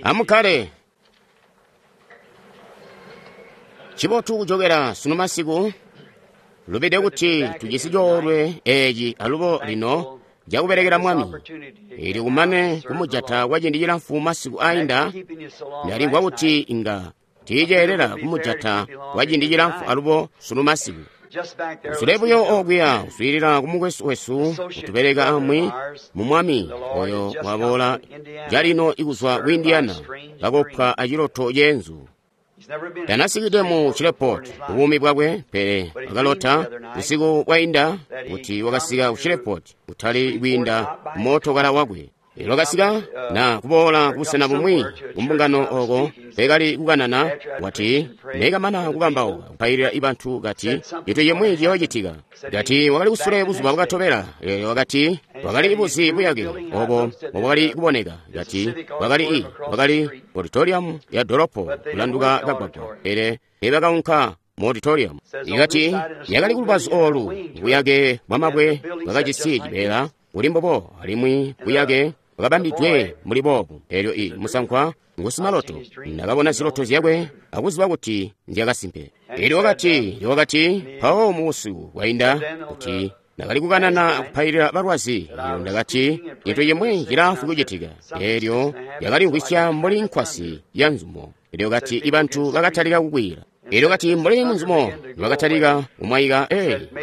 Amukkale. Ncibotu kujokela sunu masiku. Lubide kuti tujisi coolwe eeci alubo lino cakubelekela Mwami. Eelyo kumane kumujata kwa ciindi cilamfu masiku ainda, ndalimvwa kuti inga tiiceelela kumujata kwa ciindi cilamfu alubo sunu masiku. Usule buyo okuya uswiilila ku mukwesu wesu utubeleka amwi mu Mwami oyo waboola calino ikuzwa ku Indiana kakopwa aciloto ceenzu. Tanasikide mu Shreveport buumi bwakwe, pele wakalota busiku bwainda kuti wakasika ku Shreveport kutali kwiinda kumootokala wakwe. Elyo wakasika na kuboola kubusena bumwi kumbungano oko mpekali kukanana, wati nekamana kukambauka kupailila bantu kati cintu cimwi ciyoocitika. Kati wakali kusule buzuba bwakatobela. Elyo wakati wakali buzi buyake obo mbobwakali kuboneka. Kati wakali wakali auditorium ya dolopo kulanduka kagwagwa, pele nebakaunka mu auditorium. Ikati yakali kulubazu olu buyake bwamabwe bwakajisi cibeela buli mbobo alimwi buyake bwakabambidwe muli boobu. Elyo musankwa ngusimaloto, ndakabona ziloto zyakwe akuziba kuti nzyakasimpe. Elyo wakati mpawo muusiku bwainda kuti ndakali kukanana akupailila balwazi. Elyo ndakati cintu cimwi cilaafwi kucitika. Elyo yakalimvwisya mbuli nkwasi ya nzumo. Elyo kati ibantu bakatalika kukwiila. Elyo kati mbuli munzumo bakatalika kumwaika.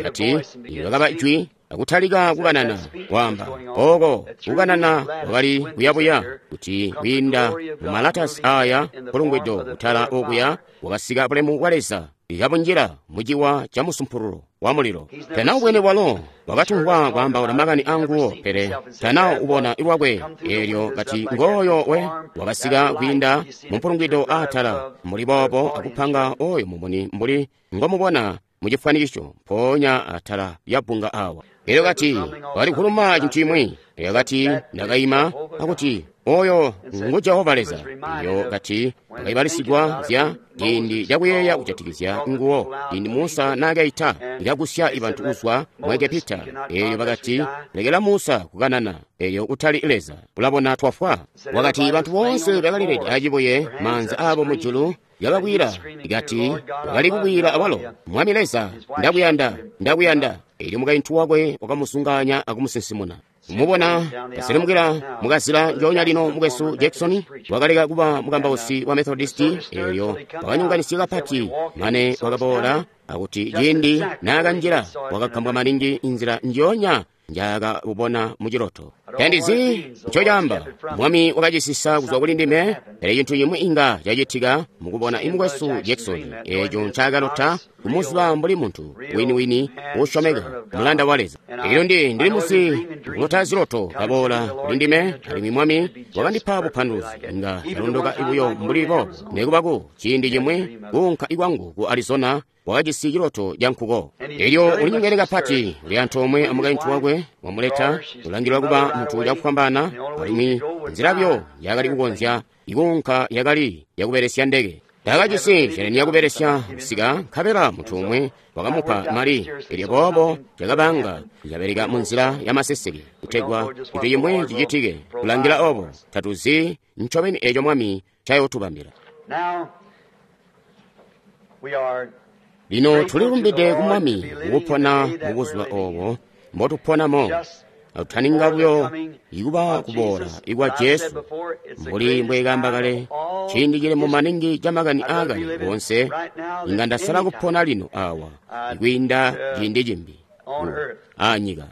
Kati bakaba jwi akutalika kukanana kwaamba oko kukanana kwakali kuyabuya kuti kwiinda mumalatasi aya mpulungwido kutala okuya wakasika bulemu bwa Leza ikabunjila muciwa ca musumpululo wa mulilo. Tana ubwene bwalo wakatumvwa kwaambaula makani anguwo, pele tana ubona lwakwe. Elyo kati ngooyo we wakasika kwiinda mumpulungwido aatala muli boobo akupanga oyo mumuni mbuli ngomubona mucifwanikisho mpoonya atala lyabbunga awa. Elyo kati wakali kuluma cintu cimwi. Elyo kati ndakaima akuti oyo ngu Jehova Leza. Elyo kati ndakaibalisigwa zya ciindi cakuyeeya kujatikizya nguwo ciindi Musa naakaita ikagusya bantu kuzwa mu Egepita. Elyo bakati lekela Musa kukanana, elyo kutali Leza. Ulabona twafwa. Wakati bantu boonse bakalilede acibuye maanza abo mujulu yakakwila. Ikati wakali kukwila awalo, Mwami Leza, ndakuyanda, ndakuyanda. Elyo mukaintu wakwe wakamusunganya akumusinsimuna. Kumubona kaselemukila mukazila njoonya lino mukwesu Jackson wakaleka kuba mukambausi wa Methodisti. Elyo wakanyonganisya kapati mane wakaboola akuti ciindi naakanjila wakagambwa maningi inzila njoonya njaakabubona muciloto. Tandizi ncocaamba. Mwami wakacisisa kuzwa kuli ndime, pele cintu cimwi inga cacitika mukubona imukwesu Jackson eeco ncakalota kumuziba mbuli muntu wini-wini uusyomeka, mulanda wa Leza. Elyo ndili musi kulota ziloto kaboola kuli ndime, alimwi Mwami wakandipa bupanduluzi. Inga ndalondoka buyo mbuli boobo. Nekuba ku ciindi cimwi kuunka ikwangu ku Arizona wakajisi ciloto ca nkuko. Elyo ulinyongene kapati, uli antoomwe amukaintu wakwe wamuleta, ulangilwa kuba muntu cakufwambaana, alimwi nzila buyo yakali kukonzya ikuunka yakali yakubelesya ndeke. Takajisi sheleni yakubelesya kusika, nkabela muntu umwe wakamupa mali. Elyo boobo cakabanga cabeleka munzila ya maseseke kutegwa cintu cimwi cicitike. Kulangila obo tatuzi ncobeni eco Mwami ncayootubambila. Lino tulilumbide ku Mwami kukupona mubuzuba obo mbotuponamo. Atutaninga buyo ikuba kuboola ikwa Jesu, mbuli mbwekamba kale, ciindi cilemu maningi ca makani aakale woonse. Inga ndasala kupona lino awa ikwiinda ciindi cimbi anyika.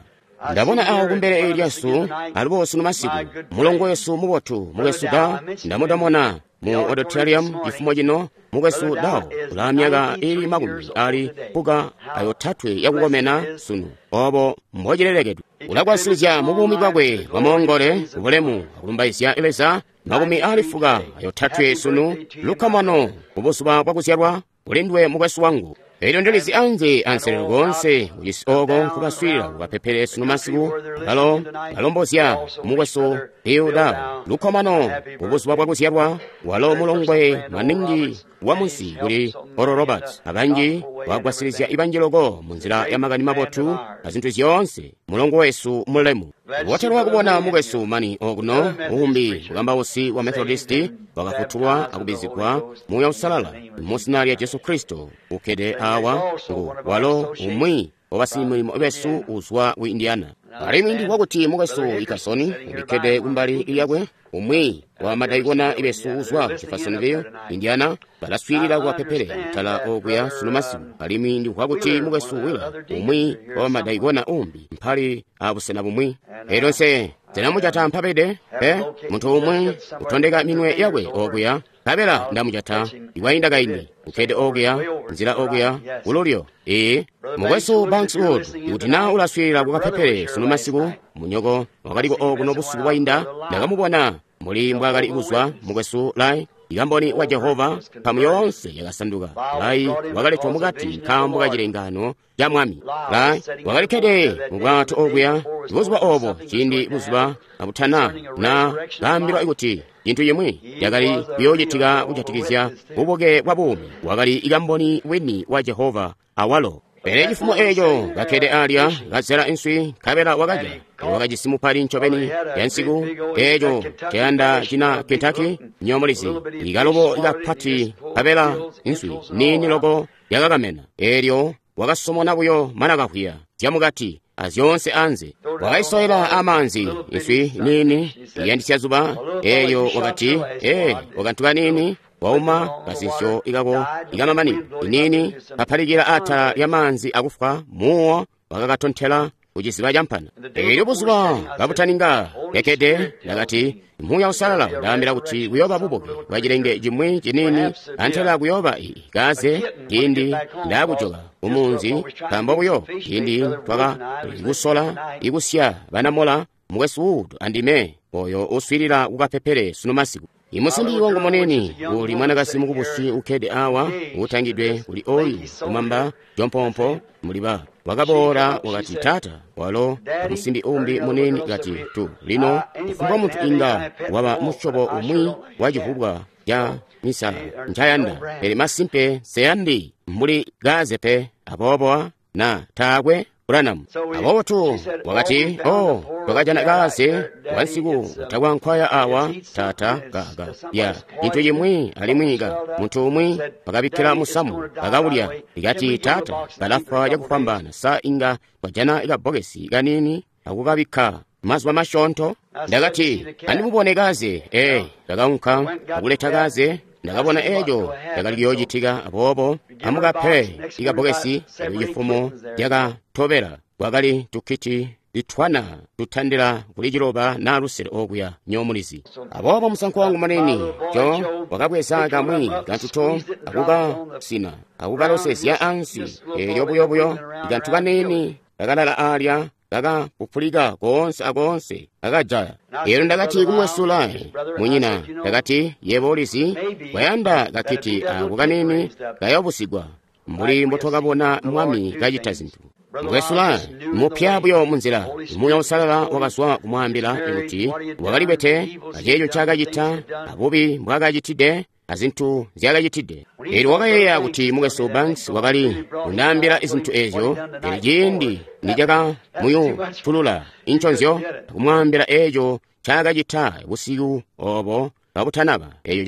Ndabona awo kumbele lyasu alubo sunu masiku mulongo wesu mubotu mukwesu Da ndamutamona mu auditorium cifumo cino. Mukwesu Dao ulaa myaka ili 23 yakukomena sunu, obo mbocilelekedwe. Ulagwasilizya mubuumi bwakwe bwamoongole kubulemu akulumbaizya Leza 93 sunu. Lukkomano mubuzuba bwakuzyalwa kulindwe mukwesu wangu. Elyo ndilizi anze anselelo koonse kucisi oko nkubaswiilila kukapepele sunu masiku balo balombozya mukwesu Bill Dao lukkomano mubuzuba bwakuzyalwa. Walo mulongwe maningi wa munsi kuli Oral Roberts, abanji wagwasilizya ibanji loko munzila ya makani mabotu azintu zyoonse. mulongo wesu mulemu. Botelwa kubona mukwesu mani okuno uumbi mukambausi wa Methodisti wakafutulwa akubizigwa Muuya Uusalala mu zina lya Jesu Kristo ukkede awa ngu walo umwi wabasimilimo besu uzwa ku Indiana. Alimwi ndimvwa kuti mukwesu Ikasoni ulikkede kumbali lyakwe, umwi wa madaikona besu uzwa ku Jeffersonville, Indiana, balaswiilila kuwapepele kutala okuya sunu masiku. Alimwi ndimvwa kuti mukwesu Wheeler, umwi wa madaikona umbi, mpali abusena bumwi. Elyo nse ndinamujata mpabede, pe muntu umwi utondeka minwe yakwe okuya, nkabela ndamujata ikwainda kaindi, ukkede okuya, nzila okuya, kululyo. Ee, mukwesu Banks Wood, ikuti naa ulaswiilila kukapepele sunu masiku, munyoko wakaliko okuno busiku bwainda, ndakamubona mbuli mbwaakali kuzwa mukwesu Lai, ikamboni wa Jehova, mpamu yoonse yakasanduka. Lai wakaletwa mukati nkaambo ka cilengano ca Mwami. Lai wakalikkede mu bwato okuya buzuba obo, ciindi buzuba abutana na kaambilwa kuti cintu cimwi cakali kuyoocitika kujatikizya bubuke bwa buumi. Wakali ikamboni wini wa Jehova awalo. Pele cifumo eco kakkede alya kazela inswi, nkabela wakalya. Wakajisi mupali ncobeni yansiku eco cayanda cina Kentucky nyomulizi ikalobo kapati, nkabela inswi niini loko yakakamena. Elyo wakasomona buyo mana kahwiya zyamukati azyoonse anze, wakaisowela amaanzi inswi niini iyandisya zuba. Elyo wakati, ee, wakantu kaniini wauma kazinsyo ikako ikamamani iniini kapalikila atala lya maanzi akufwa, muwo wakakatontela kuciziba campana. Elyo buzuba kabutaninga kekkede, ndakati, Muuya Uusalala ndaambila kuti kuyooba bubuke bwa cilenge cimwi ciniini, antela kuyooba kaze ciindi ndaakujoka kumunzi, nkaambo buyo ciindi twakali kusola kusya banamola mukwesu Wood andime oyo uswiilila kukapepele sunu masiku. Imusimbi wangu munini uli mwanakazi mukubusi ukkede awa utangidwe kuli oyu kumamba jompompo muliba wakaboola wakati, taata, walo musimbi umbi munini kati tu lino kufumbwa muntu inga waba musyobo umwi wa civubwa ca misala ncayanda, pele masimpe seyandi mbuli kaze pe, aboobo na taakwe Branham. Aboobo tu wakati, oh, twakajana kaze wansiku utakwankwaya awa tata kaka ya cintu cimwi alimwi ka muntu umwi bakabikkila musamu bakawulya. Ikati, tata, kalafwa cakufwambaana, sa inga twajana kabbokesi kaniini akukabikka mazuba masyoonto? Ndakati, andimubone kaze. Ee, ndakaunka akuleta kaze. Ndakabona eco cakali kuyoocitika, aboobo amukape ikabbokesi. Cifumo cakatobela kwakali tukkiti litwana tutandila kuli 9 na 6 okuya nyomulizi. Aboobo musankwa wangu munini Jo wakabweza kamwi kantuto akukasina akukalosezya ansi. Elyo buyo ikantu kaniini kakalala alya kakapupulika koonse akoonse kakajaya. Elyo ndakati kumwesu Lai munyina, ndakati, yebo ulizi kwayanda kakiti ako kanini kayobusigwa mbuli mbotwakabona Mwami kacita zintu. Mukwesu Lai mupya buyo munzila, Muuya Uusalala wakazwa kumwaambila kuti wakalikwete aceeco ncaakacita abubi mbwaakacitide azintu nzyaakacitide. Elyo wakayeeya kuti mukwesu Banks wakali kundaambila zintu ezyo, pele ciindi nicakamuyutulula inconzyo akumwaambila eeco ncaakacita busiku obo kabutanaba, eeco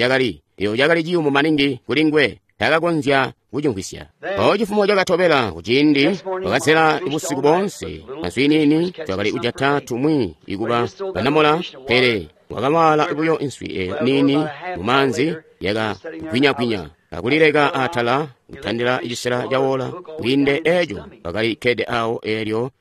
cakali ciyumu maningi kuli nguwe, taakakonzya kucimvwisya. Mpawo cifumo cakatobela kuciindi wakazela busiku boonse answi niini, twakali kujata tumwi ikuba banamola, pele wakawala buyo inswi eyo niini mumaanzi yakagwinyagwinya akulileka atala kutandila cisela cawola kwiinde eco bakali kkede awo. Elyo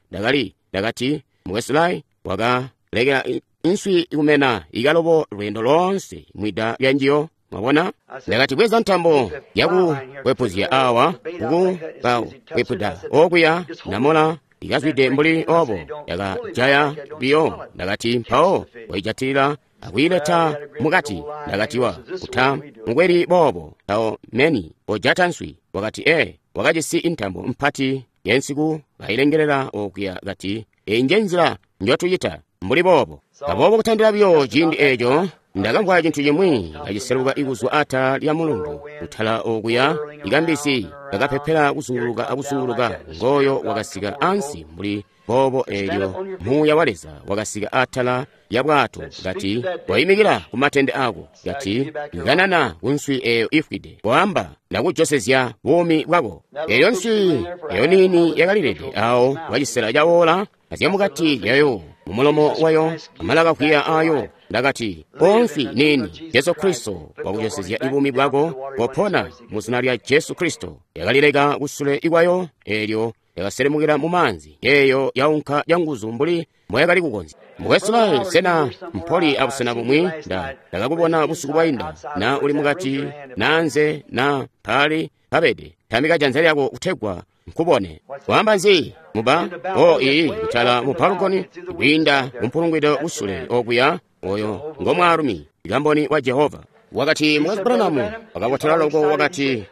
ndakati, mukwesu Lai wakalekela inswi kumena ikalobo lweendo loonse mwida lyanjiyo. Mwabona? Ndakati, bweza ntambo yakukwepuzya awa kukakwepuda okuya namola ikazwide mbuli obo yakajaya biyo. Ndakati, mpawo waijatilila akuyileta mukati. Ndakati, wa kuta mukweli boobo mpawo meni ojata nswi. Wakati, ee, wakajisi intambo mpati yansiku kayilengelela okuya. Kati, eyi nje nzila njotucita mbuli boobo. Aboobo kutandila biyo ciindi eco ndakamvwa cintu cimwi kaciseluka ikuzwa atala lya mulundu kutala okuya, ikambisi kakapepela kuzunguluka akuzunguluka, ngoyo wakasika ansi mbuli boobo eelyo Muuya wa Leza wakasika atala ya bwato, kati, "Koimikila ku matende ako," kati, "kanana ku nswi eyo ifwide, koamba, ndakujosezya buumi bwako." Eyo nswi eyo niini yakalilede awo kwa cisela ca oora, azyamukati lyayo, mu mulomo wayo, amalakakwiya ayo. Ndakati, "O nswi niini, Jesu Kristo wakujosezya buumi bwako, kopona mu zina lya Jesu Kristo." Yakalileka kusule ikwayo, eelyo yakaselemukila mu maanzi, eyo yaunka canguzu mbuli mboyakali kukonzya. Mukwesu Lyle, sena mpoli abusena bumwi? Ndakakubona busiku bwainda, na uli mukati, na anze, na mpali pabede. Tambika janza lyako kutegwa nkubone. Waamba nzi? Muba? O iyi, kutala mu balkoni, kwiinda mumpulungwido kusule okuya, oyo ngo mwaalumi, kamboni wa Jehova. Wakati, Mukwesu Branham, wakabotela loko, wakati,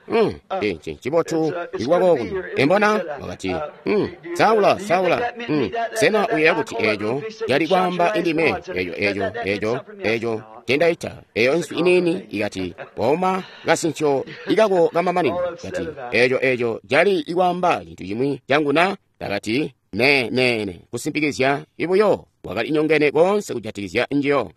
ncibotu ikuba kokuno. Embona? Wakati, Saula, Saula, sena uyeeya kuti eeco cali kwaamba indime, eeco, eeco, eeco, eeco cendaita, eyo nswi iniini ikati, wauma kasincho ikako kamamanino, kati, eeco, eeco cali ikwaamba cintu cimwi cangu na? Ndakati, ne, ne, ne, kusimpikizya ibuyo. Wakali nyongene koonse kujatikizya njiyo.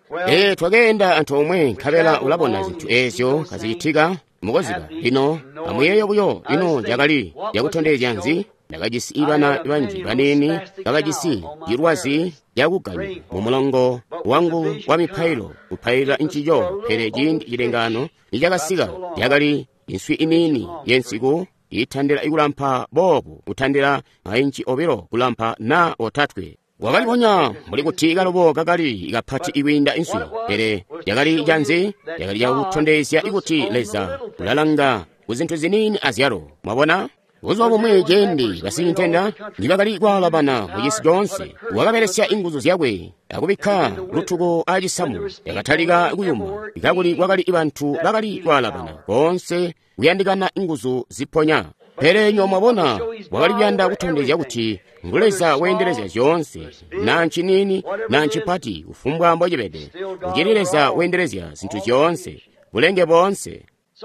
Twakeenda antoomwe, nkabela ulabona zintu eezyo kazicitika mukoziba. Lino amuyeeye buyo, ino cakali cakutondezya nzi? Ndakajisi ibana banji baniini kabajisi cilwazi cakuganya mu mulongo wangu wa mipailo kupailila ncico, pele ciindi cilengano nicakasika, yakali inswi iniini yensiku itandila kulampa boobu, kutandila mainci obilo kulampa na otatwe. Wakalibonya mbuli kuti kalobo kakali kapati ikwiinda inswi, pele yakali canzi? Yakali cakutondezya kuti Leza ulalanga ku zintu ziniini azyalo. Mwabona? Buzuba bumwi ciindi basintenda nibakali kwaalabana mu cisi coonse, wakabelesya inguzu zyakwe akubikka lutuko acisamu, yakatalika kuyuma, kakuli kwakali bantu bakali kwaalabana koonse kuyandikana inguzu ziponya. Pele nyo mwabona, wakali kuyanda kutondezya kuti ngu Leza weendelezya zyoonse, na nciniini na ncipati, kufumbwa mbocibede, ucili Leza weendelezya zintu zyoonse, bulenge boonse.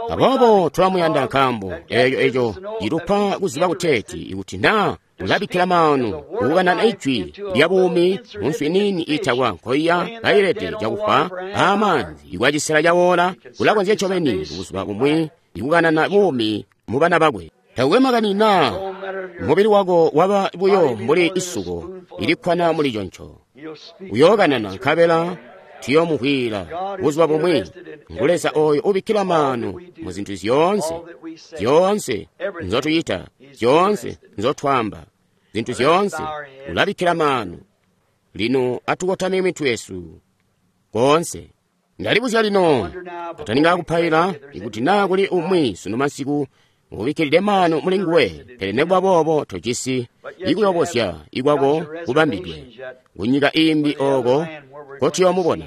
Aboobo tulamuyanda nkaambo eeco eco citupa kuziba kuteeti ikuti naa ulabikkila maanu kukanana ijwi lya buumi mu nswi niini iitakwa nkoiya kailede cakufa aamaanzi ikwa cisela ca oora, ulakonzya ncobeni buzuba bumwi ikukanana buumi mu bana bakwe. Takukwe makani naa mubili wako waba buyo mbuli isuko ilikkwana muli conco, uyookanana nkabela tuyoomuvwiila buzuba bumwi. Ngu Leza oyo ubikkila maanu mu zintu zyoonse, zyoonse nzotuyita, zyoonse nzotwaamba, zintu zyoonse ulabikkila maanu. Lino atukotame mitwe yesu koonse. Ndalibuzya lino, kataninga kupaila, ikuti naa kuli umwi sunu masiku ubikkilide maanu muli nguwe, pele nekuba boobo tojisi ikuyobozya ikwako kubambidwe kunyika imbi ooko kotuyoomubona.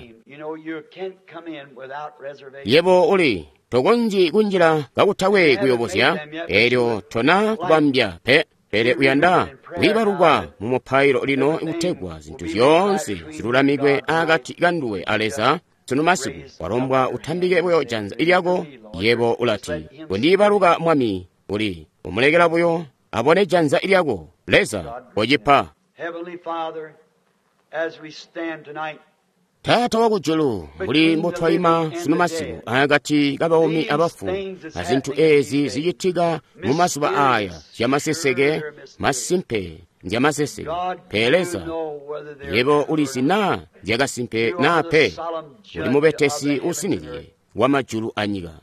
Yebo uli tokonzyi kunjila kakutakwe kuyobozya, eelyo tona kubambya pe, pele uyanda kwiibalukwa mu mupailo lino kutegwa zintu zyoonse zilulamikwe akati kanduwe a Leza. Sunu masiku walombwa utambike buyo janza lyako, yebo ulati, "Kondiibaluka Mwami." Uli umulekela buyo abone janza lyako. Leza kocipa. Taata wakujulu, mbuli mbotwaima sunu masiku akati kabaumi abafu, azintu eezi zicitika mu mazuba aya zyamaseseke, masimpe nzyamaseseke. Pele Leza, yebo ulizi naa nzyakasimpe naa pe, uli mubetesi usinizye wa majulu anyika.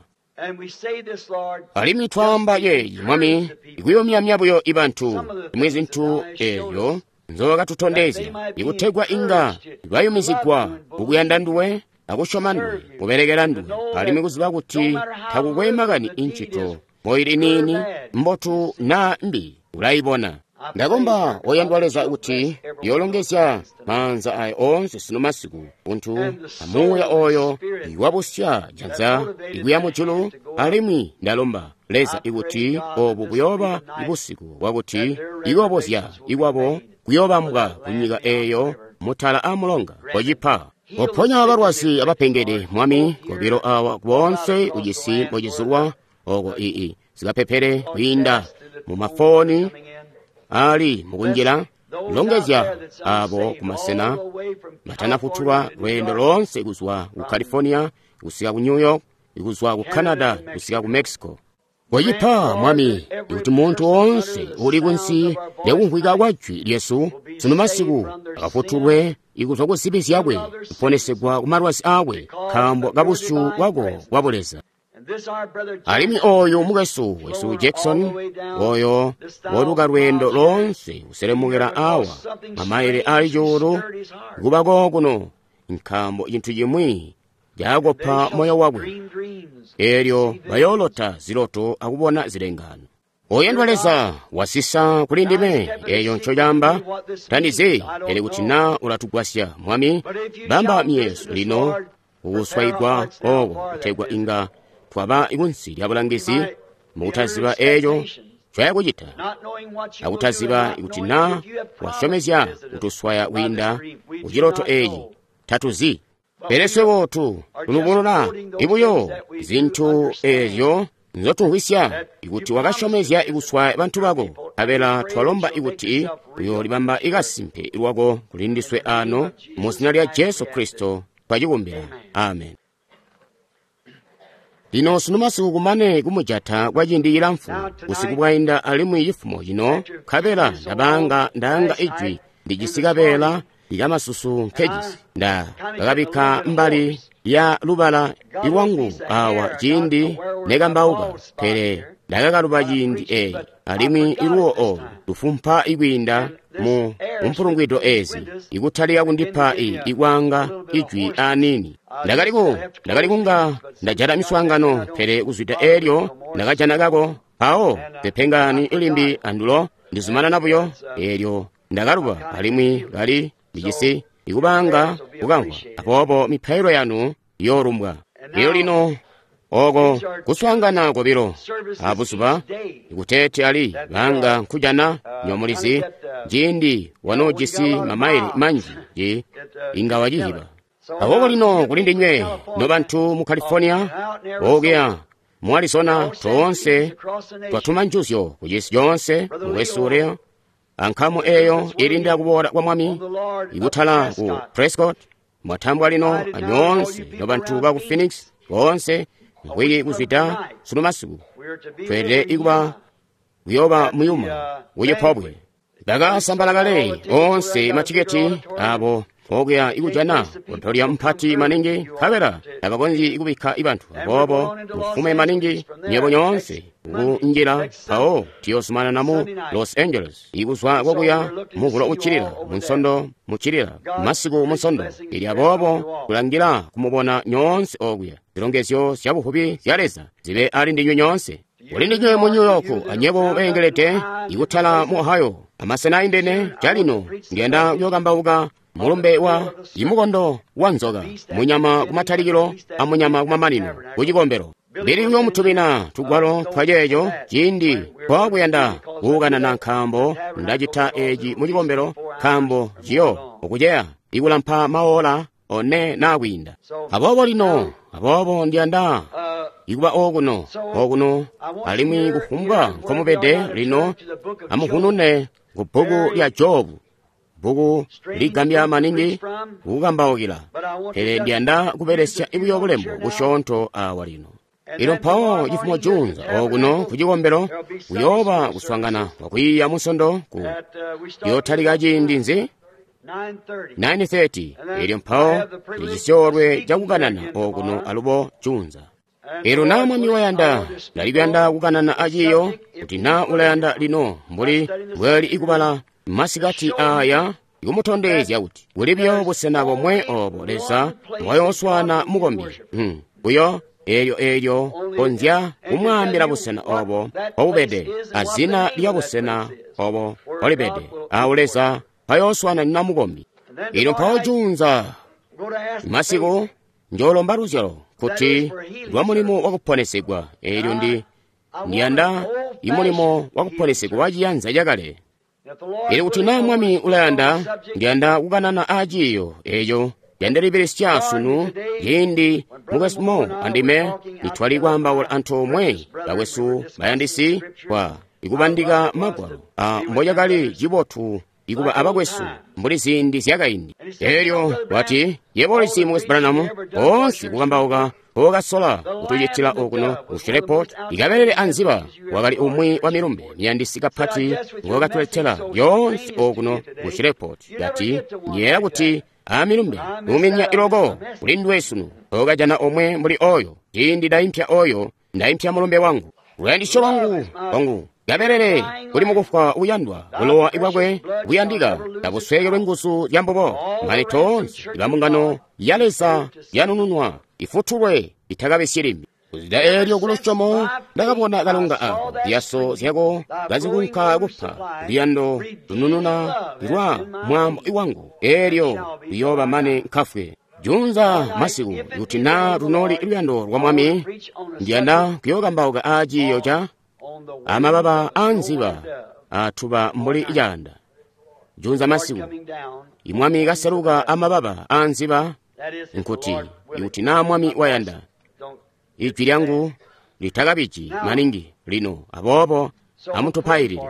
Alimwi twaamba yeeyi, Mwami, ikuyumyamya buyo ibantu imwe zintu eezyo nzobakatutondezya, ikutegwa inga bayumizigwa kukuyanda nduwe akusyoma nduwe, kubelekela nduwe, alimwi kuziba kuti takukwe makani incito moili niini, mbotu naa mbi, ulayibona. Ndakomba oyandwa Leza kuti yoolongezya maanza aya oonse sunu masiku, buntu amuuya oyo iwabusya janza ikuya mujulu. Alimwi ndalomba Leza ikuti obu buyooba busiku bwakuti ikuyobozya ikwabo kuyoobambwa kunyika eeyo mutala amulonga. Kocipa, koponya balwazi abapengede, Mwami, kobilo awa boonse kucisi mbocizulwa oko ii zikapepele kwiinda mu mafoni ali mukunjila. Longezya abo kumasena batanafutulwa lweendo loonse kuzwa ku California kusika ku New York, kuzwa ku Canada kusika ku Mexico. Kochipa, Mwami, kuti munthu wonse uli kunsi lyakumvwika kwa jwi lyesu sunu masiku akafutulwe ikuzwa ku zibi zyakwe, kuponesegwa ku malwazi akwe, nkaambo ka busyu bwako bwa buleza. Alimwi oyu mukwesu wesu Jackson, oyo woluka lweendo loonse kuselemukira awa mamayile ali cuulu kubako kuno, nkaambo chinthu chimwi caakopa moyo wakwe. Eelyo bayoolota ziloto akubona zilengano. Oyandwa Leza wasisa kuli ndime eyo ncocaamba, tandizi pele kuti na ulatugwasya Mwami, bamba miyezo lino kukuswayigwa oko kutegwa inga twaba kunsi lya bulangizi mukutaziba eco ncoyakucita, akutaziba kuti na wasyomezya kutuswaya kwiinda kuciloto eci, tatuzi. Pele swebo tulubulula ibuyo zinthu ezyo nzotumvwisya, ikuti wakasyomezya ikuswaya bantu bako, nkabela twalomba ikuti uyoolibamba ikasimpe lwako kuli ndiswe ano, mu zina lya Jesu Kristo twacikumbila. Amen. Lino sunu masiku kumane kumujata kwa ciindi cilamfu, busiku bwainda alimwi cifumo cino, nkabela ndabanga ndaanga ijwi ndijisi kabeela likamasusu nkejisi, nda kakabikka mbali ya lubala ilwangu awa ciindi nekambauka, pele ndakakaluba ciindi eeci, alimwi iluwo olu lufumpa ikwiinda mu mpulungwido ezi, ikutalika kundipa ikwanga ijwi aniini. Ndakali kunga ndajata miswaangano, pele kuzwida eelyo ndakajana kako, mpawo pepengani ilimbi andulo ndizumanana buyo, eelyo ndakaluba alimwi kali ndijisi ikubanga kukamvwa. Aboobo mipailo yanu yoolumbwa. Lino lino oko kuswaangana kobilo abuzuba ikuteeti ali banga nkujana nyomulizi ciindi wanoojisi mamayili manji ji inga wacihiba. Aboobo lino kuli ndinywe nobantu mu California, okuya mu Arizona, toonse twatuma njuzyo kucisi coonse mukwesu ulya ankamu eyo ilindira kuboola kwa Mwami ikutala ku Prescott. Mwatambwa lino anyoonse nobantu ba ku Phoenix boonse mvwiki kuzwida sunu masiku tweelede ikuba kuyoba muyuma kucipobwe. Bakasambala kale onse matiketi abo okuya ikujana kutolya mpati maningi, nkabela tabakonzyi ikubikka ibantu. Aboobo mufume maningi nyebo nyoonse kunjila, mpawo tiyozumanana mu Los Angeles ikuzwa kokuya muvulo uccilila munsondo muccilila masiku munsondo ili. Aboobo kulangila kumubona nyoonse okuya. Zilongezyo zya buvubi zya Leza zibe ali ndinywe nyoonse. Kuli ndinywe mu New York anyebo beengelede ikutala mu Ohio amasena aindene calino ndiyanda kuyokambauka mulumbe wa imukondo wa nzoka, munyama kumatalikilo amunyama kumamanino kucikombelo. Ndili kuyomutumina tugwalo twa ceeco ciindi twakuyanda kuukanana, nkaambo ndacita eci mu cikombelo, nkaambo ciyo okuceya ikulampa maola one naa kwiinda. Aboobo lino, aboobo ndiyanda ikuba okuno okuno, alimwi kufumbwa nkomubede lino amuhunune ku bbuku lya Jobu, bbuku ligambya maningi kukambaukila, pele ndiyanda kubelesya buyo bulembo busyoonto awa lino. Ilo mpawo cifumo junza okuno ku cikombelo kuyooba kuswaangana kwakwiiya munsondo ku yotalika ciindi nzi 9:30. Elyo mpawo ndicisyoolwe cakukanana okuno alubo junza. Elo na Mwami wayanda, ndali kuyanda kukanana aciiyo kuti na ulayanda lino mbuli mbwali ikubala masikati aya ikumutondezya kuti kuli buyo busena bomwe obo Leza mbwayooswaana mukombi. Buyo eelyo konzya kumwaambila busena obo mbobubede azina lya busena obo mbolibede awo Leza mpayooswaananina mukombi. Elyo mpawo junza masiku njoolomba luzyalo kuti lwa mulimo wakuponesegwa. Eelyo ndiyanda imulimo wakuponesegwa wa ciyanza cakale. Elyo kuti na Mwami ulayanda, ndiyanda kukanana aciiyo eco yandilibelesya sunu ciindi mukwesu Mo andime nitwali kwaambaula antoomwe bakwesu bayandisi kwa ikubandika magwalo a mbocakali cibotu ikuba abakwesu mbuli ziindi zyakaindi. Elyo wati, yebo ulizi, Mukwesu Branham, boonse kukambauka okasola kutucitila okuno ku Shreveport, ikabelele anziba wakali umwi wa milumbe miyandisi kapati ngokatuletela lyoonse okuno ku Shreveport. Kati, nyeela kuti amilumbe uminya iloko kuli nduwe sunu, okajana omwe mbuli oyo. Ciindi ndaimpya oyo, ndaimpya mulumbe wangu. Luyandisyo lwangu kwangu kabelele kuli mukufwa uyandwa, bulowa bwakwe buyandika tabusweekelwe nguzu zya mbubo, mane toonse ibambungano ya Leza yanununwa ifutulwe itakabisyi limbi. Kuzida eelyo kulusyomo ndakabona kalonga ako, ziyaso zyako kazikunka kupa luyando lunununa lwa mwaambo wangu, eelyo luyooba mane nkafwe. Junza masiku, kuti naa lunoli luyando lwa Mwami, ndiyanda kuyookambauka aaciiyo ca amababa aanziba atuba mbuli caanda. Junza masiku, imwami kaseluka amababa aanziba, nkuti ikuti naa Mwami wayanda, ijwi lyangu litakabiji maningi lino, aboobo amutupailile.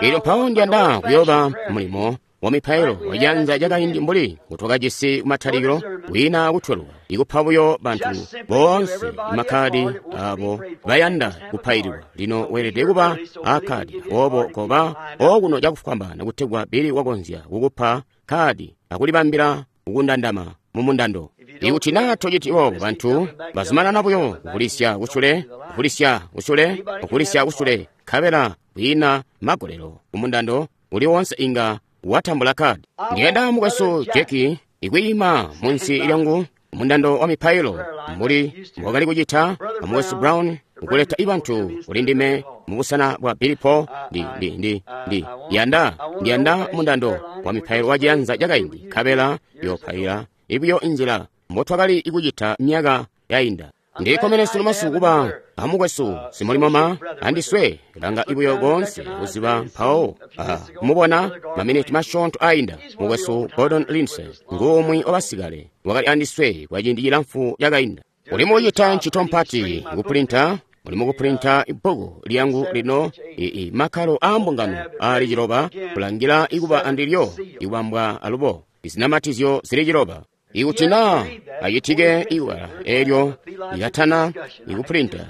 Elyo mpawo ndiyanda kuyooba mulimo wa mipailo wajanza lyakaindi mbuli ngutwakajisi kumatalikilo, wina kutweluka ikupa buyo bantu boonse makkadi abo bayanda kupaililwa. Lino weelede kuba akkadi, aboobo koba okuno cakufwambaana kutegwa Billy wakonzya kukupa kadi akulibambila kukundandama mumundando. Ikuti naa tociti boobo, bantu bazumanana buyo kukulisya kusule, kukulisya kusule, kukulisya kusule, nkabela kwiina magolelo kumundando uli wonse inga watambula kadi. Ndiyanda mukwesu Jackie ikwiima munsi lyangu mundando wa mipailo mbuli mbwakali kucita amukwesu Brown ukuleta ibantu kuli ndime mubusena bwa Billy Paul. Ndi yanda mundando wa mipailo wa ciyanza cakaindi, nkabela yopaila ibuyo inzila mbotwakali ikucita myaka yainda. Ndikkomene sunu masiku kuba amukwesu simulimoma andiswe langa ibuyo koonse kuziba mpawo kumubona maminiti masyoonto ainda. Mukwesu Gordon Lindsay ngumwi wabasikale wakali andiswe kwa ciindi cilamfu cakainda. Uli mukucita ntchito mpati kupulinta, uli mukupulinta ibbuku lyangu lino makkalo aa mbungano ali 9 kulangila ikuba andilyo ikubambwa alubo izinamatizyo zili 9. Ikuti naa acitike iwala elyo ikatana ikupulinta,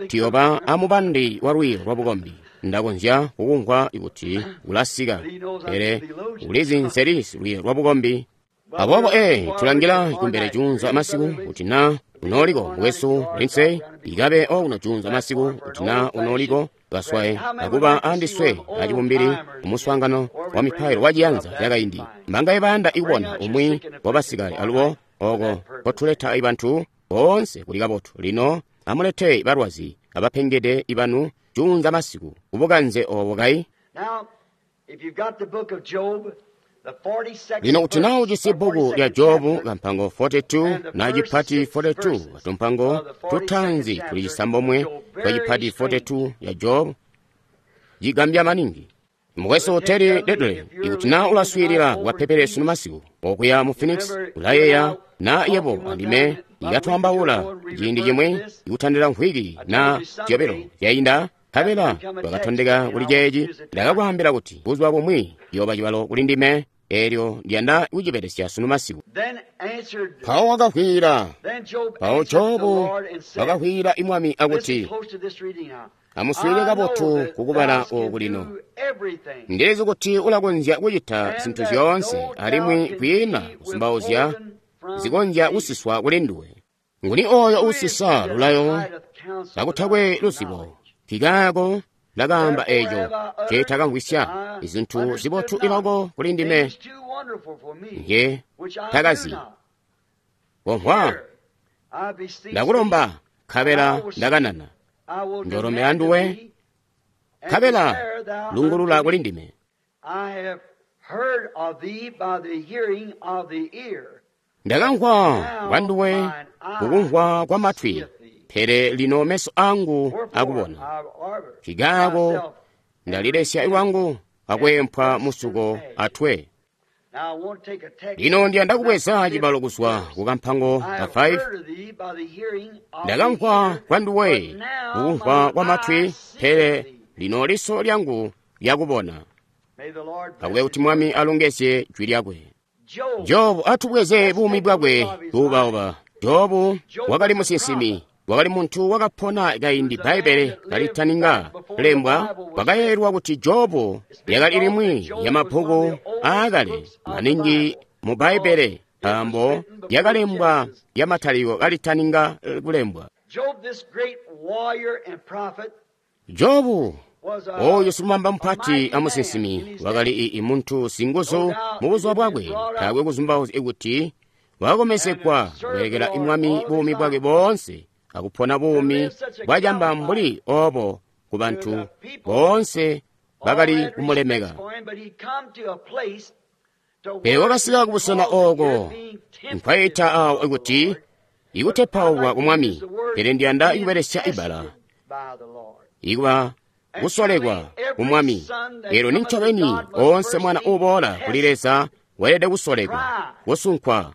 tiyoba amubandi wa lwiiyo lwa bukombi. Ndakonzya kukumvwa kuti ulasika, pele ulizi nseli lwiiyo lwa bukombi. Aboobo tulangila kumbele junza masiku kuti naa unoliko mukwesu Lindsay ikabe okuno junza masiku kuti naa unoliko kaswaye akuba andiswe acibumbili kumuswaangano wa mipailo wa ciyanza cakaindi. Mbangaye bayanda ikubona umwi wabasikale alubo oko kotuleta ibantu boonse kuli kabotu. Lino amulete balwazi abapengede ibanu junza masiku kubukanze obo kai. Lino kuti naa ujisi bbuku lya Jobu kampango 42 na cipati 42 tumpango tutaanzi tuli 9 twa cipati 42 ya Jobu cigambya maningi. Mukwesu Terry Dudley, ikuti naa ulaswiilila kukapeperesi sunu masiku okuya mu Phoenix, ulayeeya na yebo andime ikatwambaula ciindi cimwe ikutandila mvwiki na zyobilo zyainda, nkabela twakatondeka kuli ceeci. Ndakakwaambila kuti buzuba bumwi yooba cibalo kuli ndime, eelyo ndiyanda kucibelesya sunu masiku. Mpawo wakavwiila, mpawo Jobu wakavwiila imwami akuti, amuswiilile kabotu kukubala oku lino. Ndilizi kuti ulakonzya kucita zintu zyoonse, alimwi kwiina kuzumbauzya zikonzya kusiswa kuli nduwe. Nguni oyo uusisa lulayo kakutakwe luzibo? Nkikaako ndakaamba eeco nceetakamvwisya, izintu zibotu iloko kuli ndime nge takazi. Komvwa, ndakulomba, nkabela ndakanana. Njolomela nduwe, nkabela lungulula kuli ndime. Ndakamvwa kwa nduwe kukumvwa kwa matwi, pele lino meso angu akubona. Nkikaako ndalilesya lwangu akwempwa musuko atwe. Lino ndiyanda kubweza cibalo kuzwa ku kampango ka 5. Ndakamvwa kwa nduwe kukumvwa kwa matwi, pele lino liso lyangu lyakubona. Akube kuti Mwami alongezye jwi lyakwe. Jobu, atubweze buumi bwakwe buubauba. Jobu wakali musinsimi, wakali muntu wakapona kaindi Bbaibbele kalitaninga lembwa. Kwakayeeyelwa kuti Jobu lyakali limwi lya mabbuku aakale maningi mu Bbaibbele, nkaambo lyakalembwa lya Matalikilo kalitaninga kulembwa. Jobu, oyu silumamba mupati amusinsimi, wakali muntu singuzu mu buzuba bwakwe. Taakwe kuzumbauzya kuti wakakomezegwa kubelekela Mwami buumi bwakwe boonse, akupona buumi bwacamba mbuli obo ku bantu boonse bakali kumulemeka. Pele wakasika kubusena ooko nkwaita awo kuti ikutepaulwa ku Mwami, pele ndiyanda kubelesya ibala ikuba kusolekwa ku Mwami. Elo nincobeni oonse mwana uboola kuli Leza weelede kusolekwa, kusunkwa,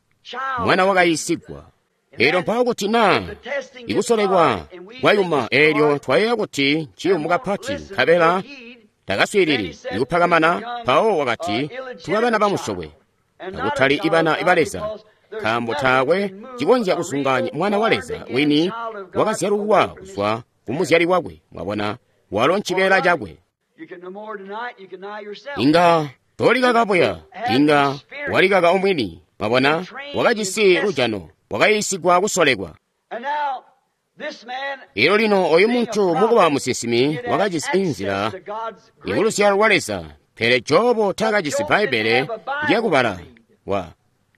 mwana wakayiisigwa. Elyo mpawo kuti naa ikusolekwa kwayuma, eelyo twayeeya kuti nciyumu kapati, nkabela takaswiilili ikupakamana, mpawo wakati tuba bana bamusyokwe, akutali ibana ba Leza, nkaambo taakwe cikonzya kusunganya mwana wa Leza wini wakazyalulwa kuzwa ku muzyali wakwe. Mwabona, walo ncibeela cakwe. Inga tolikaka buya, inga walikaka omwini. Mwabona, wakajisi lujano, wakayiisigwa kusolekwa. Elyo lino oyu muntu mukuba musinsimi wakajisi inzila ikuluzyalo lwa Leza, pele Jobu taakajisi Bbaibbele lyakubala. Wa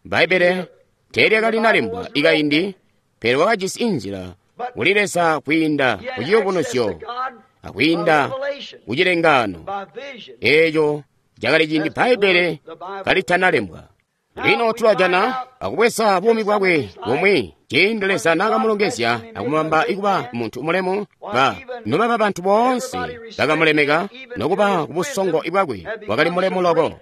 Bbaibbele teelyakalina ikaindi, pele wakajisi inzila kuli Leza kwiinda ku ciyubunuzyo akwiinda ku cilengaano. Eeco cakali ciindi Bbaibbele kalitanalembwa. Lino tulajana akubweza buumi bwakwe bumwi ciindi Leza naakamulongezya akumubamba ikuba muntu mulemu, ba nobaba bantu boonse bakamulemeka, nokuba ku busongo bwakwe wakali mulemu loko.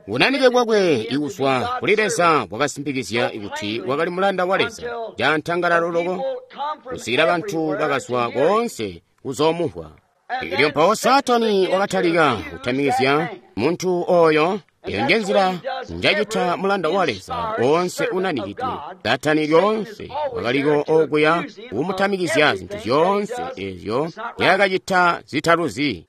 Bunanike bwakwe ikuzwa kuli Leza bwakasimpikizya kuti wakali mulanda wa Leza cantangalalo loko, kusikila bantu bakazwa koonse kuzoomumvwa. Elyo mpawo Saatani wakatalika kutamikizya muntu oyo. Eyo njenzila njacita mulanda wa Leza oonse unanikidwe. Saatani lyoonse wakaliko okuya kumutamikizya zintu zyoonse ezyo nzyakacita zitaluzi.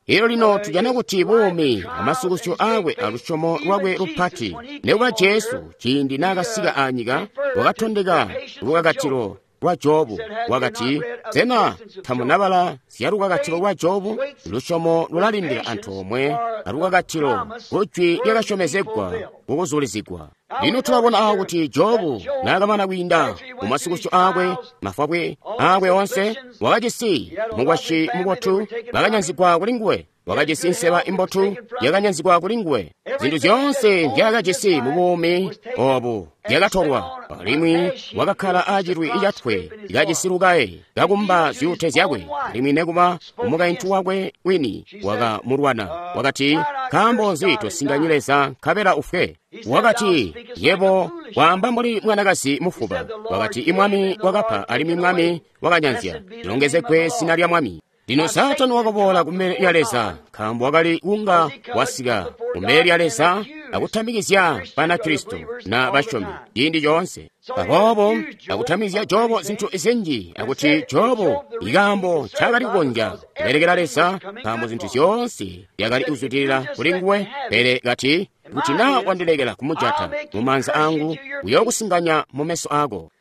Elyo lino tujana kuti buumi amasukusyo aakwe alusyomo lwakwe lupati, nikuba Jesu ciindi naakasika anyika wakatondeka lukakatilo lwa Jobu. Wakati, sena tamunabala zya lukakatilo lwa Jobu? Lusyomo lulalindila antoomwe alukakatilo kujwi lyakasyomezegwa kukuzulizigwa. Lino tulabona awo kuti Jobu naakamana kwiinda mumasukusyo aakwe, mafwabwe aakwe onse, wakajisi mukwasyi mubotu bakanyanzigwa kuli nguwe, wakajisi nseba imbotu yakanyanzigwa kuli nguwe. Zintu zyoonse nzyaakajisi mu buumi obu zyakatolwa, alimwi wakakkala acilwi catwe kajisi lukaye kakumba zyuute zyakwe, alimwi nekuba umukaintu wakwe wini wakamulwana. Wakati, nkaambo nzi tosinganyi Leza nkabela ufwe? Wakati, yebo waamba mbuli mwanakazi mufuba. Wakati, imwami wakapa alimwi mwami wakanyanzya, lilongezegwe zina lya Mwami. Lino Saatani wakaboola kumbele lya Leza, nkaambo wakali kunga wasika kumbele lya Leza akutamikizya Banakristo na basyomi ciindi coonse. Aboobo akutamikizya Jobu zintu zinji, akuti Jobu ikaambo ncaakali kukonzya kubelekela Leza, nkaambo zintu zyoonse zyakali kuzwidilila kuli nguwe. Pele kati, kuti naa wandilekela kumujata mumaanza angu, uyookusinganya mumeso aako.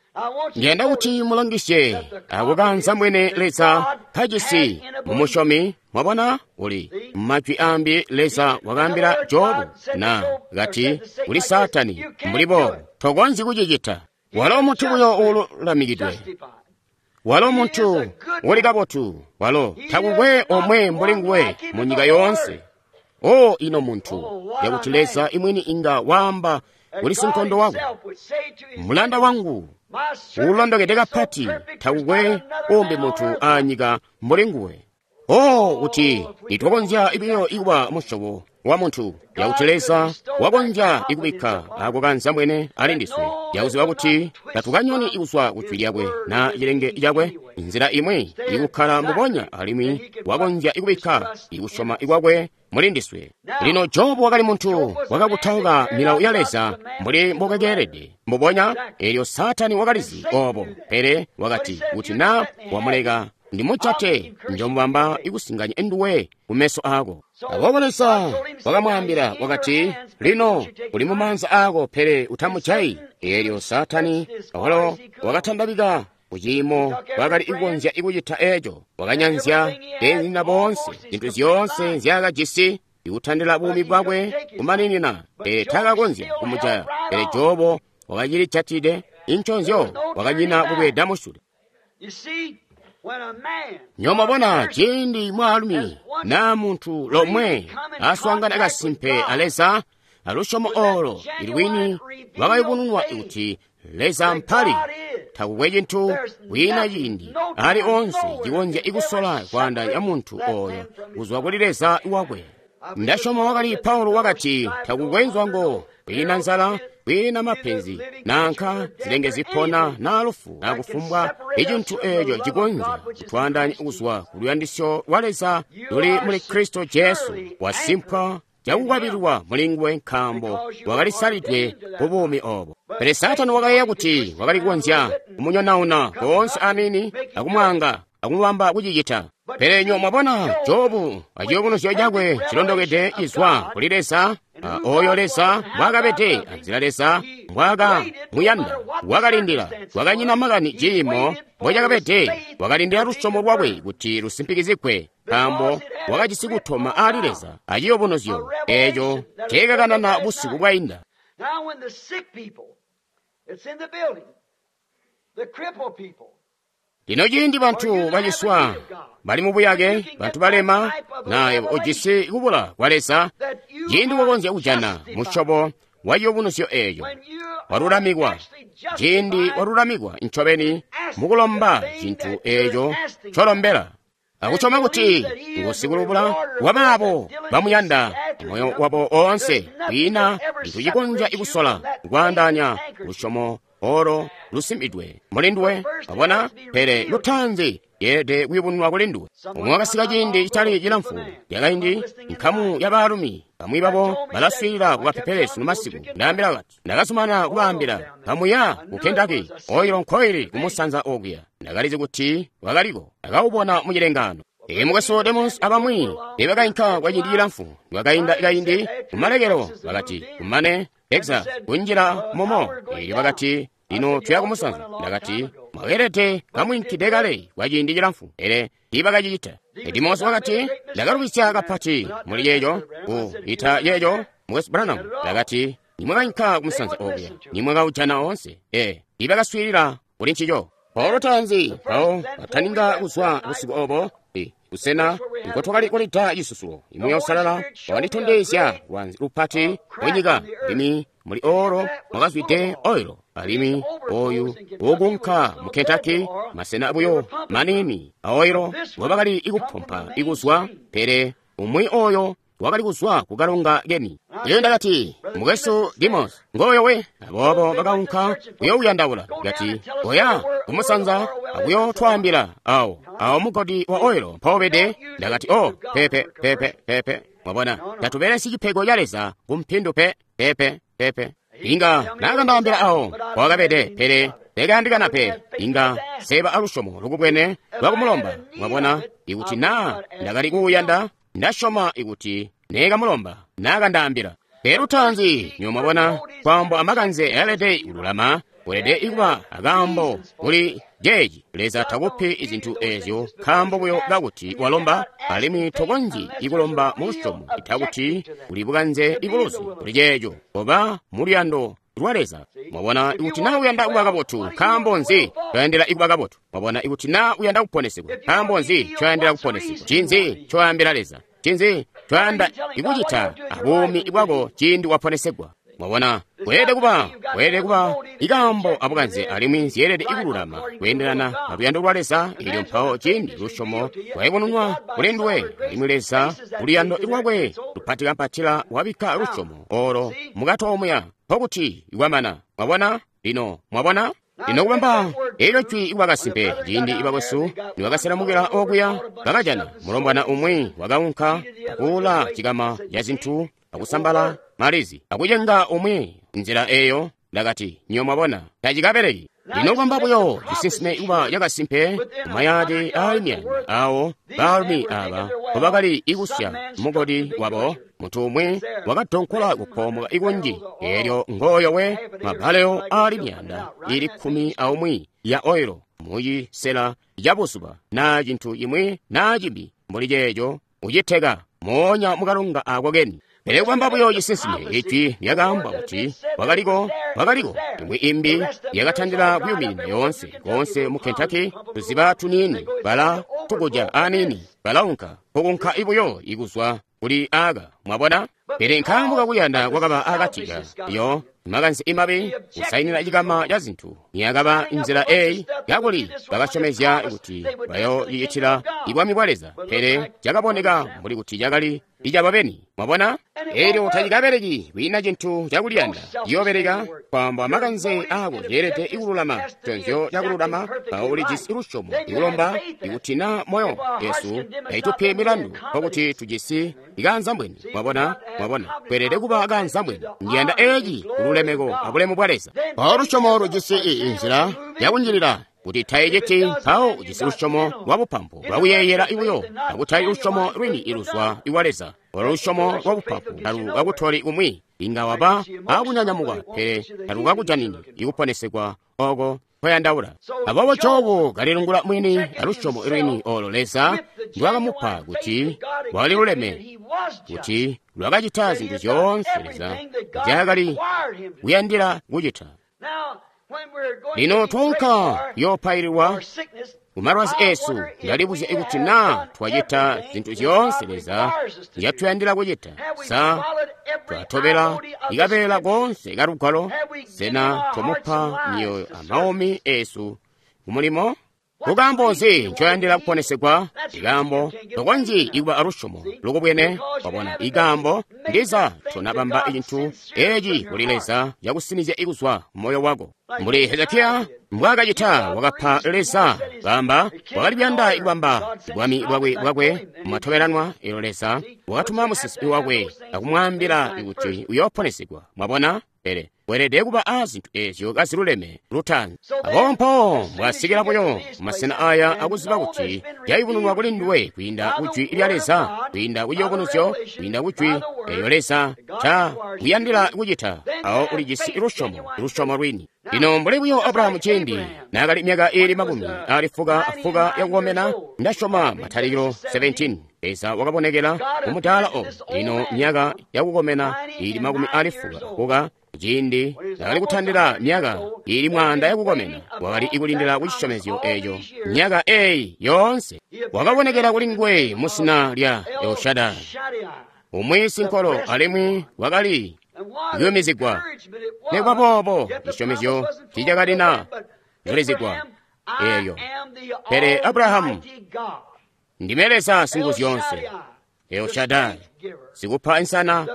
Ndiyanda kuti mulangisye akukanza mwene Leza kajisi mumusyomi. Mwabona, uli majwi ambi Leza wakaambila Jobu na kati kuli Saatani, mbuli boobo tokonzyi kucicita. Walo muntu buyo uululamikidwe, walo muntu uli kabotu, walo takukwe omwe mbuli nguwe mu nyika yoonse. O ino muntu, yakuti Leza imwini inga waamba kuli sinkondo wakwe, mulanda wangu uulondokede kapati, takukwe umbi muntu anyika mbuli nguwe. O kuti nitwakonzya ibiyo ikuba musyobo wa muntu, yakuti Leza wakonzya ikubikka ako kanzambwene ali ndiswe, yakuziba kuti tatukanyoni kuzwa ku jwi lyakwe na cilenge cakwe, nzila imwi ikukkala mbubonya alimwi wakonzya ikubikka ikusyoma ikwakwe muli ndiswe. Lino Jobu wakali muntu wakakutauka milawo ya Leza mbuli mbokakeelede mbubonya, eelyo Saatani wakalizi obo, pele wakati kuti na wamuleka ndimujate njomubamba ikusinganya nduwe kumeso ako. Aboobo Leza wakamwaambila wakati, lino uli mumaanza ako, pele utamujayi. Eelyo Saatani awalo wakatandabika kuciimo wakali kukonzya ikucita eeco, wakanyanzya beenzinyina boonse zintu zyoonse nzyaakajisi ikutandila buumi bwakwe kumaninina, pele taakakonzya kumujaya. Pele Jobu wakacilijatide inconzyo, wakanyina kubweeda musyule. Nyomwabona ciindi mwaalumi naa muntu lomwe aswaangana kasimpe a Leza, alusyomo olo ilwini lwakayubununwa kuti Leza mpali, takukwe cintu kwiina ciindi ali onse cikonzya ikusola kwaandaanya muntu oyo kuzwa kuli Leza wakwe. Ndasyoma wakali Paulo wakati, takukwe nzwango, kwiina nzala, kwiina mapenzi, nanka zilenge zipona na lufu, na kufumbwa icintu eeco cikonzya kutwaandaanya kuzwa ku luyandisyo lwa Leza luli muli Kristo Jesu, wasimpwa cakukwabililwa muli nguwe nkaambo wakalisalidwe ku buumi obo. Pele Saatani wakayeeya kuti wakali kukonzya kumunyonauna koonse amini akumwaanga akumubamba kucicita. Pele nyo mwabona Jobu aciyubunuzyo cakwe cilondokede cizwa kuli Leza, oyo Leza mbwaakabede anzila Leza mbwaakamuyanda, wakalindila, wakanyina makani ciimo mbocakabede, wakalindila lusyomo lwakwe kuti lusimpikizigwe, nkaambo wakajisi kutoma ali Leza aciyubunuzyo eeco ceekakanana busiku bwainda. Lino ciindi bantu baciswa bali mubuyake, bantu balema, naye ujisi kubula kwa Leza, ciindi wakonzya kujana musyobo wa ciyubunuzyo eeco, walulamikwa, ciindi walulamikwa ncobeni mukulomba cintu eeco colombela, akusyoma kuti ngusikulubula wabaabo bamuyanda moyo wabo oonse, kwiina cintu cikonzya ikusola kwaandaanya lusyomo olo lusimbidwe muli nduwe. Wabona? Pele lutaanzi yeelede kuyubununwa kuli nduwe. Umwi wakasika ciindi citali cilamfu lyakaindi, nkamu ya baalumi bamwi babo balaswiilila kukapeperesu masiku. Ndaambila kati, ndakazumana kubaambila, kamuya ku Kentucky, oilo nkoili kumusanza okuya. Ndakalizi kuti wakaliko, ndakawubona mu cilengaano. Ee, mukwesu Demos abamwi teebakainka kwa ciindi cilamfu. Kwakainda kaindi kumalekelo bakati, kumane Texas kunjila mumo. Eelyo bakati, lino tuya kumusanza. Ndakati, mwakeelede kamwiinkide kale kwa ciindi cilamfu, pele tiibakacicita. Demos wakati, ndakalubisya kapati muli yeeco, ku ita yeeco, mukwesu Branham. Ndakati, nimwakainka kumusanza okuya, nimwakaujana oonse. Ee, tiibakaswiilila kuli ncico. Paulo taanzi, mpawo bataninga kuzwa busiku obo, busena nkotwakali kulida cisusulo, Muuya Uusalala wakanditondezya lwanzi lupati munyika, alimwi muli olo mwakazwide oilo, alimwi oyu ukunka mu Kentucky, masena buyo maniini a oilo ngobakali ikupompa ikuzwa, pele umwi oyo wakali kuzwa ku kalonga keni. Elyo ndakati, mukwesu Demos, ngoyo we. Aboobo bakaunka kuyouyandaula. Kati, oya kumusanza akuyotwaambila awo awo mugodi wa oilo mpobede. Ndakati, oh, pepe pepe pepe. Mwabona, tatubelesyi cipego ca Leza kumpindu pe pepe pepe. Inga nakandaambila awo wakabede, pele tekayandikana pe. Inga seba alusyomo lukubwene lwakumulomba. Mwabona, ikuti naa ndakali kuuyanda, ndasyoma ikuti neekamulomba naakandaambila. Pele lutaanzi nyo mwabona, kwaambo amakanze ayelede kululama, weelede ikuba akaambo kuli jeeci. Leza takupi izintu eezyo nkaambo buyo kakuti walomba, alimwi tokonzyi ikulomba mu lusyomo ita kuti uli bukanze ibuluzi kuli ceeco, oba mu luyando lwa Leza. Mwabona, ikuti naa uyanda kuba kabotu, nkaambo nzi ncoyandila ikuba kabotu? Mwabona, ikuti naa uyanda kuponesegwa, nkaambo nzi ncoyandila kuponesegwa? Ncinzi ncoyambila Leza? Ncinzi ncoyanda ikucita abuumi bwako ciindi waponesegwa? Mwabona, kweelede kuba ikaambo abukanze alimwi zyeelede ikululama kweendelana aluyando lwa Leza. Elyo mpawo ciindi lusyomo lwayubununwa kuli nduwe, alimwi Leza kuluyando lwakwe lupatikampatila wabikka lusyomo olo mukati omuya, nkokuti kwamana. Mwabona? Lino, mwabona? Lino kubamba elyo jwi kuba kasimpe, ciindi ibakwesu nibakaselamukila okuya, bakajana mulombwana umwi wakaunka akuula cikama ca zintu akusambala malizi akucenga umwi nzila eyo. Ndakati, nyo mwabona, tacikabeleki. Lino kubamba buyo cisinsime kuba cakasimpe kumayaadi aali myaanda awo baalumi aba mbobakali ikusya mugodi wabo, muntu umwi wakadonkola kupoomoka ikunji, eelyo ngooyo we mabaleo aali myaanda ili 11 ya oilo mucisela ca buzuba naa cintu cimwi naa cimbi mbuli ceeco, uciteka moonya mukalonga ako keni. Pele kubamba buyo cisinsime, ijwi lyakaamba kuti wakaliko, imwi imbi yakatandila kuyuminina yoonse koonse mu Kentucky, tuziba tuniini bala tukuja aniini balaunka kukunka ibuyo ikuzwa kuli aka. Mwabona? Pele nkaambo kakuyanda kwakaba akati ka yo makanze imabi kusainila cikama ca zintu niyakaba nzila eyi kakuli bakasyomezya kuti bayoocicitila ibwami bwa Leza, pele cakaboneka mbuli kuti cakali icababeni. Mwabona? Elyo tacikabeleki kwiina cintu cakuliyanda ciyoobeleka, kwaamba makanze aako ceelede ikululama conzyo cakululama. Mpawo ulijisi lusyomo ikulomba ikuti na moyo yesu taitupi milandu, nkokuti tujisi ikaanzambwene. Mwabona? Mwabona, kweelede kuba kaanzambwene. Ndiyanda eci kululemeko abulemu bwa Leza. Mpawo lusyomo lujisi inzila yakunjilila kuti taiciti, mpawo ujisi lusyomo lwabupampu lwakuyeeyela ibuyo, akutali lusyomo lwini iluzwa iwa Leza. Olo lusyomo lwabupampu talukakutoli kumwi, inga waba akunyanyamuka, pele talukakujanini ikuponesegwa oko koyandaula. Aboobo Jobu kalilungula mwini alusyomo lwini olo Leza ndwakamupa kuti lwakaliluleme, kuti lwakacita zintu zyoonse Leza nzyaakali kuyandila kucita. Lino twaunka kuyoopaililwa kumalwazi esu, ndalibuzya ikuti naa twacita zintu zyoonse Leza nzyatuyandila kucita. Sa twatobela ikabeela koonse kalugwalo? Sena twamupa myoyo amaumi esu kumulimo? Nkaambo nzi ncoyandila kuponesegwa? Ikaambo tokonzyi ikuba alusyomo lukubwene. Wabona, ikaambo ndiza tonabamba cintu eci kuli Leza cakusinizya ikuzwa moyo wako, mbuli Hezekiya mbwaakacita. Wakapa Leza kamba wakali kuyanda ikubamba bwami bwakwe mumatobelanwa. Elyo Leza wakatuma musinsimi wakwe akumwaambila kuti uyooponesegwa. Mwabona? Pele weelede kuba a zintu ezyo kaziluleme lutaanzi. Aboobo mpawo mbwasikila buyo mumasena aya akuziba kuti yayubununwa kuli nduwe kwiinda kujwi lya Leza, kwiinda kuciyubunuzyo, kwiinda kujwi eyo Leza ca kuyandila kucita, awo ulijisi lusyomo, lusyomo lwini. Lino mbuli buyo Abrahamu ciindi naakali myaka iili 90 yakukomena, ndasyoma Matalikilo 17, Leza wakabonekela mumudaala omu. Lino myaka yakukomena iili 90 ciindi nakali kutandila myaka iili 100 yakukomena, wakali ikulindila kucisyomezyo eeco myaka eyi yoonse. Wakabonekela kuli nguwe musina lya Elshadai, umwi sinkolo, alimwi wakali kuyumizigwa. Nikuba boobo cisyomezyo tiicakalina zulizigwa eeyo. Pele Abrahamu, ndime Leza Singuzyoonse, Elshadai, sikupa insana,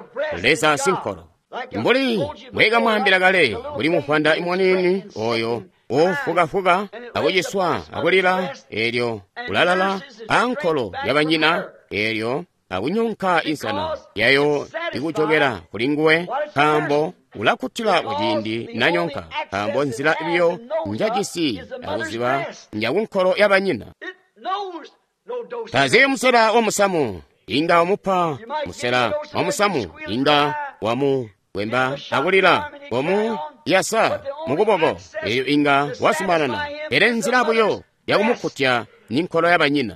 Leza sinkolo. Mbuli mbwekamwaambila kale, mbuli mufwanda imwaniini oyo ufukafuka akuciswa akulila, elyo ulalala ankolo yabanyina, elyo akunyonka insana yayo ikujokela kuli nguwe, nkaambo ulakkutila kuciindi nanyonka, nkaambo nzila biyo njajisi akuziba njakunkolo yabanyina. Tazi musela wa musamu, inga wamupa musela wa musamu, inga wamu wemba akulila wamu yasa mukuboko, eyo inga wasumanana, pele nzila buyo yakumukkutya ni nkolo yabanyina.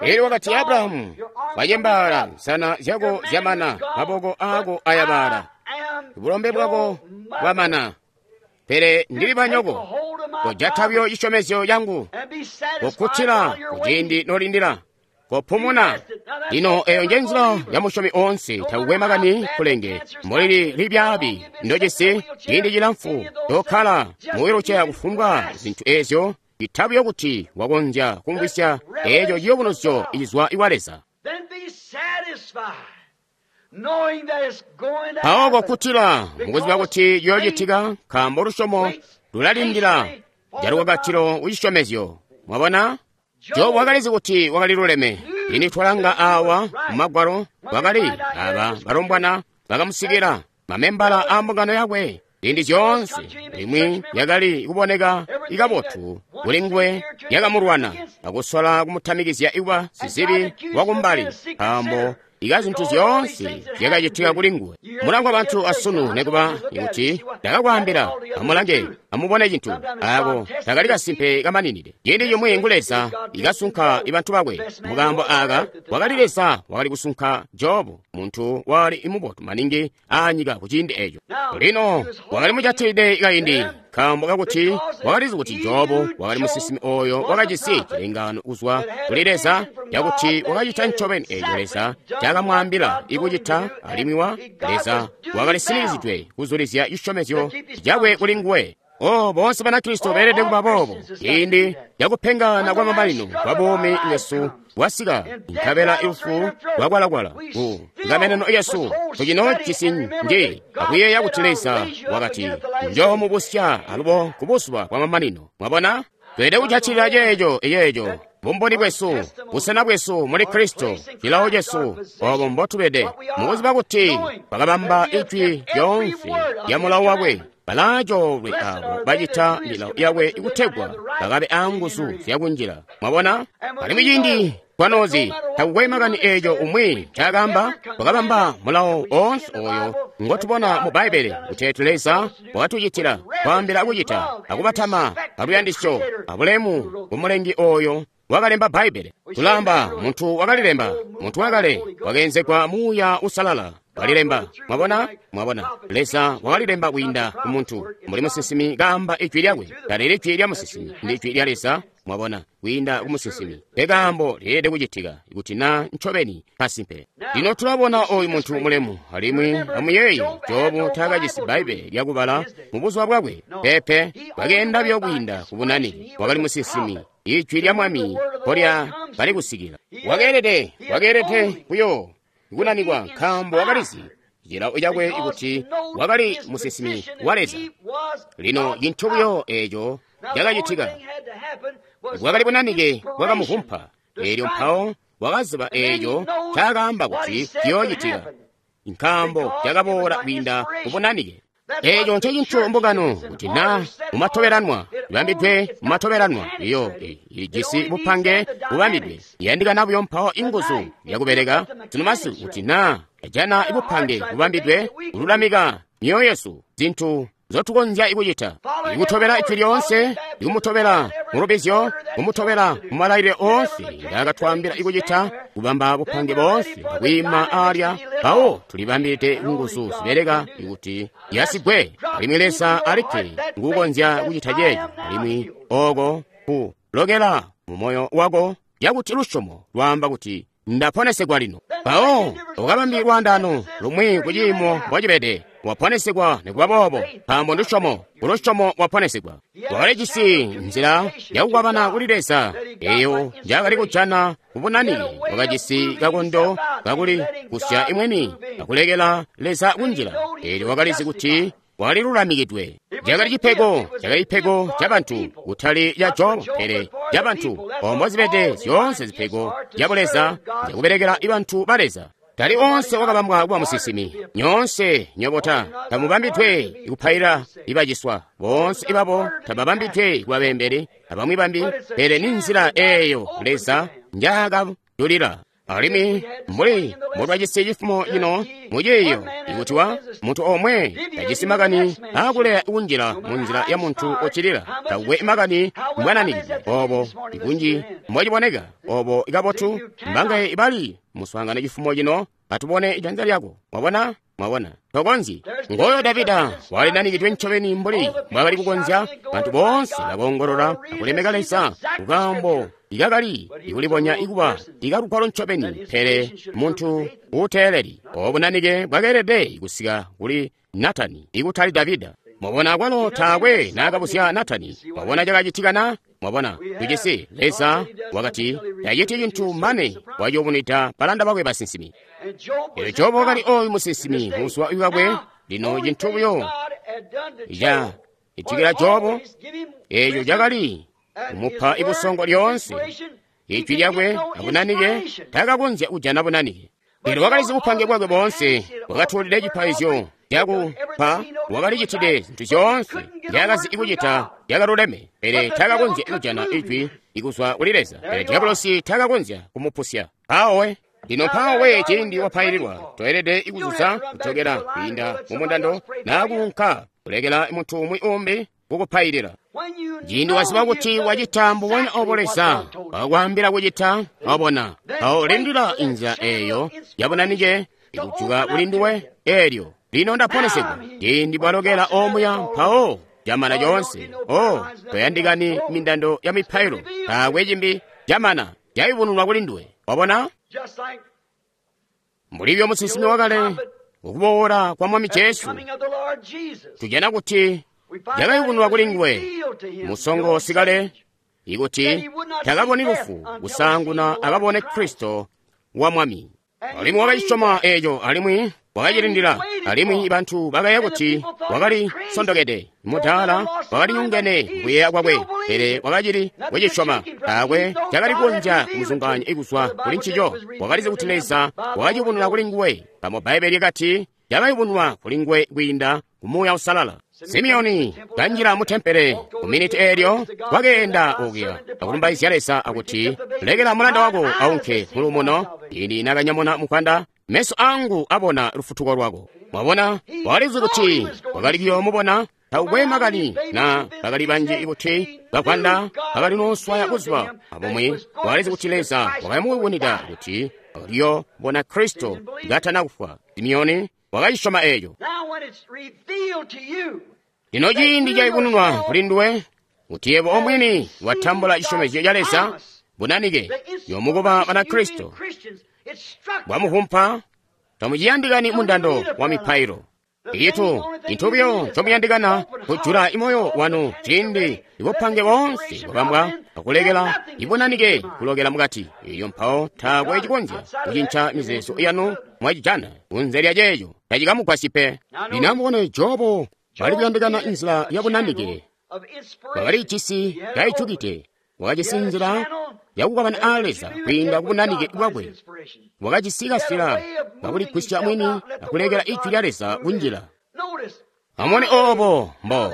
Elyo wakati, Abrahamu, wacembaala, nsana zyako zyamana, maboko aako ayabala, bulombe bwako bwamana, pele ndili banyoko. Kojata buyo cisyomezyo cangu, kokkutila kuciindi nolindila. Kopumuna. Lino eyo nje nzila ya musyomi oonse, takukwe makani kulenge mbulili libyaabi ndojisi ciindi cilamfu tokkala mu wiluceya kufumbwa zintu ezyo, itabuyo kuti wakonzya kumvwisya eeco ciyubunuzyo icizwa iwa Leza. Mpawo kokkutila mukuziba kuti ciyoocitika, nkaambo lusyomo lulalindila calukakatilo kucisyomezyo. Mwabona? Jobu wakalizi kuti wakali luleme. Lino twalanga awa mu Magwalo, wakali aba balombwana bakamusikila, mamembala a mbungano yakwe, ziindi zyoonse limwi yakali kuboneka ikabotu kuli nguwe yakamulwana akusola kumutamikizya kuba sizibi wakumbali, nkaambo ika zintu zyoonse zyakacitika kuli nguwe. Mulangu abantu asunu nekuba kuti ndakakwaambila, amulange, amubone cintu ako takali kasimpe kamaninide. Ciindi cimwi ngu Leza ikasunka ibantu bakwe. Mukaambo aka wakali Leza wakali kusunka Jobu, muntu wali mubotu maningi aanyika kuciindi eco. Lino wakali mujatilide kaindi, nkaambo kakuti wakalizi kuti Jobu wakali musinsimi oyo wakajisi cilengaano kuzwa kuli Leza cakuti wakacita ncobeni eco Leza cakamwaambila ikucita, alimwi wa Leza wakali sinikizyidwe kuzulizya cisyomezyo cakwe kuli nguwe. Oh, boonse Banakristo beelede kuba boobo. Ciindi cakupengana kwa mamanino kwa buumi bwesu bwasika, nkabela lufu lwakwalakwala ku ngameneno yesu, tucinoojisi nji akuyeeya kuti Leza wakati, njoomubusya alubo ku buzuba bwa mamanino. Mwabona? Tweelede kujatilila ceeco eyeeco bumboni bwesu, busena bwesu muli Kristo, cilawo cesu, obo mbotubede, mukuziba kuti bakabamba ijwi lyoonse lya mulawo wakwe. Balaacoolwe abo bacita milawo yakwe kutegwa bakabe aanguzu zyakunjila. Mwabona? Alimwi ciindi twanoozi takukwe makani eeco umwi ncaakaamba, twakabamba mulawo oonse oyo ngotubona mu Bbaibbele kuteeti Leza wakatucitila, kwaambila kucita, akubatama aluyandisyo abulemu ku Mulengi oyo wakalemba Bbaibbele. Tulaamba muntu wakalilemba, muntu wakale wakeenzegwa Muuya Uusalala walilemba. Mwabona? Mwabona, Leza wakalilemba kwiinda ku muntu, mbuli musinsimi kaamba ijwi lyakwe. Talili ijwi lya musinsimi, ndi ijwi lya Leza. Mwabona, kwiinda ku musinsimi. Pekaambo lyeelede kucitika kuti na ncobeni kasimpe. Lino tulabona oyu muntu mulemu, alimwi amuyeeye, Jobu taakajisi Bbaibbele lyakubala mu buzuba bwakwe. Peepe, wakeenda buyo kwiinda ku bunani. Wakali musinsimi. Ijwi lya Mwami mpolya kali kusikila. Wakeelede, wakeelede kuyo kunanikwa, nkaambo wakalizi cilawo cakwe kuti wakali musinsimi wa Leza. Lino cintu buyo eeco cakacitika, bwakali bunanike bwakamuvumpa, eelyo mpawo wakaziba eeco ncaakaamba kuti ciyoocitika, nkaambo cakaboola kwiinda kubunanike. Eeco ncecintu mbungano kuti na mumatobelanwa ibambidwe mumatobelanwa iyo ijisi bupange bubambidwe iyandikana buyo mpawo inguzu yakubeleka sunu masiku kuti na yajana bupange bubambidwe kululamika myoyo yesu zintu nzotukonzya ikucita, ikutobela ijwi lyoonse, ikumutobela mulubizyo, kumutobela mumalailile oonse ngaakatwaambila ikucita, kubamba bupange boonse akwiima alya. Mpawo tulibambilide nguzu zibeleka ikuti yasigwe, alimwi Leza alikke nguukonzya kucita ceeco, alimwi oko kulokela mu moyo wako yakuti lusyomo lwaamba kuti ndaponesegwa lino. Mpawo ukabambi lwaandaano lumwi kuciimo mbocibede, waponesegwa nikuba boobo, nkaambo ndusyomo, kulusyomo waponesegwa. Wakalijisi nzila yakukwabana kuli Leza eyo njaakali kujana kubunanike. Wakajisi kakondo kakuli kusya imweni akulekela Leza kunjila, eelyo wakalizi kuti walilulamikidwe. Cakali cipego, cakali cipego ca bantu, kutali ca Jobu, pele ca bantu. Ombo zibede zyoonse zipego zya Buleza zyakubelekela bantu ba Leza. Tali onse wakabambwa kuba musinsimi. Nyoonse nyobota tamubambidwe kupaila ibaciswa, boonse ibabo tababambidwe kuba beembeli abamwi bambi, pele ni nzila eeyo Leza njaakadulila. Alimwi mbuli mbotwajisi cifumo cino muciiyo, ikuti wa muntu omwe tajisi makani aakuleya kunjila munzila ya muntu uccilila, takukwe makani mbwananikidwe obo ikunji mbociboneka obo ikabotu, mbangaye ibali muswaangano cifumo cino, atubone ijanza lyako. Mwabona? Mwabona, tokonzyi. Ngoyo Davida walinanikidwe ncobeni mbuli mbwakali kukonzya. Bantu boonse bakoongolola akulemeka Leza kukaambo ikakali ikulibonya ikuba ikalugwalo ncobeni, pele muntu uuteeleli. Obo bunanike bwakeelede kusika kuli Natani, ikutali Davida. Mwabona, kwalo taakwe naakabuzya Natani. Mwabona cakacitika na? Mwabona, tujisi Leza wakati taciti cintu mane wayubunwida balanda bakwe basinsimi. Elyo Jobu wakali oyu musinsimi buzuba bwakwe. Lino cintu buyo ca itikila Jobu, eco cakali kumupa ibusongo lyoonse, ijwi lyakwe abunanike, takakonzya kujana bunanike. Elyo wakalizi bupange bwakwe boonse, wakatuulide cipaizyo cakupa, wakalicitide zintu zyoonse nzyakazi kucita zyakaluleme, pele takakonzya kujana ijwi ikuzwa kuli Leza. Pele diabolosi takakonzya kumupusya. Mpawo lino, mpawo ciindi wapaililwa, toelede ikuzuza kujokela kwiinda mu mundando naa kuunka kulekela muntu umwi umbi kukupailila. Ciindi waziba kuti wacita mbubonya obo Leza wakwaambila kucita, wabona, mpawo lindila inzila eeyo yabunanike ikujuka kuli nduwe. Eelyo lino ndaponesegwa. Ciindi bwalokela omuya, mpawo camana coonse. O, toyandikani mindando ya mipailo, taakwe cimbi, camana, cayubununwa kuli nduwe. Wabona, mbulibyo musinsimi wakale ukuboola kwa Mwami Jesu, tujana kuti cakayubununwa kuli nguwe musongo sikale, ikuti takaboni lufu kusaanguna akabone Kristo wa Mwami. Alimwi wakacisyoma eeco, alimwi wakacilindila, alimwi bantu bakaya kuti wakali sondokede, mudaala wakali nyongene kuyeeya kwakwe, pele wakacili kucisyoma. Taakwe cakali kukonzya kumuzungaanya ikuzwa kuli ncico. Wakalizi kuti Leza wakaciyubununa kuli nguwe. Pamo Bbaibbele lyakati cakayubununwa kuli nguwe kwiinda ku Muuya Uusalala. Simeoni kanjila mu tempele ku miniti eelyo, wakeenda okuya akulumbaizya Leza akuti, lekela mulanda wako aunke muluumuno, ini nakanyamuna mukwanda, meso angu abona lufutuko lwako. Mwabona, wakalizi kuti wakali kuyoomubona. Taukwe makani na bakali banji kuti bakwanda bakali nooswaya buzuba abumwi, wakalizi kuti Leza wakamuyubunwida kuti wakaliyoobona Kristo katana kufwa. Simeoni wakacisyoma eeco. Lino ciindi cayubununwa kuli nduwe kuti yebo omwini watambula cisyomezyo ca Leza, bunanike yomukuba Banakristo bwamuvumpa, tamuciyandikani mundando wa mipailo. Itu cintu buyo ncomuyandikana kujula imoyo wanu ciindi ibupange boonse bwabambwa akulekela ibunanike kulokela mukati. Iyo mpawo taakwe cikonzya kucinca mizeezo yanu mwacijana kunze lya ceeco tacikamugwasyi pe. Lino amubone Jobu bali kuyandikana inzila yabunanike, wakalijisi kaicukide, wakajisi nzila yakukabana a Leza kwiinda kubunanike bwakwe. Wakajisi kasila kakuligwisya mwini akulekela ijwi lya Leza kunjila. Amubone obo mbo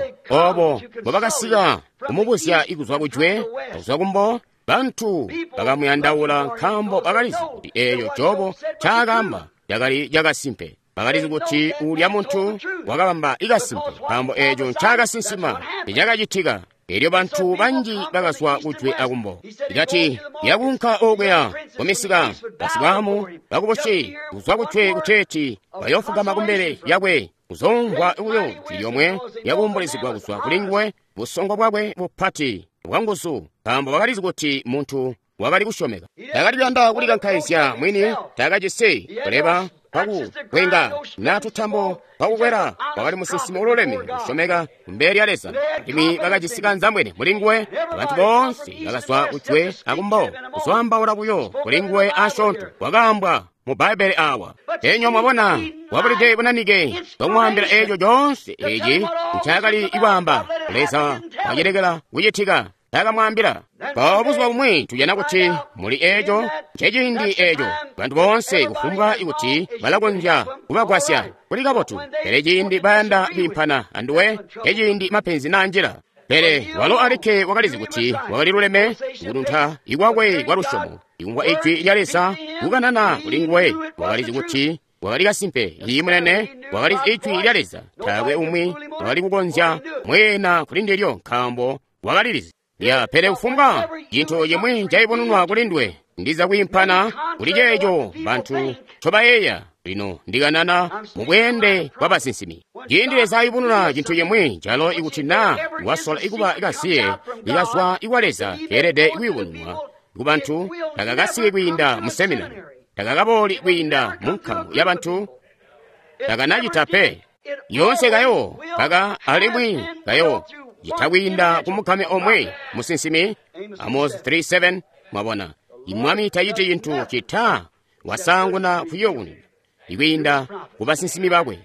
mbobakasika kumubuzya ikuzwa kujwe akuzwa kumbo. Bantu bakamuyandaula nkaambo bakalizi kuti eeyo Jobu ncaakaamba cakali cakasimpe. Bakalizi kuti uulya muntu wakabamba ikasimpe, nkaambo eeco ncaakasinsima nicakacitika. Elyo bantu banji bakazwa kujwe akumbo. Ikati yakunka okuya kumisika basibwamu bakubusi kuzwa kujwe kuteeti bayofugama kumbele yakwe kuzomvwa buyo jwi lyomwe lyakuumbulizigwa kuzwa kuli nguwe, busongo bwakwe bupati bwanguzu, nkaambo bakalizi kuti muntu wakali kusyomeka. Takali kuyanda kulikankaizya mwini, takajisi kuleba pakukwenga na tutambo pakukwela. Wakali musinsimi ululeme kusyomeka kumbele lya Leza, alimwi bakajisi kanzambwene muli nguwe. Abantu boonse bakazwa kujwe akumbo kuzwaambaula buyo kuli nguwe asyoonto wakaambwa mu Bbaibbele awa. Enywa mwabona, wabulide bunanike bwamwaambila eeco coonse eci ncaakali kwaamba. Leza wacilekela kucitika, takamwaambila. Mpawo buzuba bumwi tujana kuti muli eeco nceciindi eeco bantu boonse kufumbwa kuti balakonzya kubagwasya kuli kabotu, pele ciindi bayanda kwiimpana anduwe nceciindi mapenzi naanjila. Pele walo alikke wakalizi kuti wakali luleme kutunta ikwakwe kwa lusyomo, ikumvwa ijwi lya Leza kukanana kuli nguwe. Wakalizi kuti wakali kasimpe, iyi munene, wakalizi ijwi lya Leza. Taakwe umwi wakali kukonzya mweena kuli ndilyo, nkaambo wakalilizi. Ya, pele kufumbwa cintu cimwi cayubununwa kuli nduwe, ndiza kwiimpana kuli ceeco bantu ncobayeeya. Lino ndikanana mubweende bwa basinsimi. Ciindi Leza ayubununa cintu cimwi calo ikuti naa wasola ikuba kasiye ikazwa ikwa Leza keelede kuyubununwa ku bantu, takakasiki kwiinda mu seminari, takakabooli kwiinda mu nkamu ya bantu, takanacita pe. Yoonse kayo kaka alimwi kayo cita kwiinda ku mukame omwe musinsimi. Amos 3:7. Mwabona, Mwami taciti cintu cita wasaanguna kuyobununa ikwiinda ku basinsimi bakwe.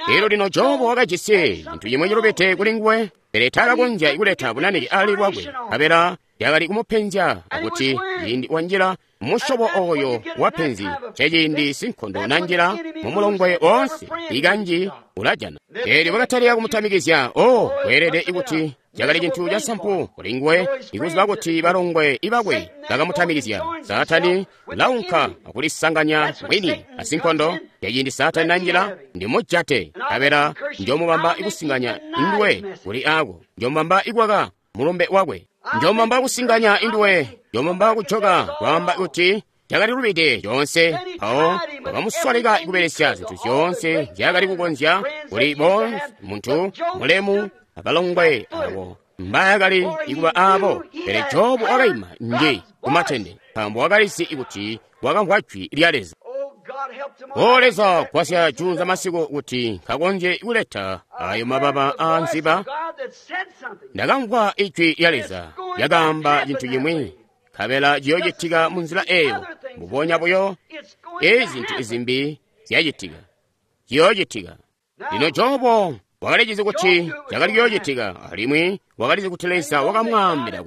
Elyo lino Jobu wakajisi cintu cimwe cilubide kuli nguwe, pele taakakonzya kuleta bunanike ali lwakwe, nkabela yakali kumupenzya akuti ciindi wanjila musyobo oyo wa penzi, ceciindi sinkondo nanjila mumulongwe woonse ikanji ulajana. Eelyo bakatalika kumutamikizya. O, kweelede ikuti cakali cintu casampu kuli nguwe ikuziba kuti balongwe ibakwe bakamutamikizya. Saatani ulaunka akulisanganya mwini asinkondo. Yaciindi Saatani nanjila, ndimujate, nkabela njomubamba ikusinganya induwe kuli ako, njomubamba ikwaka mulumbe wakwe, njomubamba kusinganya induwe, njomubamba kujoka kwaamba kuti cakali lubide coonse. Mpawo bakamusoleka kubelesya zintu zyoonse nzyakali kukonzya kuli bonse muntu mulemu abalongwe abo mbayakali ikuba abo. Pele Jobu wakaima nji kumatende, nkaambo wakalizi kuti wakamvwa jwi lya Leza. O Leza, gwasya juunza masiku kuti nkakonzye kuleta ayo mababa a nziba. Ndakamvwa ijwi lya Leza lyakaamba cintu cimwi, nkabela ciyoocitika mu nzila eyo. Mbubonya buyo ezi zintu izimbi zyacitika, ciyoocitika. Lino Jobu wakalicizi kuti cakali kuyoocitika, alimwi wakalizi kuti Leza wakamwaambila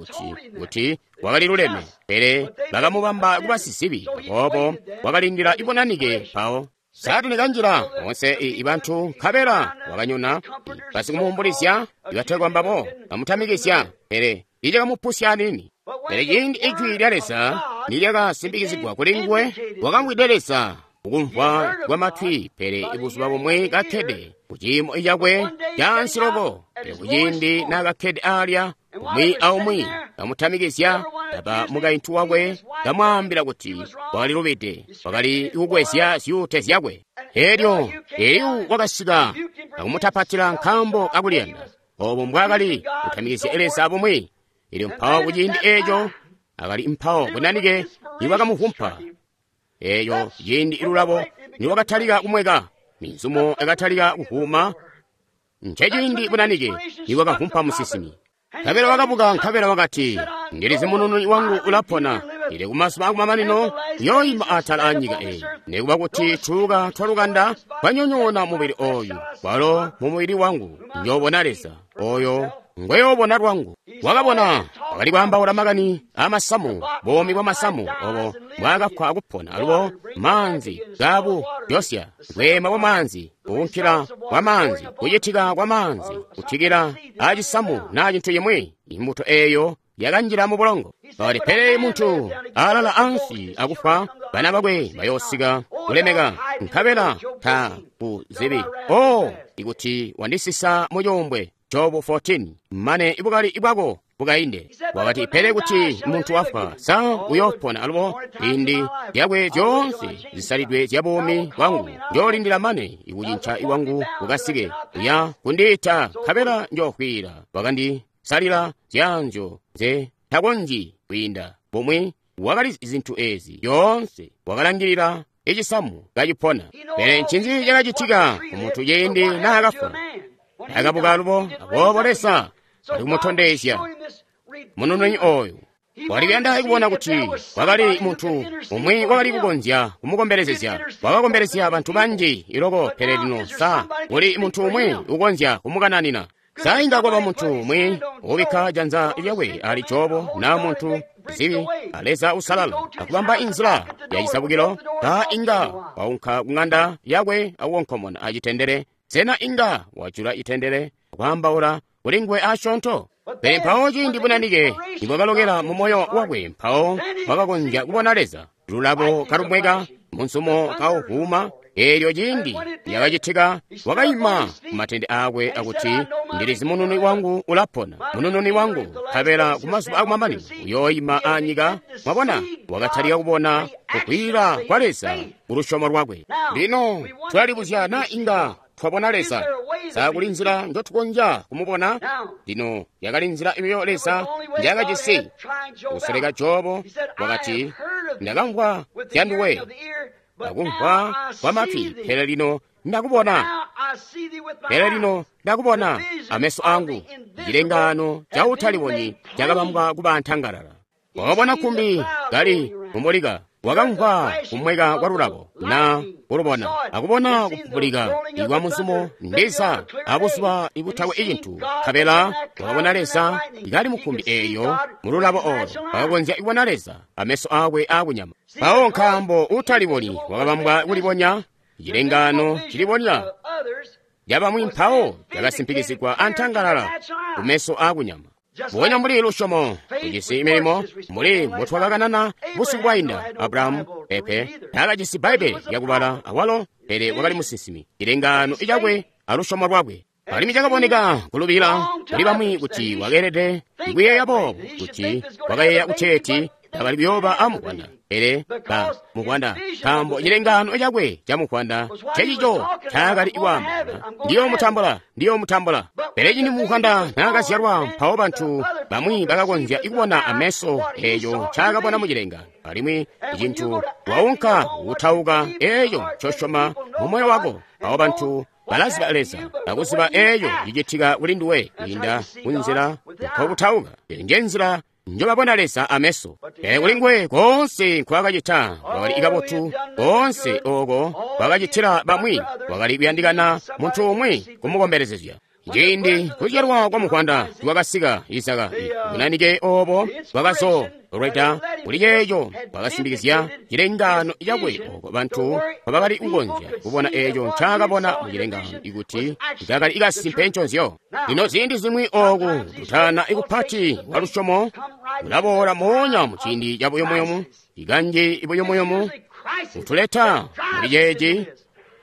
kuti wakali luleme, pele bakamubamba kuba sizibi. Aboobo wakalindila ibunanike. Mpawo Saatani kanjila onse ibantu, nkabela wakanyona basikumuumbulizya ibategwa mbabo bamutamikizya, pele icakamupusya anini. Pele ciindi ijwi lya Leza nilyakasimbikizigwa kuli nguwe, wakamvwide Leza kukumvwa kwa matwi. Pele ibuzuba bumwe kakkede kuciimo cakwe caansi loko, pele kuciindi naakakkede alya, umwi aumwi kamutamikizya, kaba mukaintu wakwe kamwaambila kuti wakali lubide, wakali kukwezya zyuute zyakwe. Elyo Eliu wakasika akumutapatila nkaambo kakuliyanda obo mbwaakali kutamikizya Leza bumwi. Elyo mpawo kuciindi eeco akali mpawo bunanike nibakamuvumpa. Eeyo ciindi ilulabo niwakatalika kumweka, minzumo yakatalika kuvuuma. Nceciindi bunanike niwakavumpa musinsimi. Nkabela wakabuka, nkabela wakati, ndilizi munununi wangu ulapona, ili kumazuba akumamanino uyooyima atala anyika eyi. Nikuba kuti tuuka twalukanda twanyonyoona mubili oyu, kwalo mu mubili wangu njoobona Leza oyo ngweyoobona lwangu. Wakabona wakali kwaambaula makani amasamu, buumi bwa masamu obo bwakafwa akupona, alubo maanzi gabu josya, bweema bwa maanzi, kuunkila kwa maanzi, kucitika kwa maanzi, kutikila acisamu naa cintu cimwi. Imbuto eeyo yakanjila mu bulongo. Kati, pele muntu alala ansi akufa, bana bakwe bayoosika kulemeka, nkabela ta kuzibi. O, ikuti wandisisa mu cuumbwe, Jobu 14, mane ibukali bwako bukainde. Wakati, pele kuti muntu wafwa, sa uyoopona alubo? Indi zyakwe zyoonse zisalidwe zya buumi bwangu njoolindila mane ikucinca iwangu kukasike. Uya kundiita, nkabela njoofwila. Wakandisalila zyaanzyo nze takonzyi kwiinda. Bumwi wakali zintu ezi zyoonse, wakalangilila icisamu kacipona. Pele ncinzi cakacitika kumuntu ciindi naakafwa? Akabuka alubo. Aboobo Leza ali kumutondezya munununi oyu. Wakali kuyanda kubona kuti kwakali muntu umwi wakali kukonzya kumukombelezezya. Wakakombelezya bantu banji iloko, pele lino sa kuli muntu umwi ukonzya kumukananina? Sa inga kwaba muntu umwi ubikka janza lyakwe ali Jobu, na muntu zibi a Leza usalala, akubamba inzila ya cisabukilo? Sa inga waunka ku ng'anda yakwe akukonkomona acitendele? Sena inga wajula itendele kwaambaula kuli nguwe asyoonto? Pele mpawo ciindi bunanike nibwakalokela mu moyo wakwe, mpawo wakakonzya kubona Leza. Lulabo kalumweka, munsumo kauvuuma. Eelyo ciindi lyakacitika, wakaima kumatende aakwe akuti, Ndilizi munununi wangu ulapona, munununi wangu, nkabela kumazuba akumamanino uyooima anyika. Mwabona, wakatalika kubona kukwiila kwa Leza kulusyomo lwakwe. Lino tulalibuzya naa inga twabona Leza. Sa kuli nzila njotukonzya kumubona? Lino yakali nzila iyo Leza njakajisi kusoleka Jobo. Wakati, Ndakamvwa zya nduwe akumvwa kwa matwi, pele lino ndakubona. Pele lino ndakubona ameso angu. Cilengaano ca utalibonyi cakabambwa kuba ntangalala. Wakabona kkumbi kali mumulika, wakamvwa kumweka kwa lulabo na kulubona, akubona kupupulika ikwa muzumo ndiza abuzuba ibutakwe icintu. Nkabela wakabona Leza kali mukkumbi eelyo mululabo olo. Wakakonzya kubona Leza ameso akwe akunyama. Mpawo nkaambo utalibonyi wakabambwa kulibonya, cilengaano cilibonya yabamwi mpawo cakasimpikizigwa antangalala kumeso akunyama. Mbubonya mbuli lusyomo kujisi milimo, mbuli mbotwakakanana busiku bwainda, Abrahamu pepe taakajisi Bbaibbele lyakubala awalo, pele wakali musinsimi. Cilengaano cakwe alusyomo lwakwe. Alimwi cakaboneka kulubila kuli bamwi kuti wakeelede kuyeeya boobo, kuti wakayeeya kuteeti takali kuyooba amuvwanda, pele ba muvwanda, nkaambo cilengaano cakwe ca muvwanda ncecico ncaakali kwaamba, Ndiyoomutambula, ndiyoomutambula. Pele cindi muvwanda naakazyalwa, mpawo bantu bamwi bakakonzya kubona ameso eeco ncaakabona mucilengaano. Alimwi cintu waunka kutauka eeco ncosyoma mumoyo wako, mpawo bantu balaziba Leza akuziba eeco cicitika kuli nduwe kwiinda kunzila nkokutauka. Eyo nje nzila njobabona Leza ameso. Pele kuli nguwe koonse nkwaakacita kwakali kabotu, koonse ooko kwakacitila bamwi kwakali kuyandikana muntu umwi kumukombelezezya. Ciindi kuzyalwa kwa muvwanda nikwakasika Izaka, bunanike oobo bwakazolweda kuli ceeco bwakasimpikizya cilengaano cakwe ooko bantu mpobakali kukonzya kubona eeco ncaakabona mucilengaano ikuti cakali kasimpe nconzyo. Lino ziindi zimwi ooku kutana kupati kwa lusyomo kulaboola moonya muciindi cabuyumuyumu, ikanji buyumuyumu butuleta muli ceeci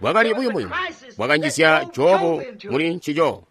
bwakali buyumuyumu bwakanjizya Jobu muli ncico.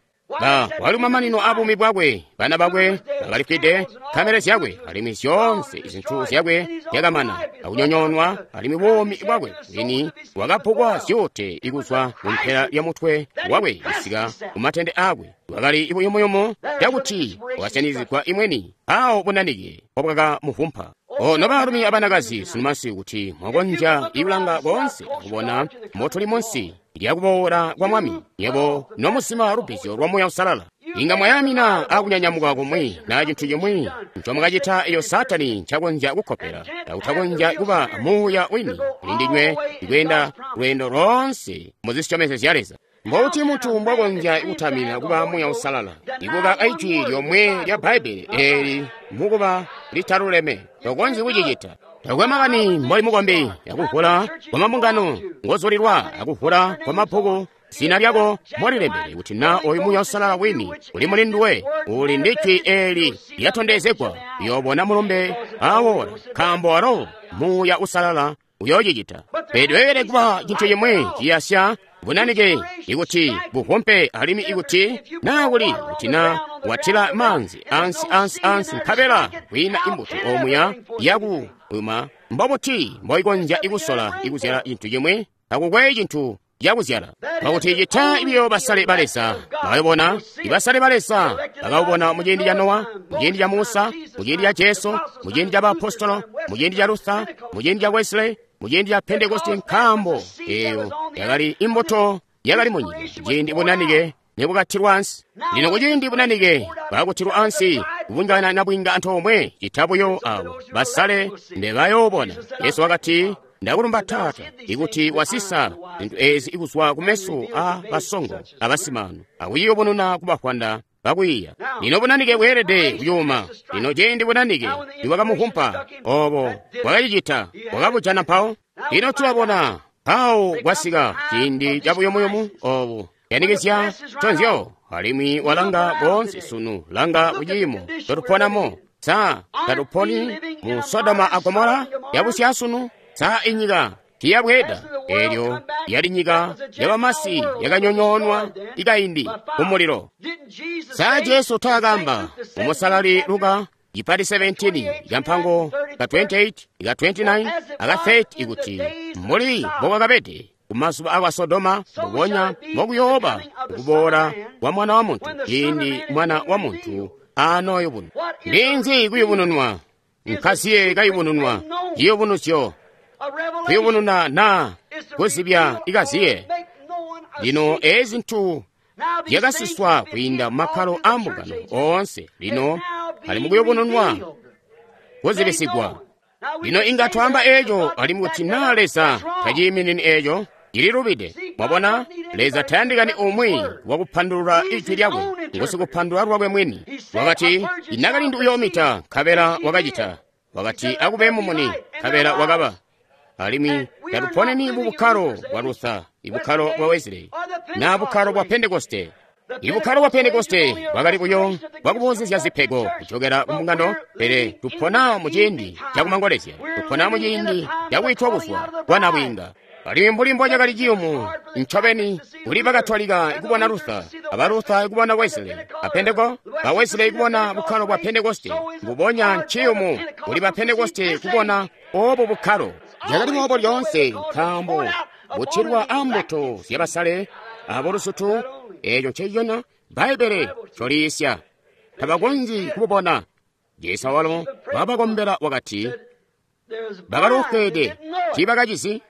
Ba wali mamanino abuumi bwakwe, bana bakwe bakalifwide, nkamele zyakwe alimwi zyoonse zintu zyakwe zyakamana akunyonyoonwa, alimwi buumi bwakwe bwini bwakapukwa zyuute kuzwa kumpela lya mutwe wakwe kusika kumatende aakwe. Bwakali buyumuyumu cakuti bwakasyanizigwa imweni, mpawo bunanike mbobwakamuvumpa. O nobaalumi abanakazi, sunu masiku kuti mwakonzya kulanga koonse akubona mbotuli munsi lyakuboola kwa Mwami, nywebo nomusima lubbizyo lwa Muuya Uusalala, inga mwayamina akunyanyamuka kumwi na cintu cimwi ncomwakacita eyo Saatani ncakonzya kukkopela, akutakonzya kuba muuya wini kuli ndinywe ikweenda lweendo loonse muzisyomezyo zya Leza. Mbuti muntu mbwakonzya kutamina kuba Muuya Uusalala ikuba ijwi lyomwe lya Bbaibbele eeli mukuba litaluleme? Tokonzyi kucicita. Takwe makani mboli mukombi, akuvula kwa mabungano ngozulilwa, akuvula kwa mabbuku zina lyako mbolilembele, kuti na oyu Muuya Uusalala wini uli muli nduwe, uli ndi jwi eeli lyatondezegwa, uyoobona mulumbe awola, nkaambo walo Muuya Uusalala uyoocicita. Pele tweelede kuba cintu cimwi ciyasya bunanike ikuti buvumpe, alimwi ikuti naa kuli kuti na watila maanzi ansi ansi ansi nkabela kwiina imbuto omuya yakuyuma, mbobuti mboikonzya ikusola ikuzyala cintu cimwi? Takukwe cintu cakuzyala. Pakuti cita ibiyo basale ba Leza bakabona, ibasale ba Leza bakabona muciindi ca Nowa, muciindi ca Musa, muciindi ca Jesu, muciindi ca baapostolo, muciindi ca Luther, muciindi ca Wesley, muciindi ca Pentekoste, nkaambo eyo yakali imbuto yakali munyika ciindi bunanike nebukatilwa ansi. Lino kuciindi bunanike bwakutilwa ansi, kubungana nabwinga antoomwe, cita buyo abo basale mbebayoobona. Yesu wakati, Ndakulumba Taata, ikuti wasisa zintu ezi kuzwa kumeso a basongo abasimano, akuyiyubununa kubafwanda bakwiiya. Lino bunanike bweelede kuyuma. Lino ciindi bunanike nibwakamuvumpa, obo bwakacicita, bwakabujana mpawo. Lino tulabona mpawo kwasika ciindi cabuyumuyumu obu yanikizya nconzyo, alimwi walanga koonse sunu, langa kuciimo cotuponamo. Sa tatuponi mu Sodoma a Gomora yabusyaasunu? Sa inyika Tiya bweeda. Elyo yali nyika yabamasi yakanyonyoonwa ikaindi kumulilo. Sa Jesu taakamba mumusalali Luka ipati 17 ikampango ka 28 ika 29 aka 30 ikuti muli mbokwakabede kumazuba akwa Sodoma mbubonya mbokuyooba kuboola kwa Mwana wa Muntu ciindi Mwana wa Muntu anooyubununwa. Ninzi kuyubununwa? Nkaziye kayubununwa, ciyubunuzyo, kuyubununa na kuzibya ikaziye. Lino ezi zintu zyakasiswa kwiinda mumakkalo a mbungano oonse, lino ali mukuyubununwa, kuzibisigwa. Lino inga twaamba eco alimwi kuti naa Leza taciiminini eco, cililubide. Mwabona, Leza tayandikani umwi wakupandulula ijwi lyakwe, ngusikupandulula lwakwe mwini. Wakati, inakalindu uyoomita, nkabela wakacita. Wakati, akube mumuni, nkabela wakaba. Alimwi tatuponeni mu bukkalo bwa Luther, ibukkalo bwa Wesley, na bukkalo bwa Pentekoste. Ibukkalo bwa Pentekoste bwakali buyo bwakuboozezya zipego kucokera ku mbungano, pele tupona mu ciindi cakumangolezya, tupona mu ciindi cakwiitwa kuzwa kwa nabwiinga. Alimwi mbuli mbocakali ciyumu ncobeni kuli Bakatolika ikubona Luther, aba Luther ikubona Wesley, a Pentekoste, ba Wesley ikubona bukkalo bwa Pentekoste, mbubonya nciyumu kuli ba Pentekoste kubona obo bukkalo. Cakali boobo lyoonse, nkaambo butilwa ambuto zyabasale abolusutu, eeco ncecona Bbaibbele ncoliisya. Tabakonzyi kububona. Jesu awalo wabakombela wakati, bakalufwede tiibakacizi.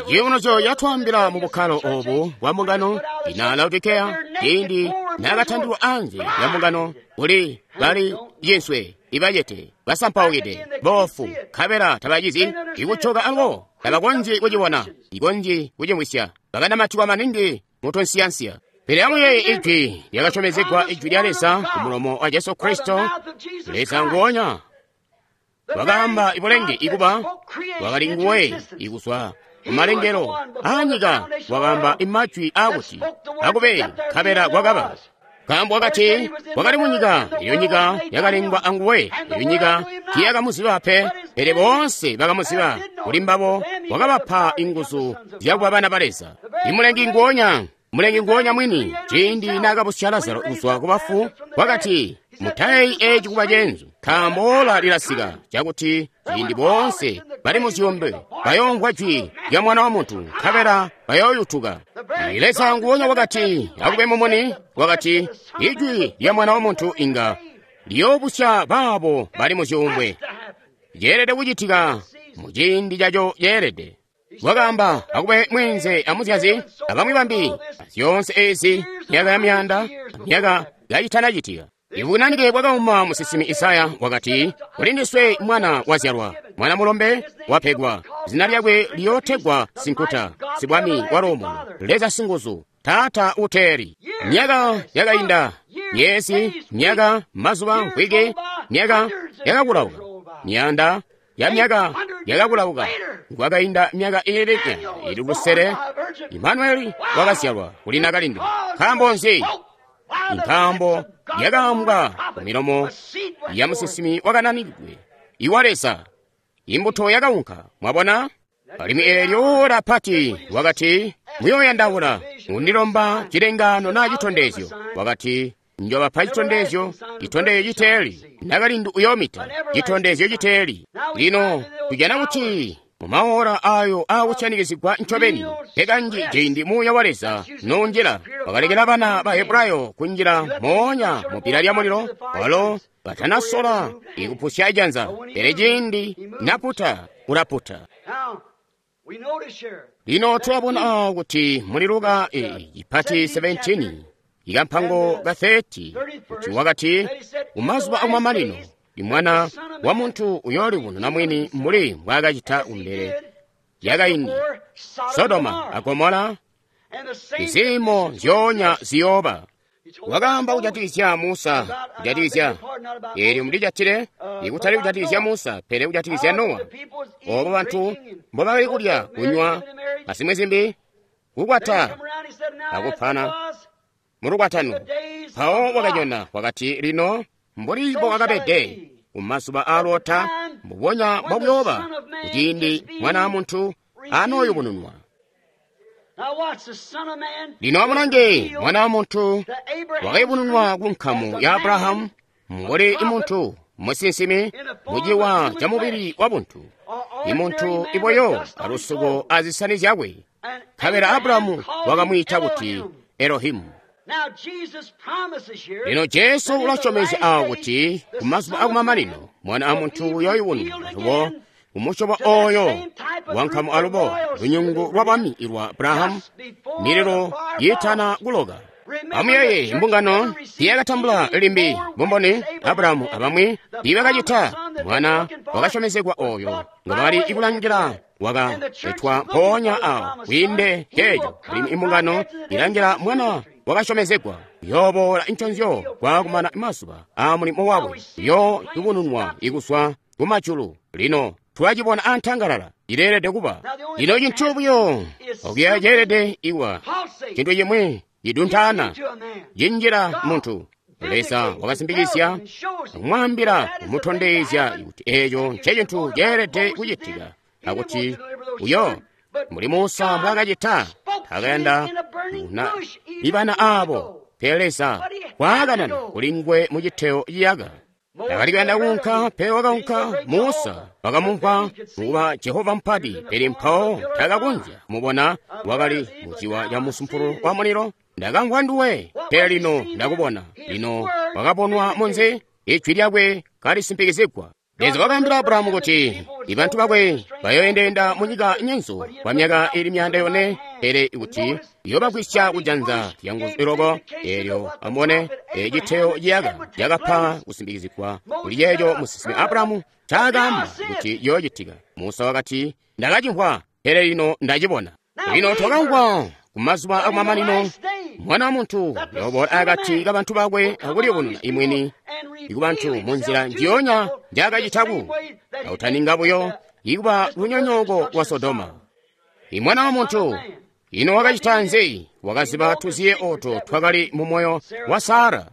Ciyubunuzyo yatwaambila mu bukkalo obu bwa mbungano ina Laodikeya, ciindi naakatandilwa anze lya mbungano kuli bali cinswe, ibacete, basampaukide, boofu, nkabela tabacizi ikucoka alubo tabakonzyi kucibona, ikonzyi kucimwisya, bakanamatikwa maningi mu tunsiyansiya. Pele amuyeeye ijwi lyakasyomezegwa, ijwi lya Leza ku mulomo wa Jesu Kristo, Leza nguonya wakaamba ibulenge ikuba wakali nguwe ikuzwa kumalengelo aanyika, wakaamba imajwi aakuti akube, nkabela kwakaba. Nkaambo wakati wakali munyika, iyo nyika yakalengwa anguwe, iyo nyika tiyakamuziba pe, pele boonse bakamuziba. Kuli mbabo wakabapa inguzu zyakuba bana ba Leza. Imulengi nguonya, mulengi nguonya mwini, ciindi naakabusya Lazaro kuzwa ku bafu, wakati mutayeyi eci kuba ceenzu, nkaambo ola lilasika cakuti ciindi boonse bali mu zyuumbwe bayoomvwa jwi lya Mwana wa Muntu, nkabela bayooyutuka. Leza nguonya wakati akube mumuni, wakati ijwi lya Mwana wa Muntu inga liyoobusya baabo bali mu zyuumbwe. Ceelede kucitika mu ciindi caco ceelede. Wakaamba akube mweenze amuzyazi abamwi bambi, zyoonse ezi myaka ya myaanda myaka kayitanacitika. Ibunanike bwakauma musinsimi Isaya wakati, kuli ndiswe mwana wazyalwa, mwana mulombe wapegwa, zina lyakwe liyootegwa Sinkuta, Sibwami wa Luumuno, Leza Singuzu, Taata Uteeli. Myaka yakainda, myezi, myaka, mazuba, mvwiki, myaka yakakulauka, myaanda ya myaka yakakulauka. Kwakainda myaka iili 600, Imanueli wakazyalwa kuli nakalindu. Nkaambo nzi? Nkaambo yakaambwa ku milomo ya musinsimi wakananikidwe iwa Leza. Imbuto yakaunka, mwabona? Alimwi eelyo ora pati wakati, muyooyandaula undilomba cilengaano naa citondezyo. Wakati, njobapa citondezyo, citondezyo citeeli, nakalindu uyoomita, citondezyo citeeli. Lino tujana kuti mumaora ayo aakusyanikizigwa ncobeni, pe kanji ciindi Muuya wa Leza noonjila, wakalekela bana ba Hebrayo kunjila moonya mu bbila lya mulilo, walo batanasola ikupusya janza, pele ciindi naputa, ulaputa. Lino tulabona awo kuti muli Luka ipati 17 ikampango ka 30 kuti wakati kumazuba akumamanino imwana wa muntu uyoolibununa mwini mbuli mbwaakacita kumbele yakaindi Sodoma a Gomora, iziimo nzyoonya ziyooba. Wakaamba kujatikizya Musa, kujatikizya eelyo mulijatile, ikutali kujatikizya Musa, pele kujatikizya Nowa. Obo bantu mbobakali kulya, kunywa, azimwi zimbi, kukwata akupana mulukwatano. Mpawo wakanyona wakati, lino mbuli mbowakabede kumazuba aa Lota, mbubonya mbokuyooba kuciindi Mwana wa Muntu anooyubununwa. Lino amulange, Mwana wa Muntu wakayubununwa ku nkamu ya Abrahamu mbuli muntu musinsimi muciwa ca mubili wa buntu, imuntu iboyo alusuko azisani zyakwe. Nkabela Abrahamu wakamwiita kuti Elohimu. Lino Jesu ulasyomezya awo kuti kumazuba akumamanino Mwana wa Muntu uyooyubununwa alubo kumusyobo oyo wankamu alubo lunyungu lwa bwami ilwa Abrahamu, mililo yiitana kuloka. Amuyeeye, mbungano tiyakatambula limbi bumboni Abrahamu abamwi tiibakacita. Mwana wakasyomezegwa oyo ngobakali kulangila wakaletwa mpoonya awo kwiinde ceeco, alimwi imbungano ilangila mwana wakasyomezegwa uyooboola nconzyo kwaakumana mazuba aa mulimo wakwe, uyooyubununwa ikuzwa kumajulu. Lino twacibona antangalala, cileelede kuba lino cintu buyo okuya ceelede iwa cintu cimwi ciduntaana cinjila muntu. Leza wakasimbikizya akumwaambila kumutondezya kuti eeco ncecintu ceelede kucitika, akuti uyo mbuli Musa mbwaakacita takayanda kuna ibana aabo, pele Leza waakanana kuli nguwe mu citeo ciyaka. Takali kuyanda kuunka, pele wakaunka. Musa wakamumvwa mukuba Jehova mupati, pele mpawo takakonzya kumubona. Wakali muciwa ca musumpulu wa mulilo. Ndakamvwa nduwe, pele lino ndakubona. Lino wakabonwa munzi, ijwi lyakwe kalisimpikizigwa. Leza wakaambila Abrahamu kuti ibantu bakwe bayoendeenda munyika nyenzu kwa myaka ili 400, pele kuti iyoobagwisya kujanza lya nguzu iloko. Eelyo amubone citeo ciyaka cakapa kusimpikizigwa kuli ceeco musinsimi Abrahamu ncaakaamba kuti ciyoocitika. Musa wakati, ndakacimvwa, pele lino ndacibona. Lino twakamvwa kumazuba akumamanino Mwana wa Muntu uyooboola akati kabantu bakwe akuliyubununa imwini ikubantu munzila njiyonya njaakacitaku kautaninga buyo ikuba lunyonyooko lwa Sodoma. Imwana wa Muntu ino wakacita nzi? Wakaziba tuziye oto twakali mu moyo wa Sara.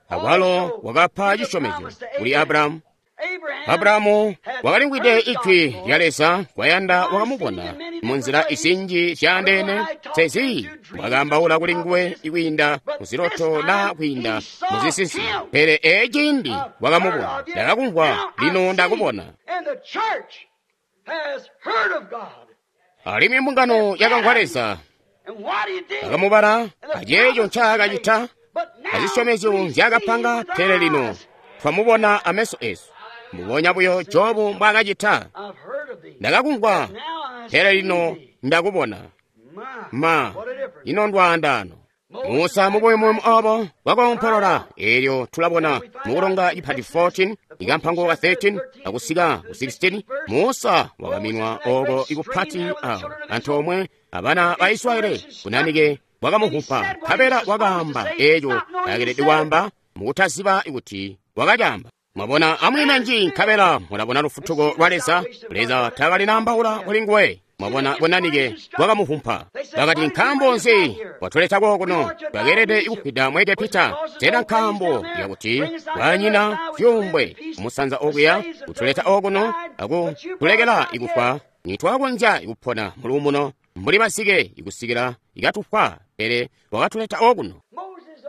Akwalo wakapa cisyomezyo kuli Abrahamu. Abrahamu wakalimvwide ijwi lya Leza, kwayanda wakamubona munzila izinji zyaandeene. Sezi wakaambaula kuli nguwe kwiinda muziloto naa kwiinda muzisinsi, pele eciindi wakamubona. Ndakakumvwa, lino ndakubona. Alimwi mbungano yakamvwa Leza, akamubala aceeco ncaakacita azisyomezyo nzyaakapanga, pele lino twamubona ameso esu. Mbubonya buyo Jobu mbwaakacita. Ndakakumvwa, pele lino ndakubona. Ma, ino ndwaandaano. Musa mubuyumuyumu obo wakoompolola. Eelyo tulabona mukulonga cipati 14 ikampango ka 13 akusika ku 16. Musa wakaminwa oko ikupati awo antoomwe abana ba Israeli bunanike bwakamuhupa, nkabela wakaamba eeco akelede kwaamba mukutaziba kuti wakacamba. Mwabona, amwiime nji, nkabela mulabona lufutuko lwa Leza. Leza taakali naambaula kuli nguwe. Mwabona bunanike bwakamuhumpa. Bakati, nkaambo nzi watuleta kokuno? Twakeelede kufwida mu Egepita. Sena nkaambo yakuti banyina zyuumbwe kumusanza okuya kutuleta okuno akutulekela ikufwa? Nitwakonzya kupona muluumuno mbuli basike ikusikila ikatufwa, pele wakatuleta okuno.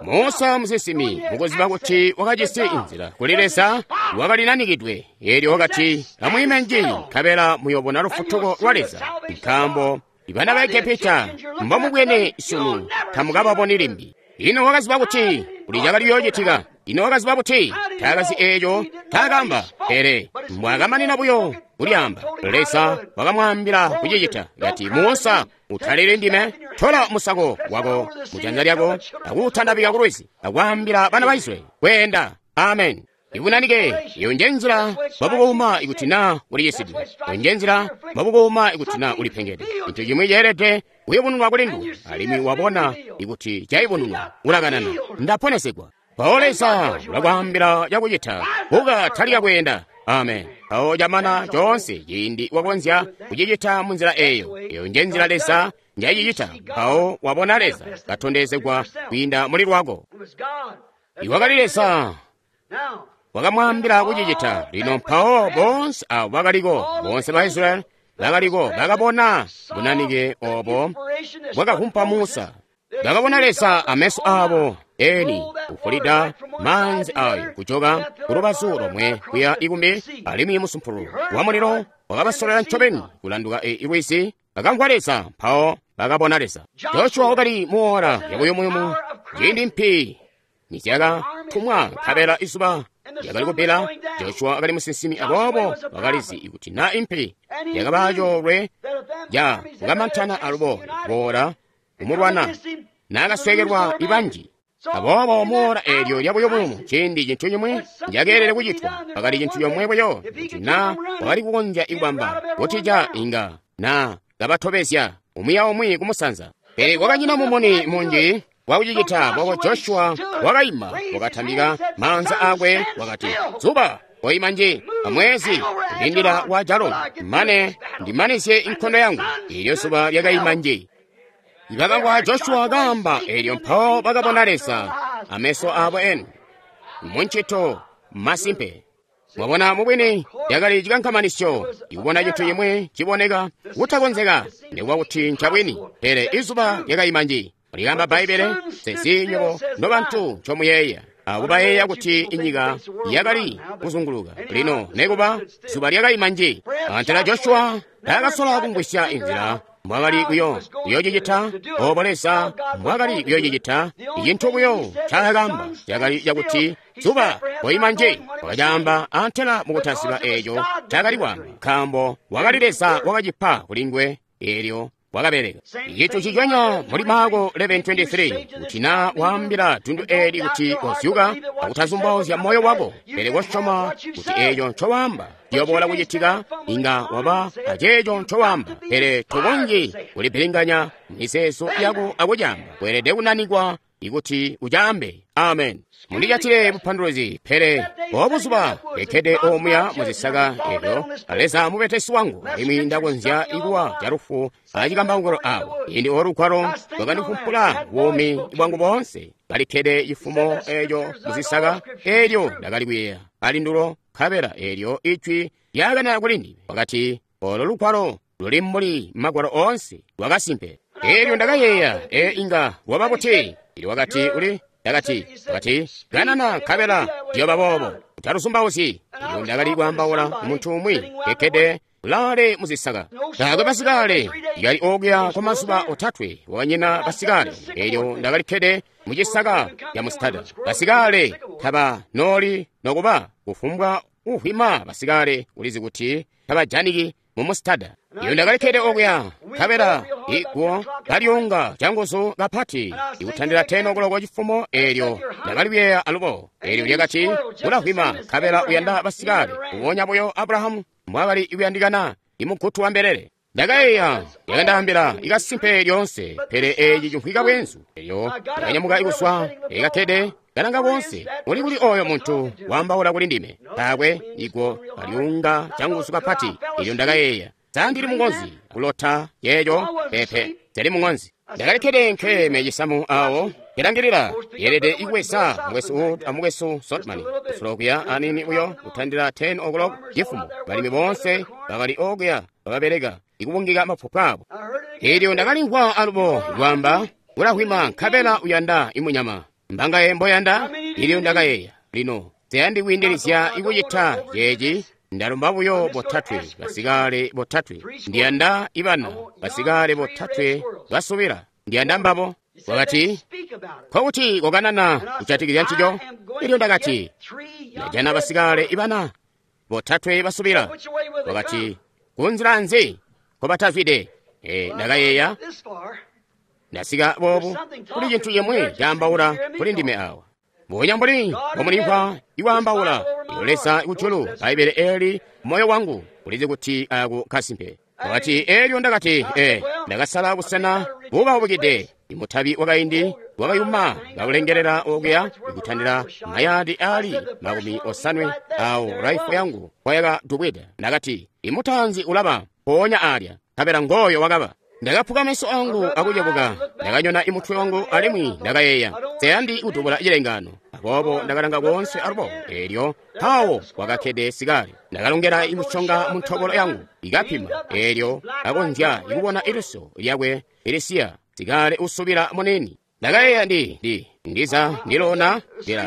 Musa musinsimi mukuziba kuti wakajisi inzila kuli Leza, wakalinanikidwe. Eelyo wakati, amwiime nji, nkabela muyobona lufutuko lwa Leza, nkaambo ibana ba Egepita mbomubwene sunu tamukababoni limbi. Ino wakaziba kuti kuli cakali kuyoocitika. Ino wakaziba buti? Taakazi eeco taakaamba, pele mbwaakamanina buyo kulyaamba, Leza wakamwaambila kucicita. Kati, Musa, utalili ndime, tola musako wako mujanza lyako akuutandabika kulwizi, akwaambila bana ba Israyeli kweenda. Amen. Ibunanike iyo nje nzila bwabukuuma ikuti naa uliyisidwe, iyo nje nzila bwabukuuma ikuti naa ulipengede. Cintu cimwi ceelede kuyubununwa kuli nduwe, alimwi wabona ikuti cayubununwa, ulakanana, ndaponesegwa. Mpawo Leza ulakwaambila cakucita, buka, talika kweenda. Amen. Mpawo camana coonse ciindi wakonzya kucicita munzila eeyo. Iyo nje nzila Leza njayicicita. Mpawo wabona Leza katondezegwa kwiinda muli lwako. Iwakali Leza wakamwaambila kucicita. Lino mpawo boonse abo bakaliko, boonse ba Israyeli bakaliko bakabona bunanike obo bwakavumpa Musa. Bakabona Leza ameso abo eni kufulida maanzi ayo kujoka kulubazu lomwe kuya ikumbi, alimwi musumpululu wa mulilo wakabasolera ncobeni kulanduka lwizi. Bakamvwa Leza, mpawo bakabona Leza. Joshua wakali muora yabuyumuyumu ciindi mpi nizyakatumwa nkabela izuba lyakali kubbila. Joshua wakali musinsimi, aboobo wakalizi kuti na impi yakaba coolwe ya kukamantana alubo kuboola kumulwana naakaswekelwa ibanji. Aboobo muora eelyo lyabuyumuyumu ciindi cintu cimwe ncakeelede kucitwa pakali cintu comwe buyo, kuti na wakali kukonzya ikubamba kutija inga na kabatobezya umwi aumwi kumusanza. Pele kwakanyina mumuni munji wakucicita. Boko Joshua wakaima, wakatambika maanza akwe, wakati, zuba koima nji, amwezi kulindila wa Jaloni, mane ndimanizye inkondo yangu. Ilyo zuba lyakaima nji. Bakamvwa Joshua kaamba eelyo, mpawo bakabona Leza ameso abo eni munchito masimpe. Mwabona, mubwini yakali chikankamanisyo ikubona cintu chimwe chiboneka kutakonzeka nikuba kuti ncabwini, pele izuba lyakayima nji. Likamba Bbaibele, sesi nywebo nobantu ncomuyeeya akubayeeya kuti inyika yakali kuzunguluka lino, nekuba zuba lyakayima nji. Antela Joshua taakasola kumvwisya inzila mbwakali kuyoocicita obo Leza mbwakali kuyoocicita. Icintu buyo ncaakamba cakali cakuti zuba koima nji. Wakacaamba antela mukutaziba eeco ncaakali kwaamba, nkaambo wakali Leza wakacipa kulinguwe eelyo wakabeleka. Icintu cicwenya muli Maako 11:23, kuti na waambila dundu eli kuti kozyuka akutazumbauzya moyo wako, pele kosyoma kuti eeco ncowaamba ciyoboola kucitika, inga waba aceeco ncowaamba. Pele tokonzyi kulipilinganya mizeezo yako akucaamba. Weelede kunanikwa ikuti ucaambe. Amen. Mundicatile bupanduluzi, pele obuzuba lekkede omuya muzisaka elyo Leza mubetesi wangu, alimwi ndakonzya ikuwa calufu acikambaukilo awo. Indi olugwalo lwakandifumpula buumi bwangu boonse. Kalikkede cifumo eeco muzisaka eelyo ndakali kuyeeya alindulo, nkabela eelyo ijwi lyakanena kuli ndime, wakati, olo lugwalo luli mbuli magwalo oonse lwakasimpe. Eelyo ndakayeeya, inga lwaba buti? Ili wakati uli ndakati, wakati, kanana nkabela ndiyoba boobo, utaluzumbauzyi. Elyo ndakali kwaambaula muntu umwi kekkede kulaale muzisaka. Taakwe basikale lyali okuya kwa mazuba otatwe, wakanyina basikale. Elyo ndakali kkede mucisaka ya musitada. Basikale taba nooli nokuba kufumbwa uhwima basikale ulizi kuti tabajaniki mu musitada. Iyo ndakalikkede okuya nkabela iguwo kalyunga canguzu kapati ikutandila 10 o'clock cifumo. Eelyo ndakali kuyeeya alubo. Eelyo lyakati, ulahwima nkabela uyanda basikale, kubonya buyo Abrahamu mbwakali kuyandikana imugutu wa mbelele. Ndakayeeya, lyakandaambila ikasimpe lyoonse, pele eeci cimvwika bweenzu. Elyo ndakanyamuka ikuswa ekakkede kalanga koonse, uli kuli oyo muntu waambaula kuli ndime. Taakwe iguwo kalyunga canguzu kapati. Elyo ndakayeeya, sandili mungozi kulota yeeco pepe, zali mungozi. Ndakalikkede nkeme cisamu awo kilangilila yeelede ikuwesa mukwesu amukwesu Sotman kusulokuya anini buyo kutandila 10 o'clock cifumo. Balimi boonse bakali okuya bakabeleka ikubungika mafupa abo. Elyo ndakalimvwa alubo lwamba, ulahwima nkabela uyanda imunyama mbangaye mboyanda. Elyo ndakayeeya, lino seyandi kwiindilizya ikucita ceeci. Ndalomba buyo botatwe basikale botatwe, ndiyanda ibana basikale botatwe basubila, ndiyanda mbabo. Wakati, nkokuti kokanana kujatikizya ncico. Elyo ndakati, ndajana basikale ibana botatwe basubila. Wakati, kunzila nzi nkobatazwide? Ndakayeeya, ndasika boobu, kuli cintu cimwe caambaula kuli ndime awa. Mbubonya mbuli mbomulimvwa ikwaambaula, iyo Leza kujulu, Bbaibbele eli moyo wangu ulizi kuti ako kasimpe. Wakati, elyo ndakati, ndakasala busena bubaubukide. Imutabi wakaindi wakayuma kaulengelela okuya ikutandila mayadi ali 80 awo raifu yangu kwayakadubwida. Ndakati, imutanzi ulaba mpoonya alya, nkabela ngoyo wakaba. Ndakaphuka meso angu akucebuka, ndakanyona imutwe wangu alimwi ndakayeeya, seyandi kudubula cilengano. Aboobo ndakalanga koonse alubo, eelyo mpawo kwakakkede sikale. Ndakalongela imusyonga mu ntobolo yangu, ikapima, eelyo kakonzya ikubona iliso lyakwe ilisiya, sikale usubila muniini. Ndakayeeya ndiza ndilona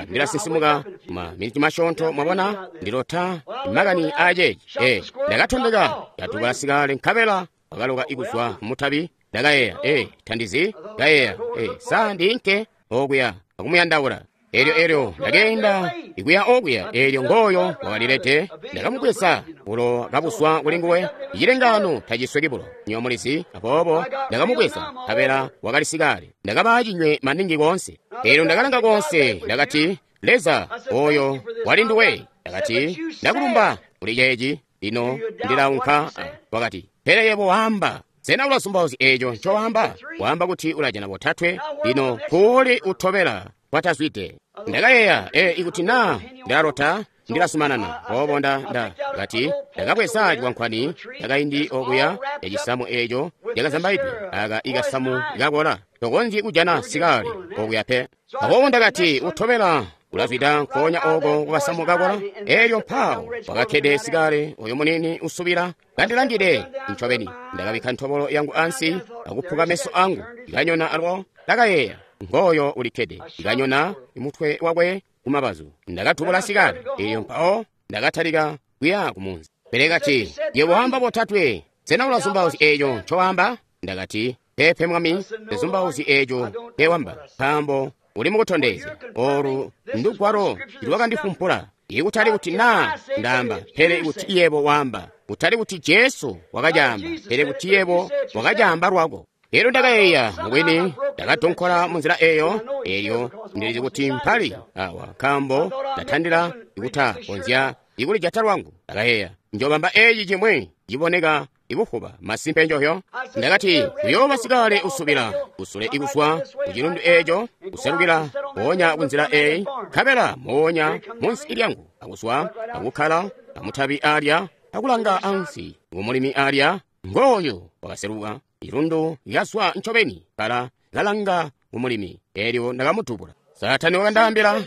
ndilasinsimuka ma miniti masyoonto, mwabona, ndilota makani aaceeci. Ndakatondeka katubula sikale nkabela wakaloka ikuzwa mutabi. Ndakayeeya, tandizi, kayeeya, sa ndiinke okuya akumuyandaula. Eelyo ndakeenda ikuya okuya, eelyo ngooyo wakalilete. Ndakamubweza bulo kabuzwa kuli nguwe. Icilengano tacisweki bulo, nywebo mulizi. Aboobo ndakamubweza, nkabela wakali sikale. Ndakaba cinywe maningi koonse. Eelyo ndakalanga koonse, ndakati, Leza, oyo wali nduwe. Ndakati, ndakulumba kuli ceeci, lino ndilaunka. Wakati, pele yebo waamba. Sena ulazumbauzya eeco ncowaamba? Waamba kuti ulajana botatwe, lino kuuli utobela kwatazwide. Ndakayeeya, ikuti naa ndilalota, ndilazumanana. Aboobo ndakati, ndakabweza cikwankwani cakaindi okuya yacisamu eeco cakazambaidwe, aka ikasamu kakola. Tokonzyi kujana sikale okuya pe. Aboobo ndakati, utobela ulazwida nkoonya oko kukasamu kakola. Eelyo mpawo wakakkede sikale oyo muniini usubila kandilangide ncobeni. Ndakabikka ntobolo yangu ansi akuphuka meso angu, ndikanyona alubo. Ndakayeeya, ngooyo ulikkede, ndikanyona mutwe wakwe kumabazu. Ndakatubula sikale, eelyo mpawo ndakatalika kuya kumunzi. Pele kati, yebo waamba botatwe, sena ulazumbauzya eeco ncowaamba? Ndakati, pepe mwami, ndizumbauzyi eeco ncewamba, nkaambo uli mukutondezya. Olu ndugwalo lwakandifumpula, ikutali kuti naa ndaamba, pele kuti yebo waamba, kutali kuti Jesu wakacaamba, pele kuti yebo wakacaamba lwako. Eelyo ndakayeeya, mubwini ndakadonkola munzila eeyo. Eelyo ndilizi kuti mpali awa, nkaambo ndatandila ikutakonzya ikulijata lwangu. Ndakayeeya, njobamba eeci cimwi ciboneka ikufuba masimpe njohyo. Ndakati, kuyooba sikale usubila kusule ikuzwa kucilundu eeco, kuselukila mpoonya kunzila eeyi, nkabela moonya munsi lyangu, akuzwa akukkala amutabi alya, akulanga ansi kumulimi alya. Ngooyo wakaseluka ilundu lyazwa ncobeni, kala kalanga kumulimi. Eelyo ndakamutubula. Saatani wakandaambila,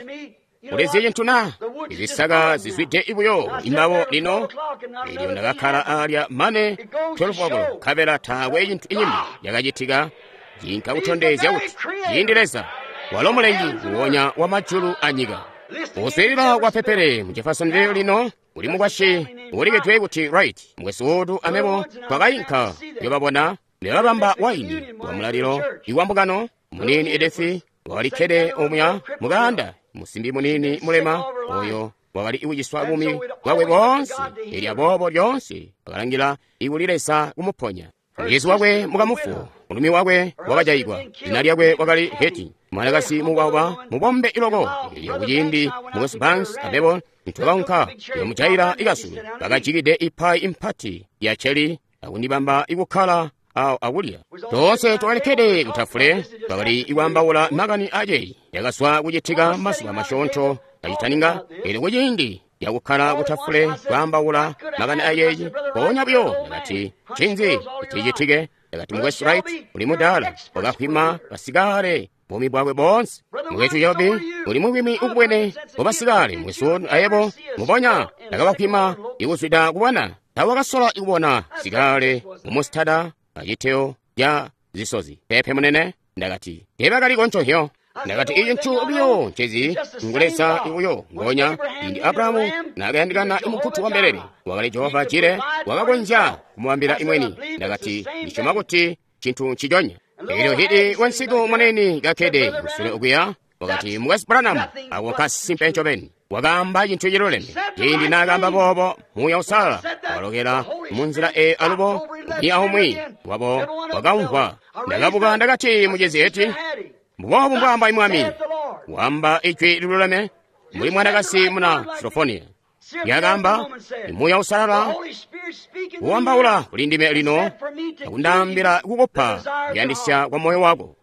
ulizi cintu na? Izisaka zizwide buyo imbabo lino. Eelyo ndakakkala alya mane 12 o'clock, nkabela taakwe cintu inyimbi yakacitika. Cinka kutondezya kuti ciindi Leza walo mulengi nguwonya wa majulu anyika. Kuswiilila kwa pepele mu Jeffersonville lino uli mukwasyi ulikedwe kuti Wright mukwesu wotu amebo twakayinka yobabona nebabamba waini wa mulalilo iwambukano. Munini Edith wakalikkede omuya mukaanda, musimbi munini mulema oyo wakali ikuciswa bumi bwakwe boonse. Elyo aboobo lyoonse wakalangila ikuli Leza kumuponya. Mucizi wakwe mukamufu, mulumi wakwe wakajayigwa, zina lyakwe wakali Heti, mwanakazi mubauba mubombe iloko. Elyo kuciindi mukwesu Banks amebo nitwakaunka yomujayila ikasulu, bakajikide ipayi impati ya cheli akundibamba ikukkala awo akulya. Toonse twakalikkede kutafule, twakali ikwaambaula makani aceyi yakazwa kucitika mazuba masyoonto kacitaninga. Elyo kuciindi yakukkala kutafule kwaambaula makani aceyi, mpoonya buyo ndakati, ncinzi cicitike? Ndakati, mukwesu Wright uli mudaala wakakhwima basikale buumi bwakwe boonse. Mukwesu Jobi uli mukwimi ukubwene wabasikale. Mukwesu ayebo mubonya ndakabakhwima ikuzwida kubona. Tawakasola ikubona sikale mumusitada aciteo ca zisozi. Pepe munene, ndakati, teebakaliko nconhyo. Ndakati, ici ncu buyo ncezi nguleza ibuyo ngonya. Indi Abrahamu nakayandikana imukutu wa mbelele, wakali Jehova Jire wakakonzya kumubambila imweni. Ndakati, ndisyoma kuti cintu nciconya. Elyo hidi wansiku munene kakkede kusule okuya, wakati, mukwesu Branham, ako nkasimpe ncobeni. Wakaamba cintu ciluleme. Ciindi naakaamba boobo, Muuya Uusalala wakalokela munzila eeyo alubo, umwi aumwi wabo wakamvwa. Ndakabuka ndakati, mucizi Heti, mbuboobu mbwaamba Mwami, wamba ijwi liluleme mbuli mwanakazi muna Sirofonia. Lyakaamba, Muuya Uusalala uwambaula kuli ndime lino akundaambila kukupa kuyandisya kwa moyo wako.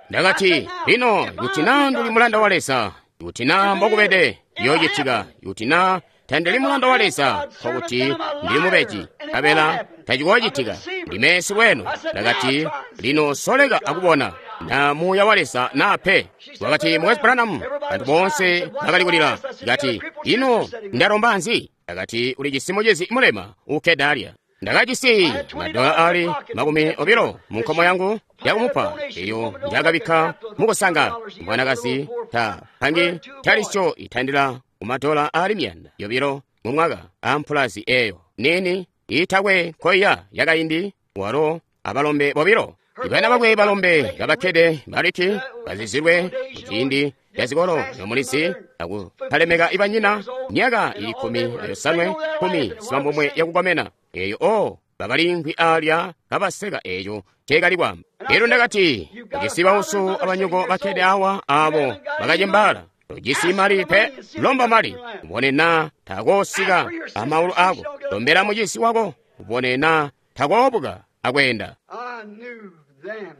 Ndakati, lino ikuti naa nduli mulanda wa Leza, ikuti naa mbokubede yoocitika, ikuti naa tandili mulanda wa Leza, nkokuti ndili mubeji, nkabela tacikoocitika. Ndime silweeno. Ndakati, lino soleka akubona. na Muuya wa Leza na pe. Wakati, Mukwesu Branham, bantu boonse bakali kulila. Kati, ino ndalomba nzi? Akati, uli jisi mucizi mulema ukkede alya. Ndakajisi madola ali 20 mu nkomo yangu yakumupa, eyo njakabikka mukusanga. Mwanakazi ta pangi talisyo itandila kumadola ali 200 mu mwaka ampulazi eyo nini itakwe koya yakaindi, walo abalombe bobilo. Ibana bakwe balombe kabakkede baliti bazizilwe muciindi yazikolo nomulizi akutalemeka ibanyina myaka ili 15 19 yakukomena eyo o bakalinkwi alya kabaseka eyo tekali kwamba. Elyo ndakati, ujisi bauso abanyoko bakkede awa abo bakacembaala, tojisi mali pe, lomba mali ubone na takoosika amaulu ako, lombela mucisi wako ubone na takoobuka akwenda.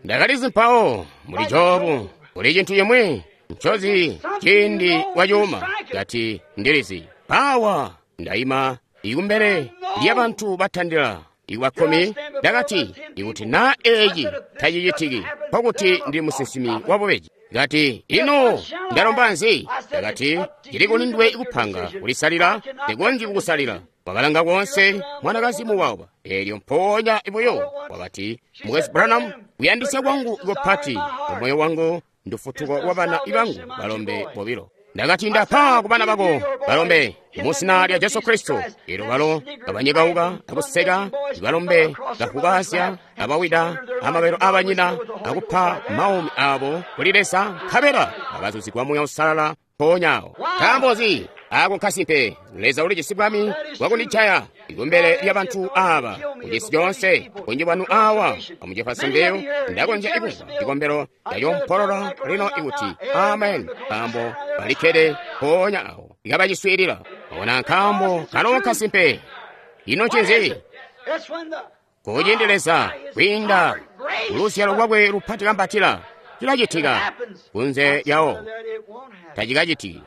Ndakalizi mpawo muli Jobu kuli cintu chimwi nchozi ciindi wacuuma. Kati ndilizi pawa ndayima ikumbele lya bantu batandila ikwa 10. Ndakati, ikuti na eci tacicitiki nkokuti ndi musinsimi wabubeji. Kati, ino ndalomba nzi? Ndakati, cili kuli ndiwe ikupanga kulisalila, ndikonzyi kukusalila. Wakalanga konse mwanakazi muwawa, elyo mpoonya ibuyo wakati, Mukwesu Branham, kuyandisya kwangu kupati mumoyo wangu ndufutuko lwa bana ibangu balombe bobilo. Ndakati, ndapa ku bana bako balombe muzina lya Jesu Kristo. Elyo balo kabanyekauka akuseka, balombe kafukazya abawida amabelo abanyina akupa maumi abo kuli Leza, nkabela bakazuzigwa Muuya Uusalala mpoonyawo. Nkaambo nzi? Ako nkasimpe. Leza ulijisi bwami bwakundijaya ikumbele lya bantu aba kucisi coonse. Bunji bwanu awa amu Jeffersonville ndakonzya ikumva cikombelo cacompolola lino ikuti amen, nkaambo balikkede mpoonya awo ikabaciswiilila. Ona, nkaambo kalo nkasimpe. Ino ncinzi? Kuciindi Leza kwiinda kuluzyalo lwakwe lupati kambatila, cilacitika kunze lyawo tacikacitiki.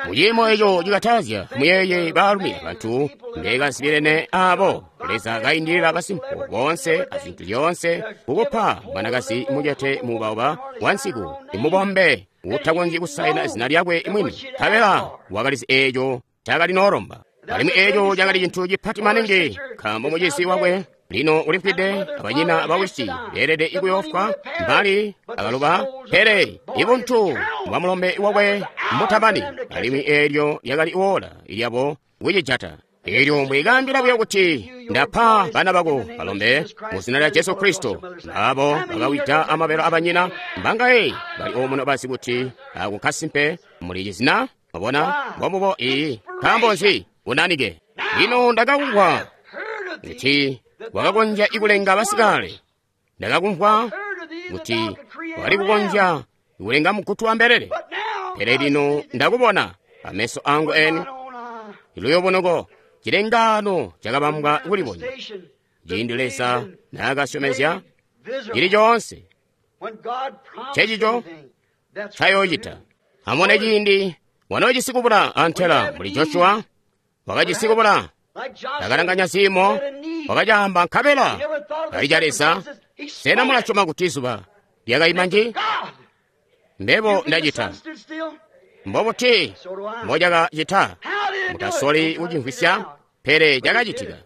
Muciimo eco cikatazya, muyeye baalumi abantu mbekazibilene abo Leza kaindilila basimpo boonse azintu zyoonse kukupa mwanakazi mucete muubauba wansiku imubombe utakonzyi kusaina zina lyakwe mwini, nkabela wakalizi eco cakali noolomba. Alimwi eco cakali cintu cipati maningi, nkaambo mucizi wakwe lino ulifwide, abanyina bawisi beelede ikuyoofwa mbali akaluba, pele ibuntu bwa mulombe wakwe mbutamani, alimwi eelyo lyakali woola lyabo kucijata. Elyo mbwikaambila buyo kuti ndapa bana bako balombe muzina lya Jesu Kristo, abo bakawida amabelo abanyina mbangaye bali omuno bazi kuti ako nkasimpe muli cizina. Mwabona mbombubo iyi. Nkaambo nzi? Unanike. Lino ndakakumvwa kuti wakakonzya ikulenga basikale. Ndakakumvwa kuti wakali kukonzya ikulenga mugutu wa mbelele, pele lino ndakubona ameso angu eni. Luyobonoko cilengano cakabambwa kulibonya ciindi Leza naakasyomezya cili coonse cecico ncayoocita. Amone ciindi wanoocisi kubula antela muli Joshua wakajisi kubula, akalanganya ziimo, wakacaamba nkabela kali ca Leza. Sena mulasyoma kuti zuba lyakaima nji? Mbebo ndacita. Mbobuti mbocakacita? Mutasoli kucimvwisya, pele cakacitika.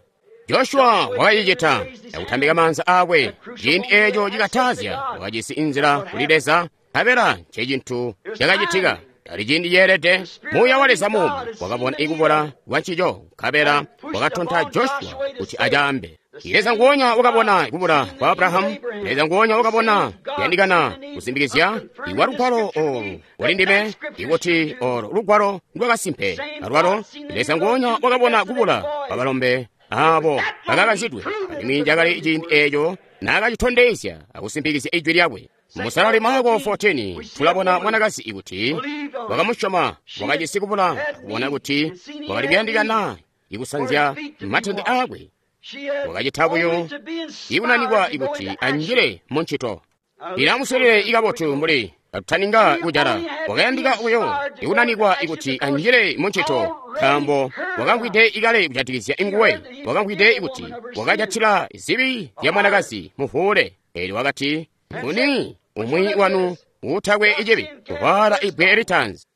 Joshua wakacicita akutambika maanza aakwe. Ciindi eeco cikatazya wakajisi inzila kuli Leza, nkabela ncecintu cakacitika. Ali ciindi ceelede, Muuya wa Leza muumi wakabona ikubula kwa ncico, nkabela wakatonta Joshua kuti acaambe. Leza nguonya wakabona kubula kwa Abrahamu. Leza nguonya wakabona kuyandikana kusimbikizya ikwa lugwalo olu kuli ndime, ikuti olu lugwalo ndwakasimpe. Alwalo Leza nguonya wakabona kubula kwa balombe abo bakakazidwe, alimwi cakali ciindi eeco naakacitondezya akusimbikizya ijwi lyakwe. Musalali Marko 14 tulabona mwanakazi ikuti wakamusyoma, wakajisi kubula kubona kuti wakali kuyandikana ikusanzya matende aakwe. Wakacita buyo ikunanikwa ikuti anjile muncito. Ilamusolele ikabotu mbuli katutaninga kujala. Wakayandika buyo ikunanikwa ikuti anjile muncito, nkaambo wakamvwide ikale kujatikizya inguwe. Wakamvwide ikuti wakajatila zibi zya mwanakazi muvuule. Elyo wakati, nguni Umwi wanu uutakwe icibi kuvaala ibbwe litanzi.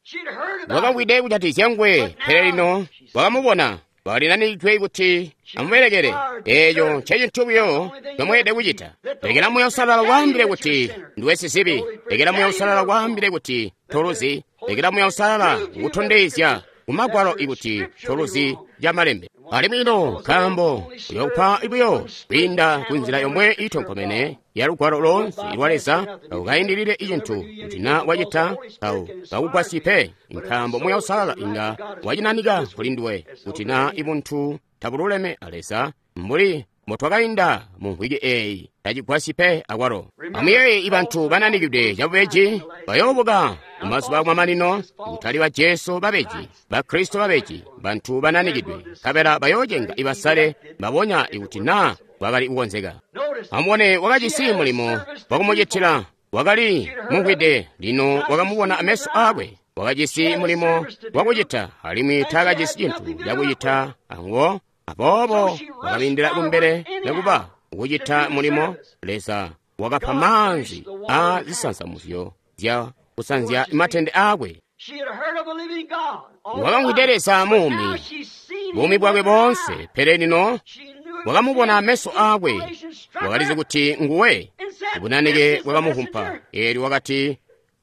Wakamvwide kujatizya nguwe, pele lino wakamubona. Walinanikidwe kuti amubelekele. Eeco ncecintu buyo ncomweelede kucita. Lekela Muuya Uusalala waambile kuti nduwe sizibi. Lekela Muuya Uusalala waambile kuti toluzi. Lekela Muuya Uusalala kutondezya kumagwalo ikuti toluzi ya malembe. Alimwi ino nkaambo uyokupa buyo kwiinda kunzila yomwe iitonkomene ya lugwalo loonse lwa Leza ukayindilile icintu kuti na wacita tawu kakugwasyi pe, nkaambo Muuya Uusalala inga wacinanika kuli nduwe kuti na ibuntu tabululeme a Leza mbuli mbotwakainda mu mvwiki eeyi tacigwasyi pe akwalo. Amuyeeye ibantu bananikidwe cabubeji bayoobuka mumazuba akumamanino, kutali ba Jesu babeji, ba Kristo babeji, bantu bananikidwe, nkabela bayoocenga ibasale mbabonya ikuti naa bwakali kukonzeka. Amubone, wakajisi mulimo wakumucitila, wakali mumvwide, lino wakamubona ameso aakwe. Wakajisi mulimo wakucita, alimwi taakajisi cintu cakucita anguwo. Aboobo wakabindila kumbele nekuba kucita mulimo. Leza wakapa maanzi a zisansamuzyo zya kusanzya matende aakwe. Wakamvwide Leza muumi, buumi bwakwe boonse, pele lino wakamubona ameso aakwe. Wakalizi kuti nguwe. Bunanike bwakamuhumpa. Eelyo wakati,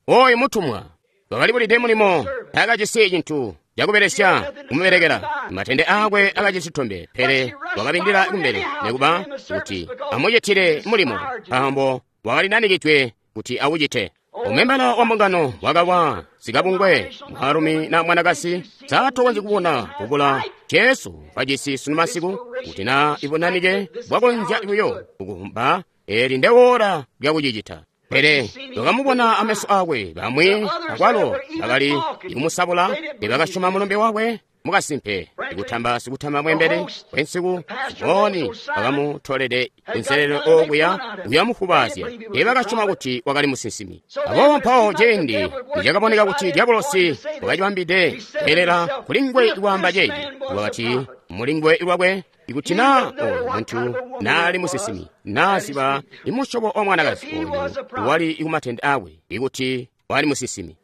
"Oyu mutumwa." Wakalibulide mulimo, taakajisi cintu cakubelesya kumubelekela. Matende aakwe akajisi tombe, pele wakabindila kumbele nekuba kuti amucitile mulimo, nkaambo wakalinanikidwe kuti awucite. Umembala wa mbungano wakawa sikabungwe, mwaalumi na mwanakazi, saatokonzyi kubona kubula Jesu kwajisi sunu masiku, kuti na ibunanike bwakonzya buyo kukumba, eli ndewola lyakucicita. Pele wakamubona ameso aakwe. Bamwi akwalo bakali kumusabula, tebakasyoma mulumbe wakwe. Mukasimpe ikutamba sikutamba mwembele wensiku Simoni bakamutolede kunselelo okuya kuyamufubaazya, teebakasyoma kuti wakali musinsimi. Aboobo mpawo ciindi nicakaboneka kuti Diabolosi wakacibambide kweelela kuli nguwe kwaamba ceeci, wakati muli nguwe lwakwe, ikuti naa oyu muntu naali musinsimi, naaziba imusyobo wa mwanakazi oyu wali kumatende aakwe, ikuti wali musinsimi.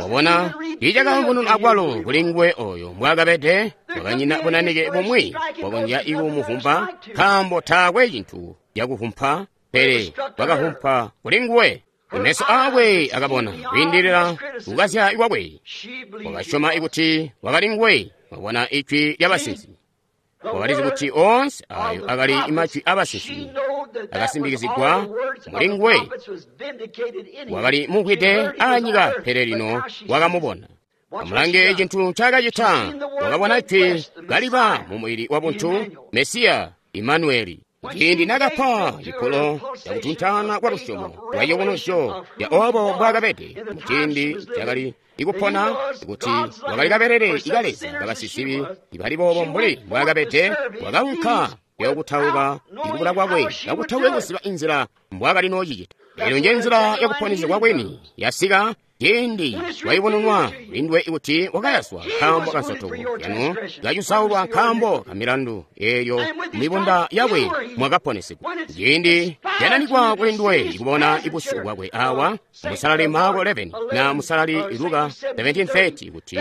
Wabona, tiicakayubununwa akwalo kuli nguwe oyo mbwaakabede. Wakanyina bunanike bumwi bwakonzya ikumuvumpa, nkaambo taakwe cintu cakuvumpa, pele bwakavumpa kuli nguwe. Meso aakwe akabona kwiindilila kukazya kwakwe. Wakasyoma ikuti wakali nguwe. Wabona ijwi lyabasinsimi. Wakalizi kuti oonse ayo akali majwi abasinsimi akasimbikizigwa muli nguwe. Wakali mumvwide anyika, pele lino wakamubona. Amulange cintu ncaakacita. Wakabona jwi kaliba mu mubili wabuntu, Mesiya Imanueli. Ciindi nakapa cipulo cakutuntana kwa lusyomo lwa ciyubunuzyo ya obo mbwaakabede muciindi cakali ikupona, kuti wakali kabelele ika Leza kabasizibi ibali boobo mbuli mbwaakabede. Wakaunka kuyokutauka ikubula kwakwe kakutakwe kuziba inzila mbwaakali noocicita. Eelyo nje nzila yakuponesegwa kwini yasika ciindi wayubununwa kulinduwe kuti wakayaswa nkaambo kansotoko yanu, kacusaulwa nkaambo kamilandu, eelyo mibunda yakwe mwakaponesegwa. Ciindi yananikwa kulinduwe ikubona ibusyu bwakwe awa musalali Marko 11 na musalali Luka 17:30, kuti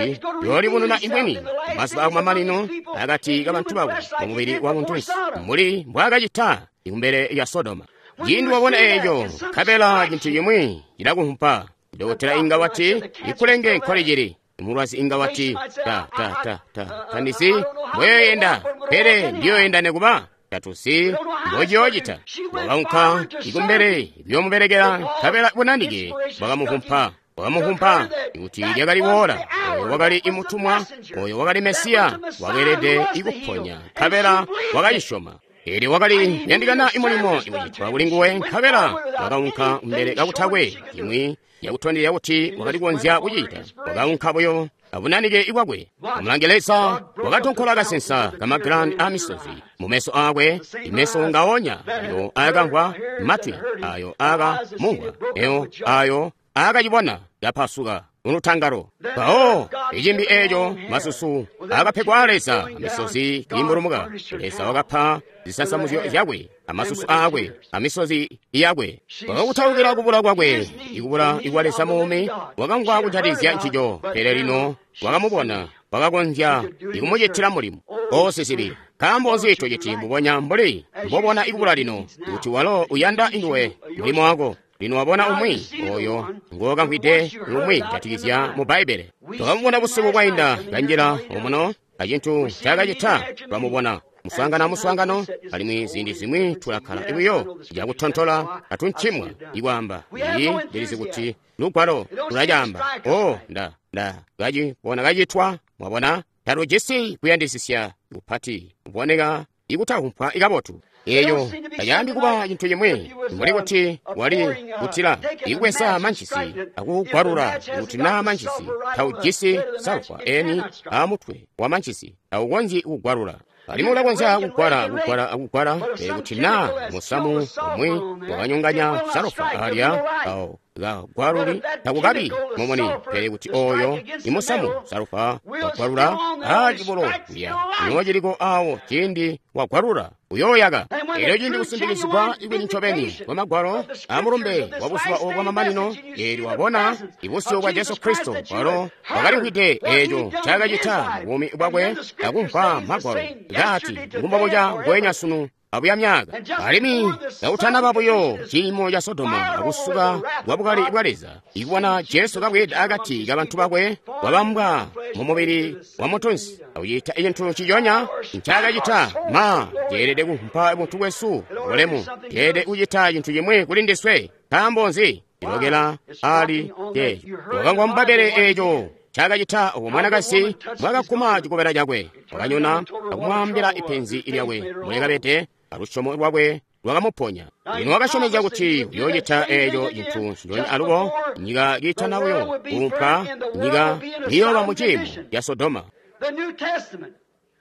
yoolibununa imwini mazuba akumamanino akati kabantu bakwe mumubili wa buntunsi mbuli mbwaakacita kumbele lya Sodoma. Ciindi wabona eeco, nkabela cintu cimwi cilakuhumpa. Dokotela inga wati, ikulenge nkoli cili. Mulwazi inga wati, ta ta ta ta tandizi mboyoyenda, pele ndiyoyenda nekuba tatuzi mbociyoocita. Wakaunka ikumbele kuyomubelekela, nkabela bunanike bwakamuhumpa. Bwakamuhumpa kuti lyakali woola. Oyo wakali imutumwa, oyo wakali Mesiya, wakeelede ikuponya, nkabela wakacisyoma. Eelyo wakali kuyandikana imulimo ikucitwa kuli nguwe, nkabela wakaunka kumbele kakutakwe imwi yakutondezya kuti wakali kukonzya kucita. Wakaunka buyo abunanike ibwakwe. Amulange, Leza wakatonkola kasensa kamagilani amisozi mumeso aakwe, imeso ngaonya ayo aakamvwa, matwi ayo aakamumvwa, eyo ayo aakacibona kapasuka mulutangalo. Mpawo icimbi eeco masusu akapegwa Leza, amisozi kiimbulumuka. Leza wakapa zisansamuzyo zyakwe, amasusu aakwe, amisozi yakwe. Wakakutaukila kubula kwakwe, ikubula ikwa Leza muumi, wakamvwa kujatizya ncico, pele lino wakamubona, wakakonzya ikumucitila mulimo. O sizibi, nkaambo nzi tociti mbubonya mbuli mbobona ikubula lino, kuti walo uyanda induwe mulimo wako. Lino wabona umwi oyo ngokamvwide lumwi jatikizya mu Bbaibbele. Twakamubona busiku bwainda kanjila omuno acintu ncaakacita twamubona muswaangano amuswaangano, alimwi ziindi zimwi tulakkala buyo cakutontola atuncimwa ikwaamba iyi ndilizi kuti lugwalo lulacaamba. O nda kacibona kacitwa. Mwabona, talujisi kuyandisisya kupati kuboneka ikutakumpwa ikabotu. Eyo tacaambi kuba cintu cimwi mbuli kuti wali kutila ikubweza manchisi akugwalula kuti naa manchisi taujisi salufa eni amutwe wa manchisi taukonzyi kugwalula. Alimwi ulakonzya kugwala kugwala akugwala, pele kuti naa musamu umwi wakanyonganya salufa alya awo kagwaluli takukabi mumuni, pele kuti oyo imusamu salufa wagwalula acibulo kulya nociliko awo ciindi wagwalula uyooyaka. Elyo ciindi kusimbikizigwa ikwini ncobeni kwa magwalo amulumbe wa buzuba obu bwamamanino, eelyo wabona ibusyu bwa Jesu Kristo, walo wakalimvwide eeco ncaakacita mu buumi bwakwe akumvwa magwalo kaati ngumbobuca ngweenya sunu abuya myaka. Alimwi kautanaba buyo ciimo ca Sodoma akusuka kwa bukali bwa Leza, ikubona Jesu kabweeda akati kabantu bakwe wabambwa mu mubili wa mutunsi akucita cintu ciconya ncaakacita. Ma ceelede kumpa buntu bwesu bulemu, ceelede kucita cintu cimwi kuli ndiswe. Nkaambo nzi? Cilokela ali ceeco. Wakamvwa mu Bbaibbele eeco ncaakacita obo mwanakazi mbwaakakuma cikobela cakwe, wakanyona akumwaambila ipenzi lyakwe mulekabede, alusyomo lwakwe lwakamuponya. Lino wakasyomezya kuti uyoocita eeco cintu nciconya alubo nyika kiitana buyo kuumpwa, nyika iyooba mu ciimo ca Sodoma.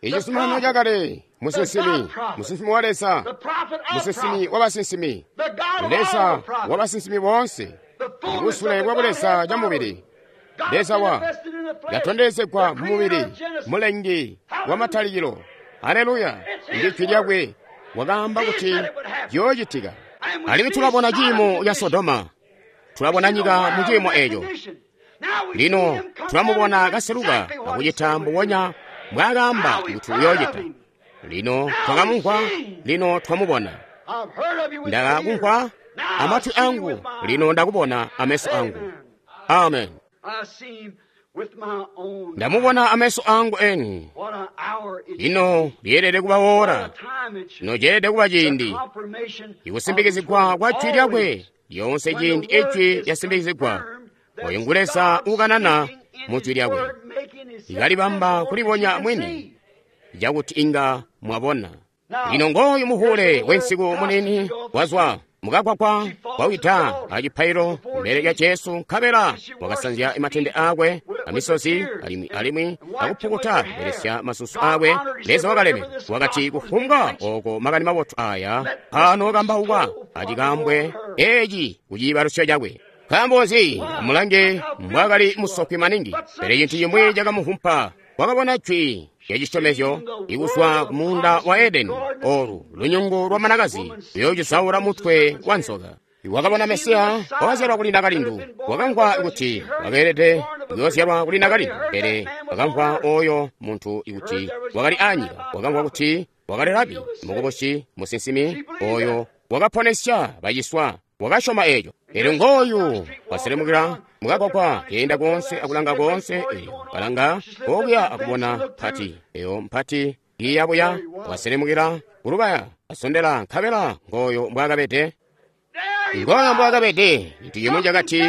Icizuminano cakale, musinsimi, musinsimi wa Leza, musinsimi wa basinsimi, Leza wa basinsimi boonse, ibusule bwa Buleza ca mubili. Leza wa yatondezegwa mu mubili, mulengi wa matalikilo. Haleluya! Ijwi lyakwe wakaamba kuti ciyoocitika. Alimwi tulabona ciimo ca Sodoma, tulabona nyika mu ciimo eeco. Lino tulamubona kaseluka akucita mbubonya mbwaakaamba kuti uyoocita. Lino twakamumvwa, lino twamubona. Ndakakumvwa amatwi angu, lino ndakubona ameso angu. Amen. Ndamubona ameso angu eni. Lino lyeelede kuba wora, lino ceelede kuba ciindi ikusimbikizigwa kwa jwi lyakwe. Lyonse ciindi ijwi lyasimbikizigwa, oyo ngu Leza ukanana mu jwi lyakwe, ikalibamba kulibonya mwini cakuti inga mwabona. Lino ngooyu muhule wensiku munini wazwa mukakwakwa wawida acipailo mbele lya Jesu, nkabela wakasanzya matende aakwe amisozi alimwi akupukuta kubelesya masusu aakwe. Leza wakaleme wakati, kufumbwa oko makani mabotu aya anokambaukwa acikambwe eci kuciibalusyo cakwe. Nkaambo nzi? Amulange mbwaakali musokwi maningi, pele cintu cimwi cakamuvumpa. Wakabona jwi lyacisyomezyo ikuzwa ku muunda wa Edeni, olu lunyungu lwa manakazi luyoocisaula mutwe wa nzoka. Wakabona Mesiya wakazyalwa kuli nakalindu. Wakamvwa kuti wakeelede kuyoozyalwa kuli nakalindu, pele wakamvwa oyo muntu kuti wakali anyika. Wakamvwa kuti wakali rabi, mukubusi, musinsimi oyo wakaponesya baciswa. Wakasyoma eeco. Elyo ngooyu waselemukila mukakwakwa, keenda koonse akulanga koonse. Elyo kalanga okuya akubona mpati eyo mpati iyabuya, waselemukila kulubaya, asondela, nkabela ngooyo mbwaakabede. Ngooyo mbwaakabede. Cintu cimwi cakati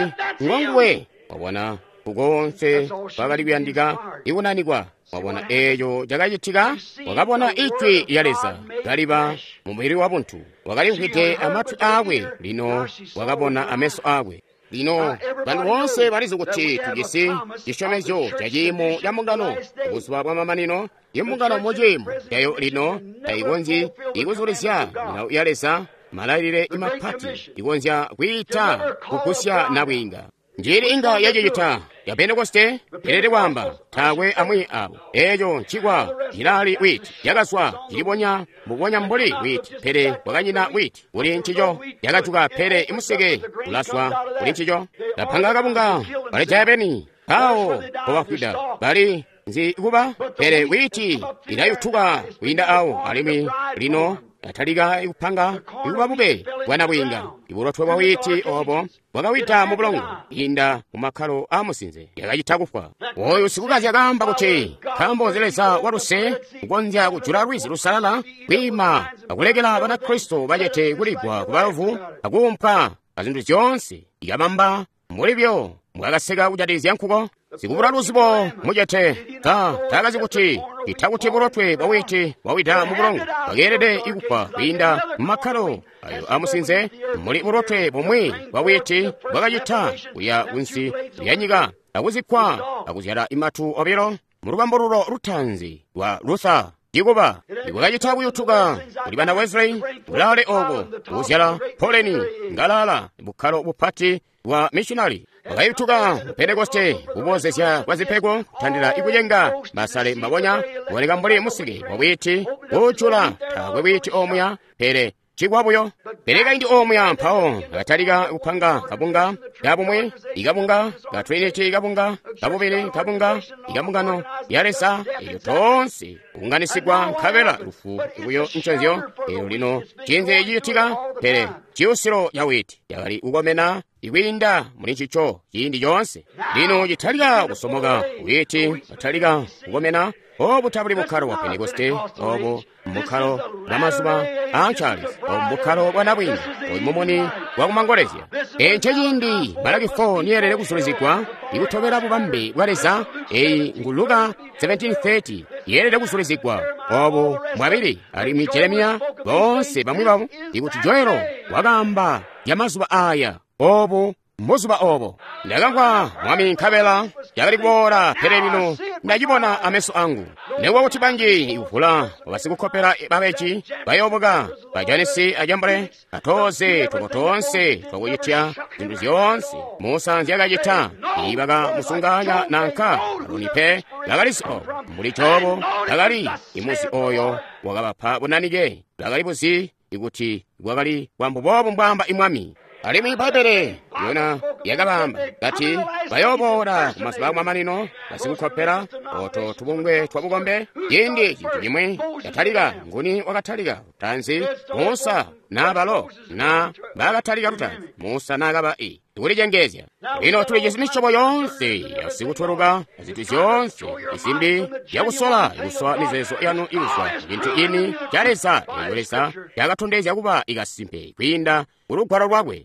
ngonguwe. Wabona kukoonse kwakali kuyandika ikunanikwa. Wabona eeco cakacitika. Wakabona ijwi lya Leza kaliba mumubili wa buntu. Wakalimvwide amatwi aakwe, lino wakabona ameso aakwe. Lino bantu boonse balizi kuti tujisi cisyomezyo ca ciimo ca mbungano buzuba bwa mamanino. Imbungano mu ciimo cayo lino taikonzyi ikuzulizya milawo ya Leza, malailile mapati ikonzya kwiita kugusya nabwiinga. Njili inga yacicita ya Pentekoste elede kwaamba taakwe amwi abo. Eeco ncikwa cilali witi yakazwa cilibonya mbubonya mbuli witi, pele kwakanyina witi kuli ncico. Yakajuka pele imuseke ulaswa kuli ncico. Lapanga kabunga balijaya beni awo pobafwida bali nzi kuba, pele witi ilayutuka kwiinda awo alimwi lino yatalika kupanga ikuba bube bwana bwiinga. Ibulotwe bwa witi obo bwakawida mu bulongo inda mu makkalo a musinze yakacita kufwa. Oyu sikukazya kaamba kuti nkaambo nzi Leza waluse kukonzya kujula lwizi lusalala kwiima akulekela Banakristo bacete kuligwa ku baluvu akuumpwa azintu zyoonse ikabamba mbuli byo mwakaseka kujatikizya nkuko. Sikubula luzibo mucete taakazi kuti itakuti bulotwe bwa witi bwawida mu bulongo bwakeelede ikufwa kwiinda mu makkalo ayo amusinze muli bulotwe bumwi bwa witi bwakacita kuya kunsi lya nyika akuzikkwa akuzyala imatu obilo mu lubambululo lutaanzi lwa Luther. Cikuba ibwakacita kuyutuka kuli bana Wesley bulaale obo kuzyala poleni ngalala bukkalo bupati bwa missionary bwakayutuka Pentekoste kubozezya kwa zipego kutandila ikucenga masale mabonya kuboneka mbuli museke wa witi kucula taakwe witi omuya pele cikwa buyo. Pele kaindi omuya mpawo akatalika kupanga kabunga kabumwe ikabunga ka Trinity kabunga kabubili kabunga ikabungano ya Leza elyo tonse kunganisigwa nkabela lufu buyo nconzyo. Elyo lino cinzi cicitika pele ciyusilo ya witi yakali kukomena ikwiinda muli ncico ciindi coonse. Lino citalika kusomoka witi atalika kukomena. Obu tabuli bukkalo bwa Pentekoste, obu mbukkalo bwa mazuba a Charles, obu mbukkalo bwa nabwiinga, oyu mumuni wa kumangolezya. Ence ciindi Malaki 4 niyelele kuzulizigwa ikutobela bubambe bwa Leza. Eyi ngu Luka 17:30 yeelede kuzulizigwa. Obu mwabili alimwi Jeremiya boonse bamwi babo ikuti Joelo wakaamba ya mazuba aya. Obu mbuzuba obo ndakamvwa Mwami nkabela yakali kuboola, pele lino ndacibona ameso angu. Nekuba kuti banji ikuvula basikukkopela babeji bayoobuka bajanisi ajambule atoze twabo toonse twakucitya zintu zyoonse Musa nzyakacita ibakamusunganya nanka Aroni pe bakalizi obo mbuli Jobo bakali imuzi oyo wakabapa bunanike bakali buzi ikuti bwakali bwambubobu mbwamba imwami. Alimwi Bbaibbele yona yakabamba kati bayoboola kumazuba akumamanino basikukkopela oto tubungwe twa bukombe. Ciindi cintu cimwi catalika, nguni wakatalika lutaanzi? Musa na balo na bakatalika lutaanzi? Musa nakaba i kulicengezya. Lino tulijisi misyobo yoonse yasikutweluka azintu zyoonse izimbi yakusola ikusowa mizeezo yanu ikuzwa cintu ini ca Leza eyo Leza yakatondezya kuba ikasimpe kwiinda kulugwalo lwakwe.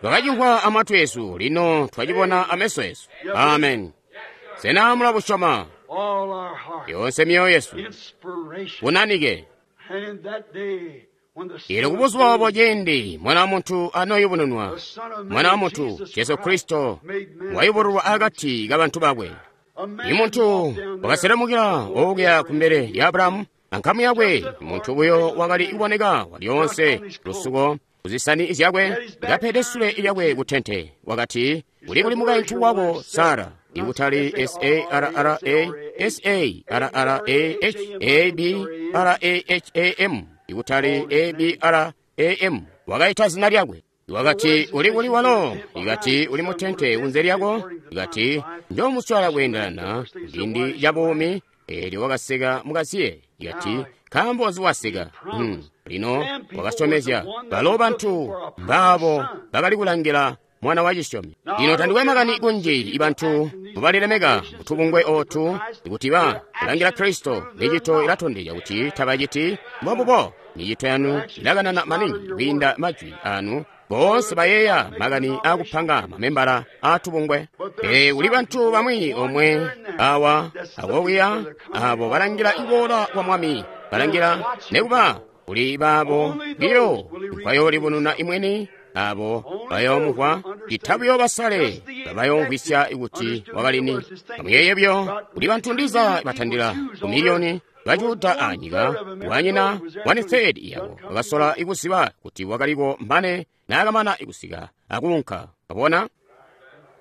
Twakacimvwa amatwi esu, lino twacibona ameso esu. Amen. Sena mulabusyoma? Yonse myoyo yesu bunanike. Ili kubuzuba obo ciindi Mwana wa Muntu anoyubununwa, Mwana wa Muntu Jesu Kristo wayubululwa akati kabantu bakwe. Imuntu wakaselemukila okuya kumbele ya Abrahamu ankamu yakwe. Muntu buyo wakali kuboneka walyoonse lusuko kuzisani zyakwe kapede sule lyakwe kutente. Wakati uli kuli mukaintu wako Sara, ikutali S-A-R-R-A S-A-R-R-A-H A-B-R-A-H-A-M, ikutali A-B-R-A-M. Wakaita zina lyakwe. Wakati uli kuli walo, ikati uli mutente kunze lyako, ikati njomuswala kweendelana ciindi ca buumi. Eelyo wakaseka mukaziye, ikati nkaambo nzi waseka? Lino wakasyomezya balo bantu mbaabo bakali kulangila mwana wa cisyomi. Lino tandikwe makani kunji ibantu mbubalilemeka mutubungwe otu ikuti ba kulangila Kristo. Micito ilatondezya kuti tabaciti mbombubo. Micito yanu ilakanana maningi kwiinda majwi anu. Boonse bayeeya makani akupanga mamembala atubungwe. Pele kuli bantu bamwi omwe awa akokuya abo balangila iboola kwa Mwami, balangila nekuba kuli baabo biyo nkwayolibununa imweni abo bayoomuvwa itabuyo basale babayomvwisya kuti wakalini. Amuyeye byo kuli bantu ndiza batandila ku miliyoni Bajuda anyika, wanyina 1/3 yabo bakasola ikuziba kuti wakaliko mane naakamana ikusika akuunka. Wabona?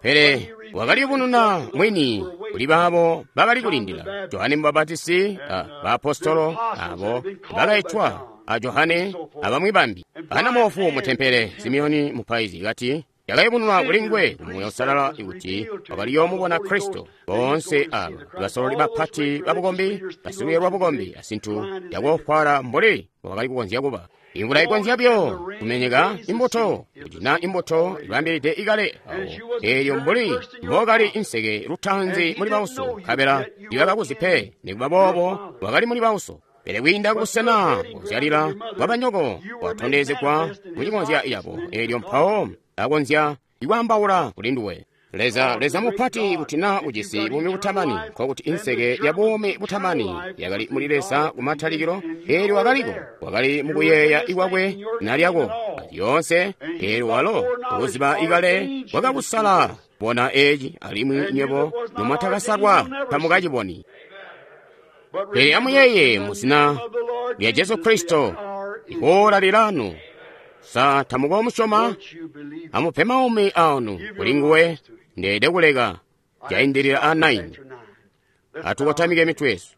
Pele wakaliyubununa mwini kuli baabo bakali kulindila. Johane Mubapatisi, baapostolo abo bakaitwa a Johane abamwi bambi. Ana moofu mu tempele, Simeoni mupaizi kati yakayubununwa kuli nguwe ku Muuya Uusalala kuti wakaliyoomubona Kristo. Boonse aba basololi bapati babukombi, basilwiiyo lwa bukombi asintu yakoofwaala mbuli wakali kukonzya kuba. Imvula ikonzya buyo kumenyeka imbuto, kuti naa imbuto ibambilide ikale awo, eelyo mbuli mbokali inseke lutaanzi muli bauso, nkabela ibakakuzi pe, nikuba boobo wakali muli bauso. Pele kwiinda kubusena kuzyalila bwabanyoko kwatondezegwa mucikonzya yabo, eelyo mpawo akonzya ikwaambaula kuli nduwe. Leza, Leza mupati, kuti naa ujisi buumi butamani, nkokuti inseke ya buumi butamani yakali muli Leza kumatalikilo, eelyo wakaliko, wakali mukuyeeya ikwakwe nalyako lyoonse, eelyo walo kuziba ikale wakakusala bona eci, alimwi nywebo nomwatakasalwa tamukaciboni. Pele amuyeeye muzina lya Jesu Kristo, ihoola lilanu. Sa tamukomusyoma? Amupe maumi aanu kuli nguwe. Ndeede kuleka jaindilila a 9. Atukotamike mitwe yesu.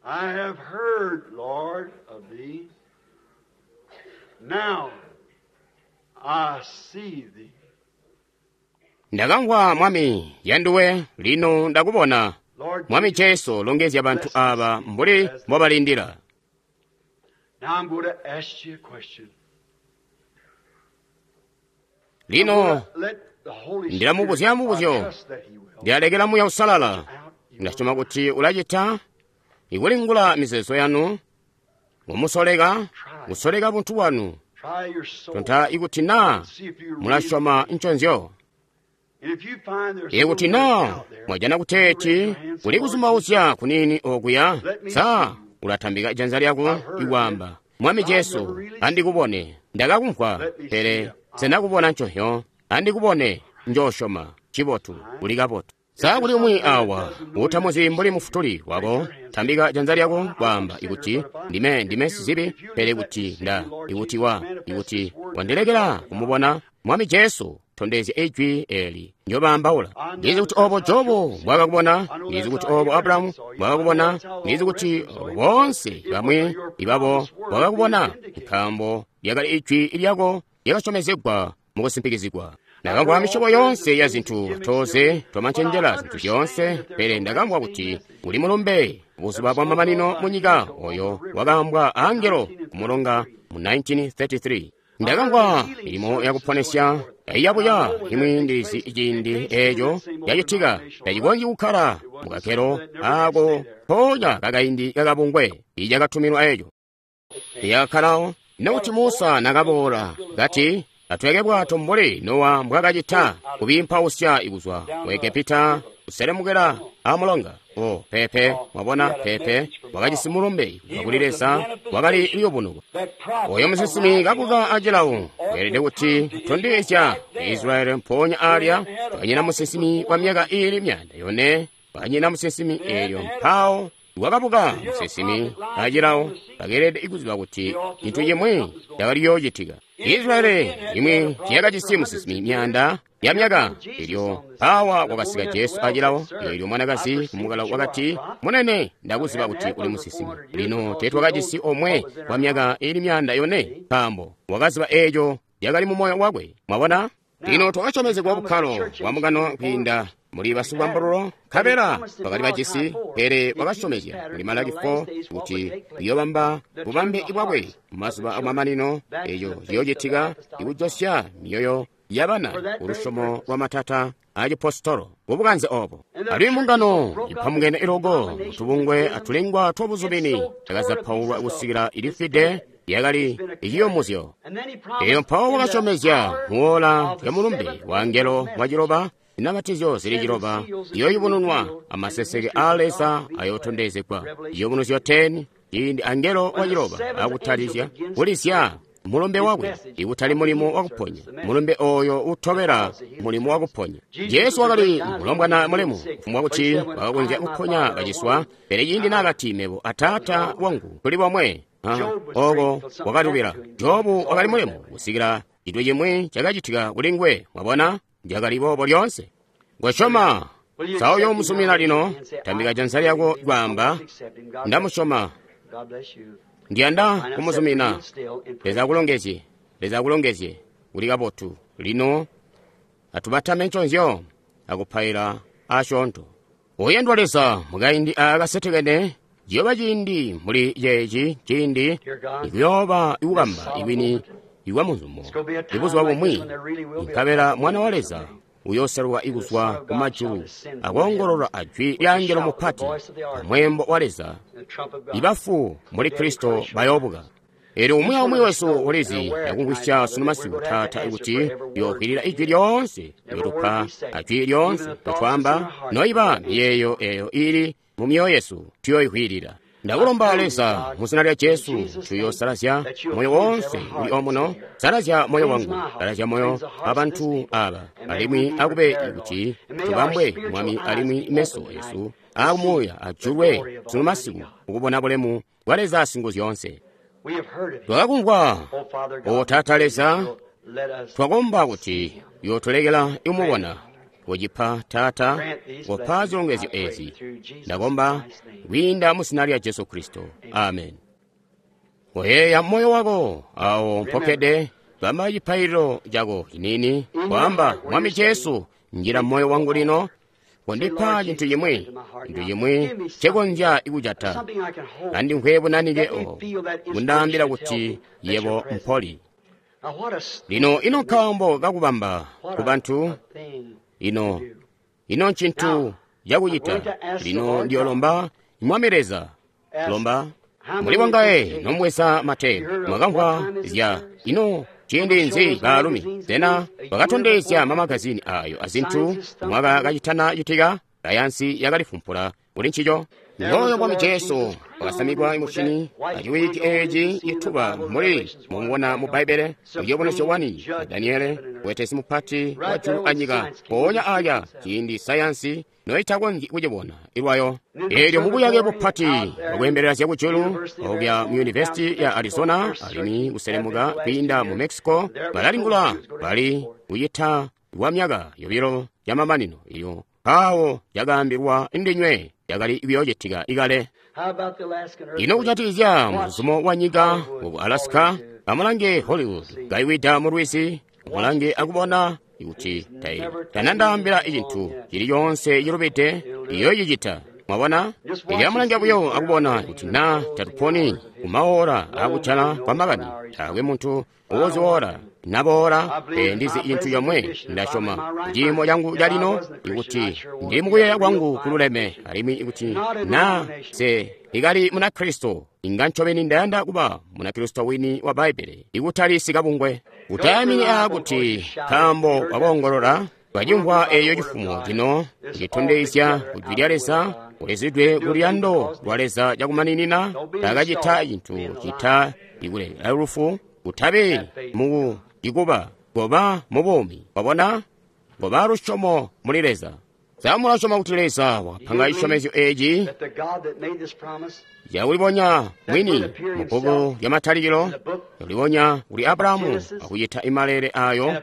I have heard, Lord, of thee. Now I see thee. Ndakamvwa Mwami yanduwe, lino ndakubona. Mwami Jesu, longezya bantu aba mbuli mbobalindila. Now I'm going to ask you a question. Lino ndilamubuzya mubuzyo, ndilalekela Muuya Uusalala. Ndasyoma kuti ulacita ikulingula mizeezo yanu, mumusoleka, kusoleka buntu bwanu, tonta ikuti naa mulasyoma nconzyo. Ikuti naa mwajana kuteeti kuli kuzumauzya kuniini okuya, sa ulatambika janza lyako ikwaamba, Mwami Jesu, andikubone. Ndakakumvwa, pele senakubona nconzyo. Andikubone, njoosyoma. Cibotu, uli kabotu. Sa kuli umwi awa utamuzi mbuli mufutuli wako, tambika janza lyako kwaamba ikuti ndime sizibi, pele kuti nda ikuti wa ikuti wandilekela kumubona Mwami Jesu, tondezya ijwi eli njobaambaula. Ndizi kuti obo Jobu mbwakakubona, ndizi kuti obo Abrahamu mbwakakubona, ndizi kuti obo boonse bamwi ibabo bwakakubona, nkaambo lyakali ijwi lyako lyakasyomezegwa mukusimpikizigwa. Ndakamvwa misyobo yonse ya zintu, toze twamancenjela zintu zyoonse, pele ndakamvwa kuti uli mulumbe buzuba bwa mamanino munyika oyo wakaambwa angelo kumulonga mu 1933. Ndakamvwa milimo yakuponesya yabuya imwi ndizi ciindi eeco yacitika tacikonzyi kukkala mukakelo ako mpoonya kakaindi kakabungwe icakatuminwa eeco tiyakakkalawo. Nokuti Musa nakaboola kati atweke bwato mbuli Nowa mbwakacita kubiimpausya ikuzwa ku Egepita kuselemukela amulonga. O pepe, mwabona, pepe wakajisi mulumbe kuzwa kuli Leza, wakali liyubunuko. Oyo musinsimi kabuka acilawo weelede kuti tondezya Israeli mpoonya alya wakanyina musinsimi wa myaka iili 400, wakanyina musinsimi eelyo mpawo wakabuka musinsimi acilawo bakeelede kuziba kuti cintu cimwi cakali yoocitika. Israeli imwi tiyakajisi musinsimi myaanda ya myaka, elyo mpawa kwakasika Jesu acilawo, eelyo mwanakazi kumukala wakati, Munene, ndakuziba kuti uli musinsimi. Lino teetwakajisi omwe wa myaka iili 400, nkaambo wakaziba eeco yakali mu moyo wakwe. Mwabona? Lino twakasyomezegwa bukkalo bwa mukano kwiinda muli basikubambululo, nkabela bakali bajisi, pele wakasyomezya muli Malaki 4 kuti uyoobamba bubambe bwakwe mumazuba amamanino, eeco ciyoocitika ikujosya myoyo yabana kulusyomo lwa matata acipositolo kubukanze obo. Alimwi mbungano ipamukene iloko mutubungwe atulengwa twabuzumini yakazapaulwa kusikila ilifwide yakali iciyomuzyo. Eyo mpawo wakasyomezya muwola lya mulumbe wa angelo waciloba, inamatizyo zili ciloba iyoyubununwa amaseseke a Leza ayotondezegwa. Iyubunuzyo 10, ciindi angelo waciloba akutalizya kulizya Mulumbe wakwe, ikutali mulimo wakuponya, mulumbe oyo utobela mulimo wakuponya. Jesu wakali mulombwana mulemu, kufumbwa kuti wakakonzya kuponya baciswa, pele ciindi naakati mebo ataata wangu tuli bomwe, oko wakalubila. Jobu wakali mulemu kusikila cintu cimwi cakacitika kuli nguwe. Mwabona, cakali boobo lyoonse. Ngosyoma sa uyoomusumina lino, tambika janza lyako kwaamba, ndamusyoma. Ndiyanda kumuzumina. Leza akulongezye. Leza akulongezye. Uli kabotu. Lino atubatame nconzyo akupaila asyoonto. Oyandwa Leza, mukaindi aakasetekene ciyooba ciindi muli ceeci ciindi ikuyooba ikubamba ikwini ikwa muzumo ibuzuba bumwi, nkabela Mwana wa Leza uyooseluka ikuzwa kumajulu akoongolola ajwi lya angelo mupati amweembo wa Leza. Ibafu muli Kristo bayoobuka. Eelyo umwi aumwi wesu ulizi akumvwisya sunu masiku, Taata, kuti tuyookwilila ijwi lyoonse lyotupa ajwi lyoonse lyotwaamba, noiba miyeeyo eyo ili mu myoyo yesu tuyooyikwilila. Ndakulomba Leza, mu zina lya Jesu, tuyoosalazya moyo woonse uli omuno. Salazya moyo wangu, salazya moyo wa bantu aba, alimwi akube kuti tubambwe, Mwami, alimwi meso esu akumuuya ajulwe sunu masiku ukubona bulemu bwa Leza Singuzyoonse. Twakakumvwa, O Taata Leza, twakomba kuti uyootulekela imubona. Kocipa, Taata, kopa zilongezyo ezi. Ndakomba kwiinda mu zina lya Jesu Kristo. Amen. Koyeeya moyo wako awo mpokkede, bamba cipaililo cako ciniini, kwaamba, Mwami Jesu, njila moyo wangu lino, kondipa cintu cimwi, cintu cimwi ncekonzya kujata. Andimvwe bunanike obo, bundaambila kuti yebo mpoli. Lino ino nkaambo kakubamba ku bantu, ino ncintu cakucita. Lino ndiyolomba Mwami Leza, lomba muli wangaye nomweza matepu, mwakamvwa zya ino ciindi nzi baalumi sena bakatondezya mamagazini ayo azintu mwaka kacitana citika. Sayansi yakalifumpula kuli ncico. Ngooyo Mwami Jesu wakasamikwa mushini aciwiki eeci cituba muli mumubona mu Bbaibbele muciyubunuzyo 1 Daniele wetesi mupati wa julu anyika. Mpoonya aya ciindi sayansi noitakonzyi kucibona ilwayo. Eelyo mubuyake bupati bwakweembelela zyakujulu okuya mu Yunivesiti ya Arizona alimwi kuselemuka kwiinda mu Mexico, balalingula bali kuyita kwa myaka yobilo yamamanino iyo mpawo yakaambilwa ndinywe yakali kuyoocitika ikale. Ino kujatikizya muzuzumo wa nyika ku Alaska, amulange Hollywood kaiwida mu lwizi, amulange akubona kuti tanandaambila cintu cili coonse cilubide iyoocicita. Mwabona? Elyo amulange buyo akubona kuti na tatuponi kumaora akujala kwa makani. Taakwe muntu uziwora naboola, pele ndizi cintu comwe, ndasyoma ciimo cangu calino ikuti ndili mukuyeeya kwangu kululeme, alimwi ikuti na se ikali Munakristo, inga ncobeni ndayanda kuba Munakristo wini wa Bbaibbele, ikutali sikabungwe. Utayamini kuti nkaambo wakoongolola twacimvwa eeyo cifumo cino citondezya kujwi lya Leza kulezedwe kuluyando lwa Leza cakumaninina, takacita cintu cita ikulekela lufu. Utabe mu ikuba goba mu buumi. Wabona? Goba lusyomo muli Leza. Sa mulasyoma kuti Leza wakapanga cisyomezyo eeci cakulibonya mwini mu bbuku lya Matalikilo, yakulibonya kuli Abrahamu akucita imalele ayo,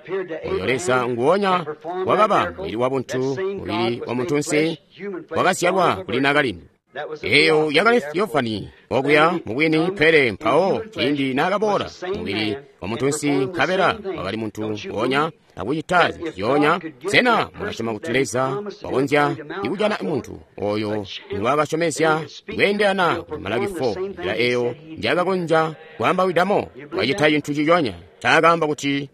oyo Leza nguwonya wakaba mubili wa buntu, mubili wa muntunsi, wakazyalwa kuli nakalindu. Eyo yakali Theophany okuya mubwini, pele mpawo ciindi naakaboola mubili wa muntunsi nkabela wakali muntu wonya akucita zintu zyoonya. Sena mulasyoma kuti Leza wakonzya ikujana muntu oyo ngwaakasyomezya kweendelana kuli Malaki 4, nzila eyo njaakakonzya kwaambawidamo? Wacita cintu ciconya ncaakaamba kuti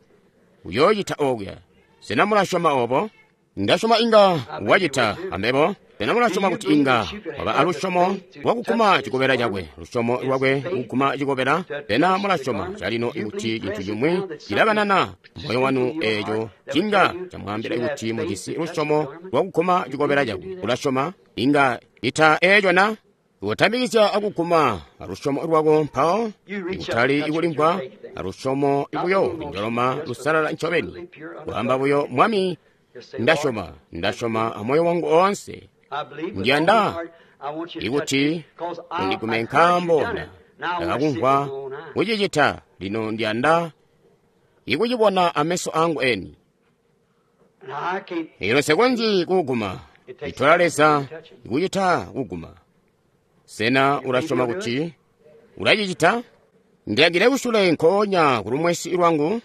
uyoocita okuya. Sena mulasyoma obo? Ndasyoma inga wacita ambebo. Sena mulasyoma kuti inga waba alusyomo lwakuguma cikobela cakwe, lusyomo lwakwe kuguma cikobela? Sena mulasyoma calino kuti cintu cimwi cilakanana moyo wanu eeco cinga camwaambila kuti mujisi lusyomo lwakuguma cikobela cakwe? Ulasyoma inga ita eeco na? Kutambikizya akuguma alusyomo lwako mpawo, ikutali ikulimvwa alusyomo buyo njoloma lusalala ncobeni. Kwaamba buyo, Mwami, ndasyoma, ndasyoma amoyo wangu oonse. Ndiyanda ikuti undigume nkaambo ndakakumvwa kucicita. Lino ndiyanda ikucibona ameso angu eni. Ino nsekonzyi kuguma. Itola Leza ikucita kuguma. Sena ulasyoma kuti ulacicita? Ndilangile kusule nkoonya kulumwesi lwangu.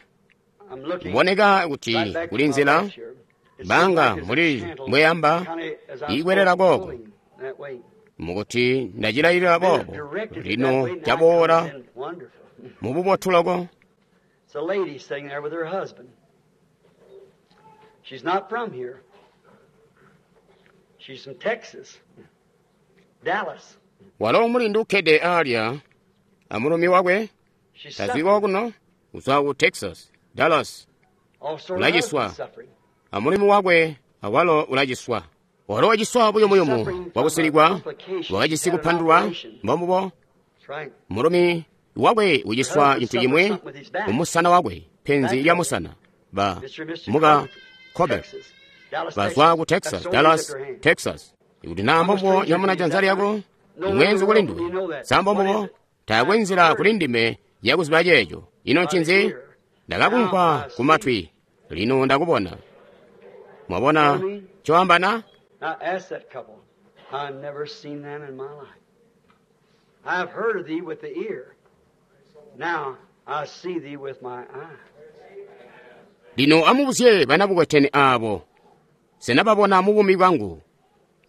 Kuboneka kuti kuli nzila banga muli mbweyamba ikwelela kooko, mukuti ndacilayilila boobo. Lino caboola mububotu loko. She's not from here. She's from Texas, Dallas. Walo mulindu ukkede alya amulumi wakwe tazwi kokuno, uzwa ku Texas, Dallas. Ulaciswa. Amulumi wakwe awalo ulaciswa. Walo waciswa buyumuyumu bwakusilikwa, wakajisi kupandulwa, mbombubo. Mulumi wakwe uciswa cintu cimwi kumusana wakwe, penzi lya musana. Ba muka Corbett bazwa ku Texas, Dallas, Texas. Ikuti naa mbombubo nyamuna janza lyako, imwenzi kuli nduwe. Sa mbombubo? Taakwe nzila kuli ndime yakuziba ceeco. Ino ncinzi? Ndakakumvwa kumatwi, lino ndakubona. Mwabona coambana? Now ask that couple. I've never seen them in my life. I've heard of thee with the ear. Now I see thee with my eye. Lino amubuzye banabukwetene abo. Senababona mu buumi bwangu.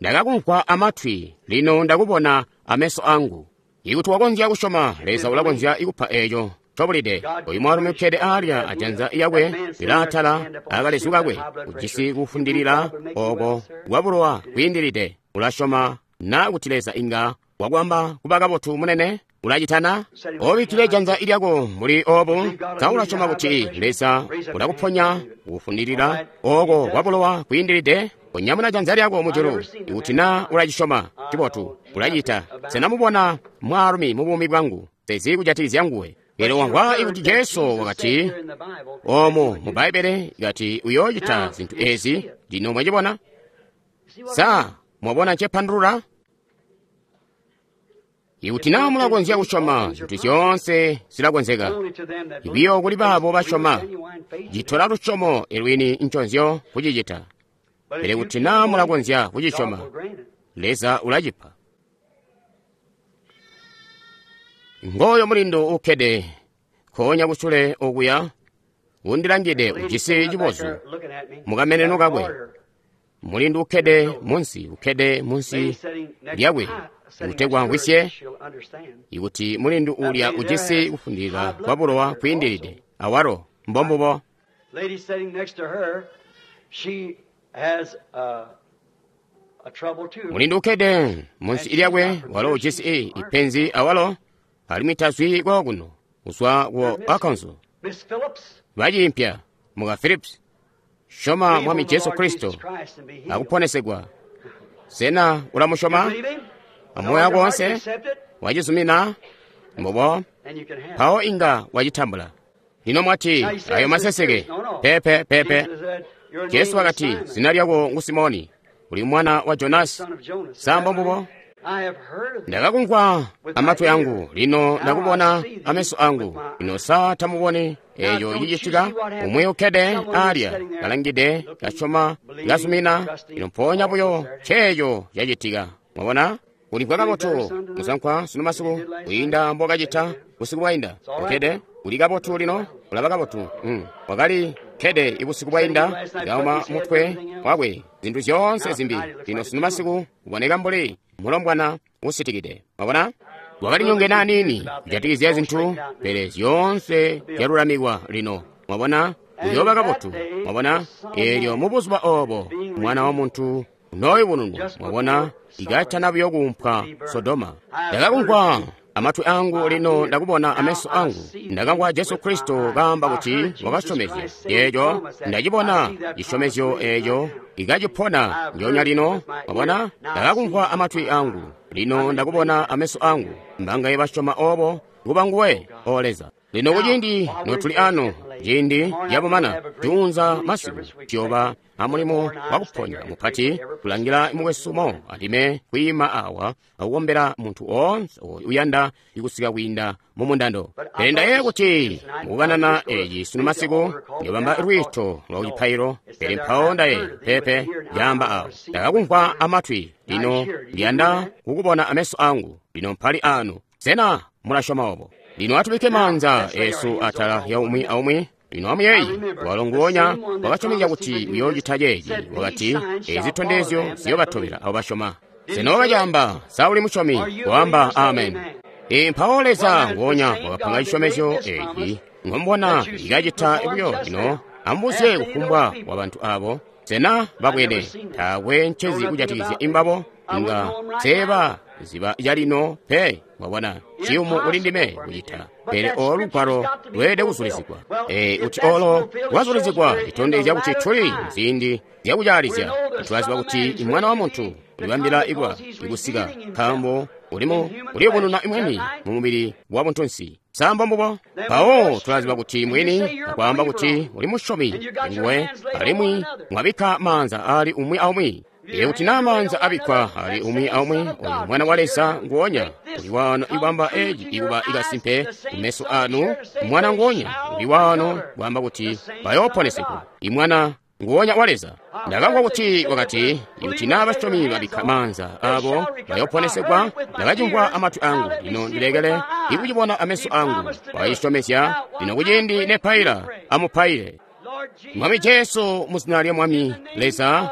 Ndakakumvwa amatwi, lino ndakubona ameso angu. Ikuti wakonzya kusyoma, Leza ulakonzya kupa eeco cobulide. Oyu mwaalumi ukkede alya ajanza yakwe lilaatala akalezu kakwe, ujisi kufundilila oko kwa bulowa kwiindilide. Ulasyoma na kuti Leza inga wakwamba kuba kabotu munene? Ulacitana? Obikkile janza lyako muli obu. Sa ulasyoma kuti Leza ulakuponya kufundilila oko kwa bulowa kwiindilide? Konyamuna janza lyako mujulu ikuti na ulacisyoma. Cibotu, ulacita. Senamubona mwaalumi mu buumi bwangu, sezi kujatikizya nguwe. Pele wamvwa ikuti Jesu wakati omu mu Bbaibbele kati uyoocita zintu ezi. Lino mwacibona? Sa mwabona ncepandulula? Ikuti naa mulakonzya kusyoma, zintu zyoonse zilakonzeka. Ibiyo kuli baabo basyoma, citola lusyomo elwini nconzyo kucicita. Pele kuti naa mulakonzya kucisyoma, Leza ulacipa. Ngooyo mulindu ukkede nkoonya kusule okuya, undilangide ujisi cibozu mukameneno kakwe. Mulindu ukkede munsi, ukkede munsi lyakwe, kutegwa mvwisye ikuti mulindu ulya ujisi kufundilila kwa bulowa kwiindilide awalo mbombubo. Mulindu ukkede munsi lyakwe, walo ujisi ipenzi awalo, alimwi tazwi kokuno, uzwa ku Arkansas. Baciimpya muka Phillips, syoma Mwami Jesu Kristo akuponesegwa. Sena ulamusyoma amoyo wako wonse? Wacizumina? Mbubo, mpawo inga wacitambula. Lino mwati, ayo maseseke. Pepe, pepe. Jesu wakati, zina lyako ngu Simoni, uli mwana wa Jonasi. Sa mbombubo? Ndakakumvwa amatwi angu, lino ndakubona ameso angu. Lino sa tamuboni eeco cicitika? Umwi ukkede alya, kalangide, kasyoma, kazumina. Lino mpoonya buyo ceeco cacitika. Mwabona? Ulimvwa kabotu musankwa sunu masiku kwiinda mbokacita busiku bwainda. Ukkede, uli kabotu lino, ulaba kabotu. Wakali kkede ibusiku bwainda, kauma mutwe wakwe, zintu zyoonse zimbi. Lino sunu masiku uboneka mbuli mulombwana usitikide. Mwabona? Wakali nyongene aniini kujatikizya zintu, pele zyoonse zyalulamikwa lino. Mwabona? Uyooba kabotu. Mwabona? Eelyo mu buzuba obo Mwana wa Muntu unooyubununwa. Mwabona? Ikatana buyo kuumpwa Sodoma. Ndakakumvwa amatwi angu, lino ndakubona ameso angu. Ndakamvwa Jesu Kristo kaamba kuti wakasyomezya eeco. Ndacibona cisyomezyo eeco ikacipona ndyoonya lino. Mwabona? Ndakakumvwa amatwi angu, Lino ndakubona ameso angu. Mbangaye basyoma obo kuba nguwe, O Leza. Lino kuciindi notuli ano, ciindi yabumana juunza masiku tuyoba amulimo wakuponya mupati kulangila mukwesu mo andime kwiima awa akukombela muntu oonse oyo uyanda ikusika kwiinda mu mundando. Pele ndayeeya kuti mukukanana eci sunu masiku ndiyobamba lwiito lwa kucipailo, pele mpawo ndayeeya pepe yaamba awo ndakakumvwa amatwi, lino ndiyanda kukubona ameso angu. Lino mpali ano, sena mulasyoma obo? Lino atubike maanza esu atala ya umwi aumwi. Lino amuyeeyi walo nguonya wakasyomezya kuti uyoocita ceeci, wakati ezi zitondezyo ziyobatobela abo basyoma. Sena wakacaamba? Sa uli musyomi? Waamba amen. Mpawo Leza nguonya wakapanga cisyomezyo eci ngombona ikacita buyo. Lino amubuzye kufumbwa wa bantu abo, sena babwene taakwe ncezi kujatikizya imbabo? Inga seeba ziba calino pe. Mwabona, ciyumu kuli ndime kucita, pele olo lugwalo lweelede kuzulizigwa. Kuti olo lwazulizigwa litondezya kuti tuli muziindi zyakucaalizya. Tulaziba kuti Mwana wa Muntu ulibambila ikwa ikusika, nkaambo ulimo uliyubununa mwini mu mubili wa buntunsi. Sambo mbubo. Mpawo tulaziba kuti mwini akwaamba kuti uli musyomi nguwe, alimwi mwabikka maanza ali umwi aumwi. Kuti naa maanza abikkwa ali umwi aumwi, oyu Mwana wa Leza nguonya uli wano ibamba eci ikuba ikasimpe kumeso anu. Mwana nguonya uli wano kwaamba kuti bayooponesegwa. Imwana nguonya wa Leza. Ndakamvwa kuti wakati, kuti naa basyomi babikka maanza abo bayooponesegwa. Ndakacimvwa amatwi angu, lino ndilekele ikucibona ameso angu. Wakacisyomezya. Lino kuciindi nepaila, amupaile. Mwami Jesu, muzina lya Mwami Leza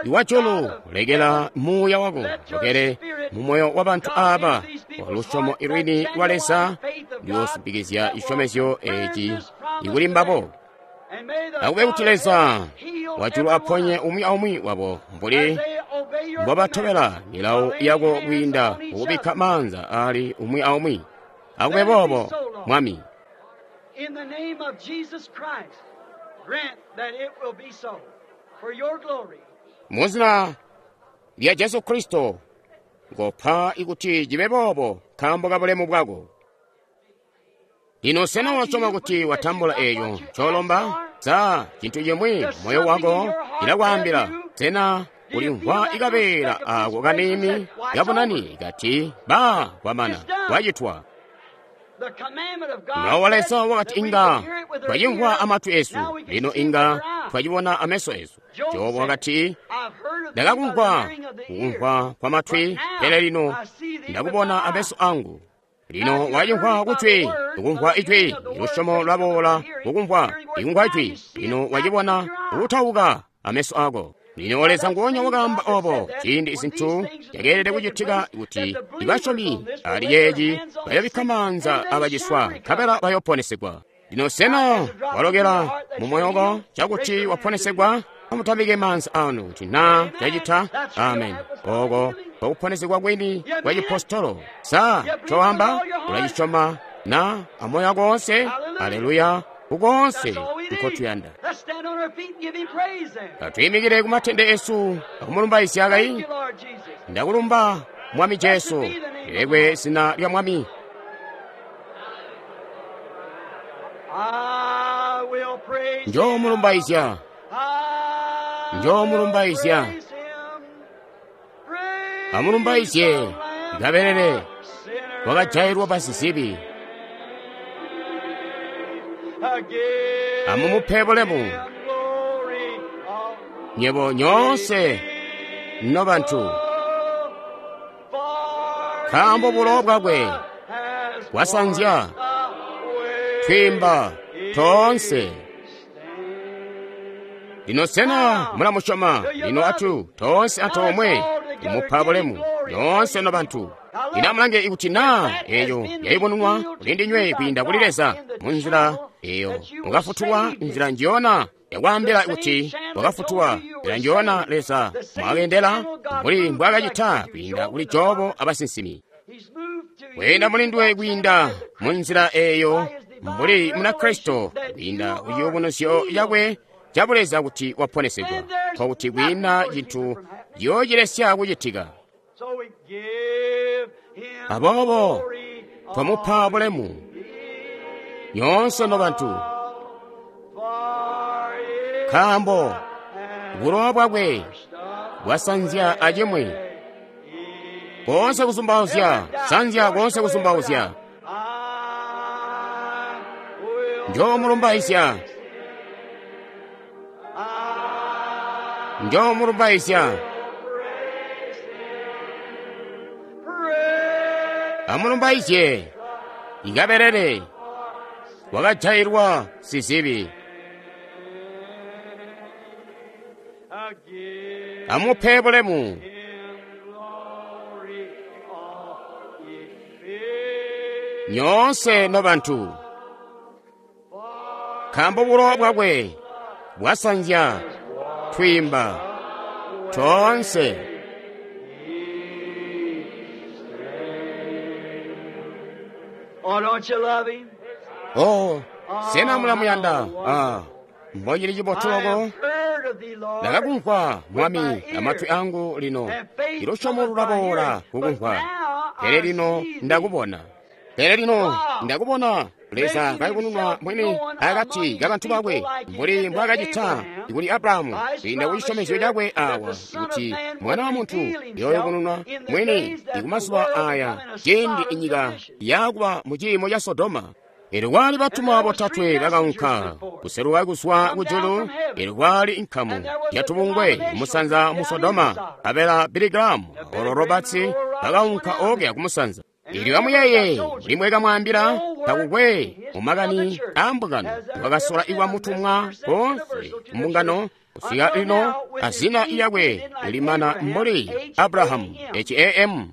iwajulu, lekela muuya wako lekele mu moyo wa bantu aba wa lusyomo ilwini lwa Leza liyosimpikizya cisyomezyo eci ikuli mbabo. Akube kuti Leza wajulu aponye umwi aumwi wabo mbuli mbobatobela milawo yako kwiinda kukubikka maanza ali umwi aumwi. Akube boobo, Mwami. In the name of Jesus Christ, grant that it will be so for your glory. Muzina lya Jesu Kristo, ngopa ikuti cibe boobo nkaambo ka bulemu bwako. Lino sena wasyoma kuti watambula eeco ncoolomba? Sa cintu cimwi moyo wako cilakwaambila? Sena ulimvwa ikabeela ako kaniini kabunani kati ba kwamana kwacitwa? Mulawo wa Leza wakati inga twacimvwa amatwi esu, lino inga twacibona ameso esu. Jobu wakati, ndakakumvwa kukumvwa kwa matwi, pele lino ndakubona ameso angu. Lino wacimvwa kutwi, ukumvwa ijwi, lusyomo lwaboola kukumvwa, ikumvwa ijwi, lino wacibona kutauka ameso ako. Lino Leza nguonya wakaamba obo ciindi izintu zyakeelede kucitika kuti ibasyomi ali yeeci bayobikka maanza abaciswa nkabela bayoponesegwa. Lino sena walokela mu moyo wako cakuti waponesegwa? Amutabike maanza anu kuti naa cacita. Amen. Oko kwakuponesegwa kwini kwa cipostolo. Sa coamba ulacisyoma na amoyo wako wonse? Aleluya. Kukonse nkotuyanda. Atuyimikire ku matende esu akumulumbaizya kai. Ndakulumba Mwami Jesu, lilekwe zina lya Mwami. Njoomulumbaizya, njoomulumbaizya. Amulumbaizye kabelele wakajailwa pasizibi. Amumupe bulemu nyebo nyoonse nobantu, nkaambo bulowa bwakwe bwasanzya twiimba toonse. Lino sena mulamusyoma? Lino atu toonse antoomwe kumupa bulemu nyoonse nobantu. Lino amulange ikuti naa eyo yayubununwa kuli ndinywe kwiinda kuli Leza munzila eyo mukafutulwa, nzila njiyona yakwaambila kuti wakafutulwa, nzila njiyona Leza mwakendela mbuli mbwaakacita kwiinda kuli Jobo abasinsimi. Kweenda mulinduwe kwiinda munzila eyo mbuli Munakristo kwiinda ku ciyubunuzyo cakwe cabuleza kuti waponesegwa, nkokuti kwiina cintu ciyoocilesya kucitika. So we give Aboobo twamupa bulemu nyoonse nobantu, nkaambo bulowa bwakwe bwasanzya acimwi. Koonse kuzumbauzya, sanzya koonse kuzumbauzya. Njoomulumbaizya, njoomulumbaizya. Amulumbaizye ikabelele wakajailwa sizibi. Amupe bulemu nyoonse nobantu, nkaambo bulowa bwakwe bwasanzya twiimba toonse. Oh, don't you love him? Oh, sena mulamuyanda? Ah, mbocili cibotu I loko. have heard of thee, Lord. Ndakakumvwa Mwami amatwi angu lino, ilusyomo lulaboola kukumvwa. Pele lino ndakubona. Pele lino ndakubona Leza kayubununwa mwini akati kabantu bakwe, mbuli mbwaakacita kuli Abrahamu kwiinda ku cisyomezyo cakwe awa, kuti Mwana wa Muntu yooyubununwa mwini kumazuba aya, ciindi inyika yakuba mu ciimo ca Sodoma. Elyo kwali batumwa botatwe bakaunka kuseluka kuzwa kujulu. Elyo kwali nkamu yatubungwe kumusanza mu Sodoma, abela Billy Graham, Oral Roberts bakaunka okuya kumusanza. Elyo amuyeeye mbuli mbwekamwaambila, takukwe mu makani aa mbungano wakasola iwa mutumwa koonse mbungano kusika lino azina lyakwe limana mbuli Abrahamu, H-A-M,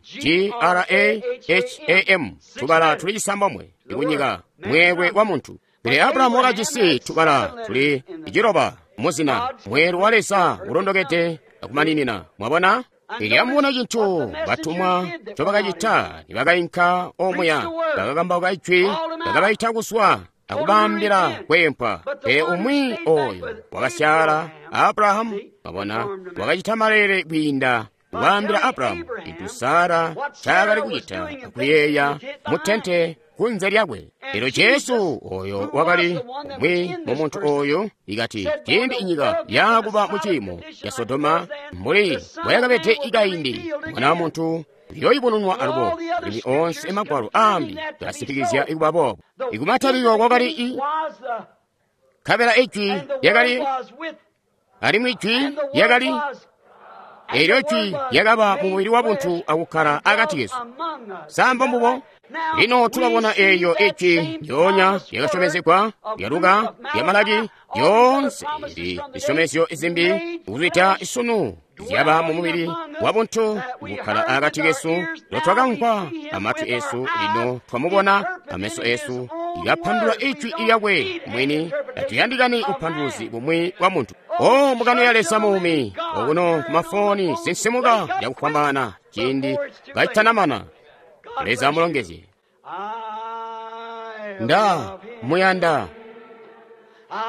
G-R-A-H-A-M, tubala tuli cisambomwe ikunyika mweelwe wa muntu. Pele Abrahamu wakajisi tubala tuli ciloba muzina, mweelwe wa Leza ulondokede akumaninina. Mwabona? Elyo amubona cintu batumwa ncobakacita nibakainka omuya, bakakambauka ijwi, bakabaita kuzwa akubaambila kweempwa. Pele umwi oyo wakasyaala, Abrahamu, mwabona, wakacita maleele kwiinda kubaambila Abrahamu cintu Sara ncaakali kucita akuyeeya mu tente kunze lyakwe. Elyo Jesu oyo wakali umwi mu muntu oyo ikati ciindi inyika yakuba mu ciimo ca Sodoma mbuli mbwayakabede ikaindi, Mwana wa Muntu uyooyubununwa alubo. Alimwi onse magwalo ambi gasimpikizya ikuba boobo. Ikumataliro kwakali i, nkabela ijwi lyakali, alimwi ijwi lyakali, elyo ijwi lyakaba mu mubili wa buntu akukkala akati kesu. Sa mbombubo? Lino tulabona eyo ijwi lyoonya lyakasyomezegwa lya Luka, lya Malaki, lyoonse ili zisyomezyo zimbi kuzwida sunu zyaba mu mubili wa buntu kukkala akati kesu. Lotwakamvwa amatwi esu, lino twamubona ameso esu, ikapandula ijwi lyakwe mwini. Tatuyandikani upanduluzi bumwi bwa muntu. O mbungano ya Leza muumi, okuno kumafoni sinsimuka yakufwambaana ciindi kacitanamana. Leza amulongezye. I Nda love him. muyanda, I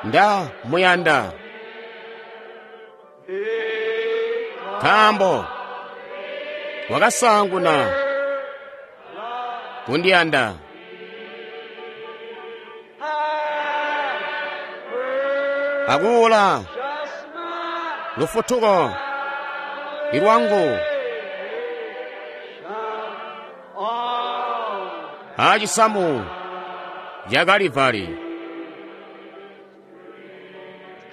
nda muyanda, nkaambo wakasaanguna kundiyanda. Akuula just my lufutuko ilwangu all. acisamu ca Kalivari.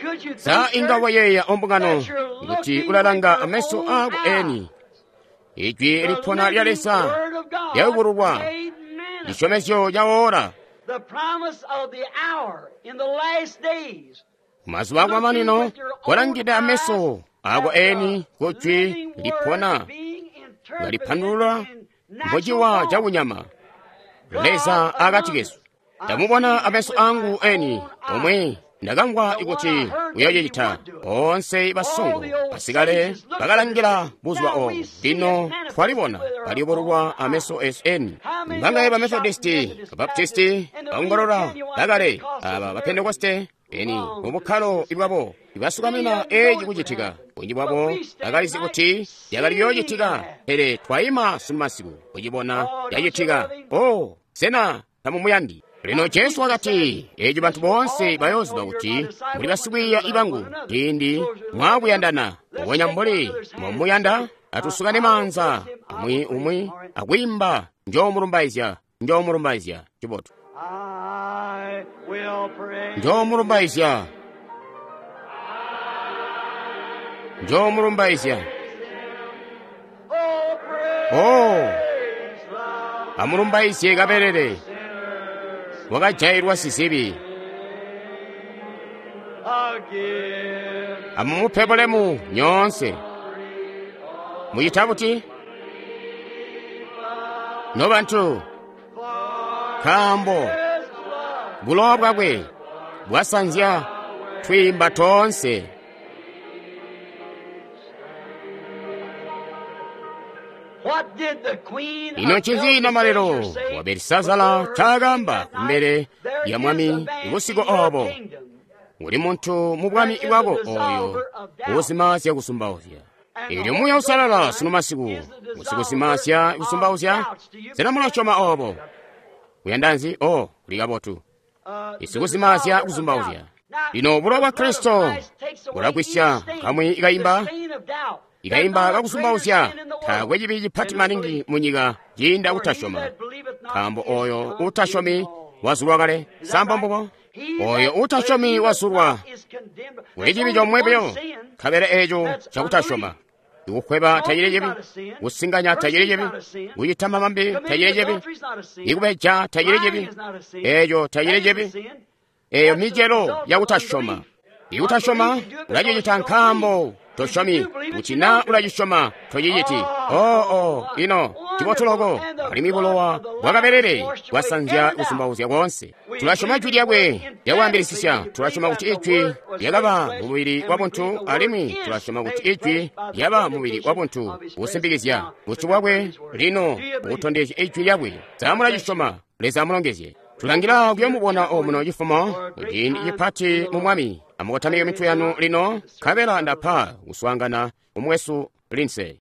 Could you Sa think, inga church, wayeeya ombungano that you're kuti looking ulalanga with your ameso own ako eni eyes? ijwi The lipona lya living Leza Word of God lyayubululwa made manifest. cisyomezyo ca ora The promise of the hour in the last days. mazuba akumamanino kolangide ameso ako eni ku jwi lipona ngalipandulula mbuciwa cakunyama Leza akati kesu. Ndamubona ameso angu eni omwe ndakamvwa kuti uyocita. Onse basongo basikale bakalangila buzuba obo, lino twalibona kaliyubululwa ameso esu eni. Mbangaye ba Methodisti, ba Baptisti, baongolola bakale, aba ba Pentekoste Eni mu bukkalo bwabo ibasukamina eci kucitika. Bunji bwabo bakalizi kuti yakali kuyoocitika, pele twaima sunumasiku kucibona yacitika. Oh, sena tamumuyandi? Lino Jesu wakati, eci bantu boonse bayooziba kuti muli basikwiiya bangu ciindi mwaakuyandana. Mbubonya mbuli momuyanda, atusukane maanza umwi umwi akwiimba njoomulumbaizya, njoomulumbaizya. Cibotu. Njoomulumbaizya, njoomulumbaizya. Oh, amulumbaizye kabelele wakajailwa sizibi. Amumupe bulemu nyoonse. Mucita buti? Nobantu, nkaambo bulowa bwakwe bwasanzya twiimba toonse. Ino ncinzi namalelo wa Belisazara ncaakamba kumbele lya mwami busiku oobo? Uli muntu mu bwami bwako ooyo uuzimaazya kusumbauzya. Eelyo Muuya Uusalala sunu masiku usikuzimaazya kusumbauzya. Sena mulasyoma oobo? Uyanda nzi? Oh, kuli kabotu. Isikuzimaazya kusumbauzya. Lino bulowa bwa Kristo bulagwisya kamwi kaimba ikaimba kakusumbauzya. Taakwe cibi cipati maningi munyika ciinda kutasyoma, nkaambo oyo uutasyomi wazulwa kale. Samba mbubo? Oyo uutasyomi wazulwa. Kuli cibi comwe buyo, nkabela eeco cakutasyoma. Ikukweba tacili cibi, kusinganya tacili cibi, kucita mamambi tacili cibi, ikubeja tacili cibi, eeco tacili cibi. Eeyo micelo yakutasyoma. Ikutasyoma ulacicita nkaambo tosyomi, kuti naa ulacisyoma tociciti. Oh, oh, ino cibotu loko, alimwi bulowa bwakabelele bwasanzya kusumbauzya koonse. Tulasyoma jwi lyakwe lyakwaambilisisya, tulasyoma kuti ijwi lyakaba mumubili wabuntu, alimwi tulasyoma kuti ijwi lyaba mumubili wabuntu kusimbikizya busyu bwakwe lino butondezya ijwi lyakwe. Sa mulacisyoma? Leza amulongezye. Tulangila kuyomubona omuno cifumo kuciindi cipati mu Mwami. Amukotamike mitwe yanu lino, nkabela ndapa kuswaangana umwesu Lindsay.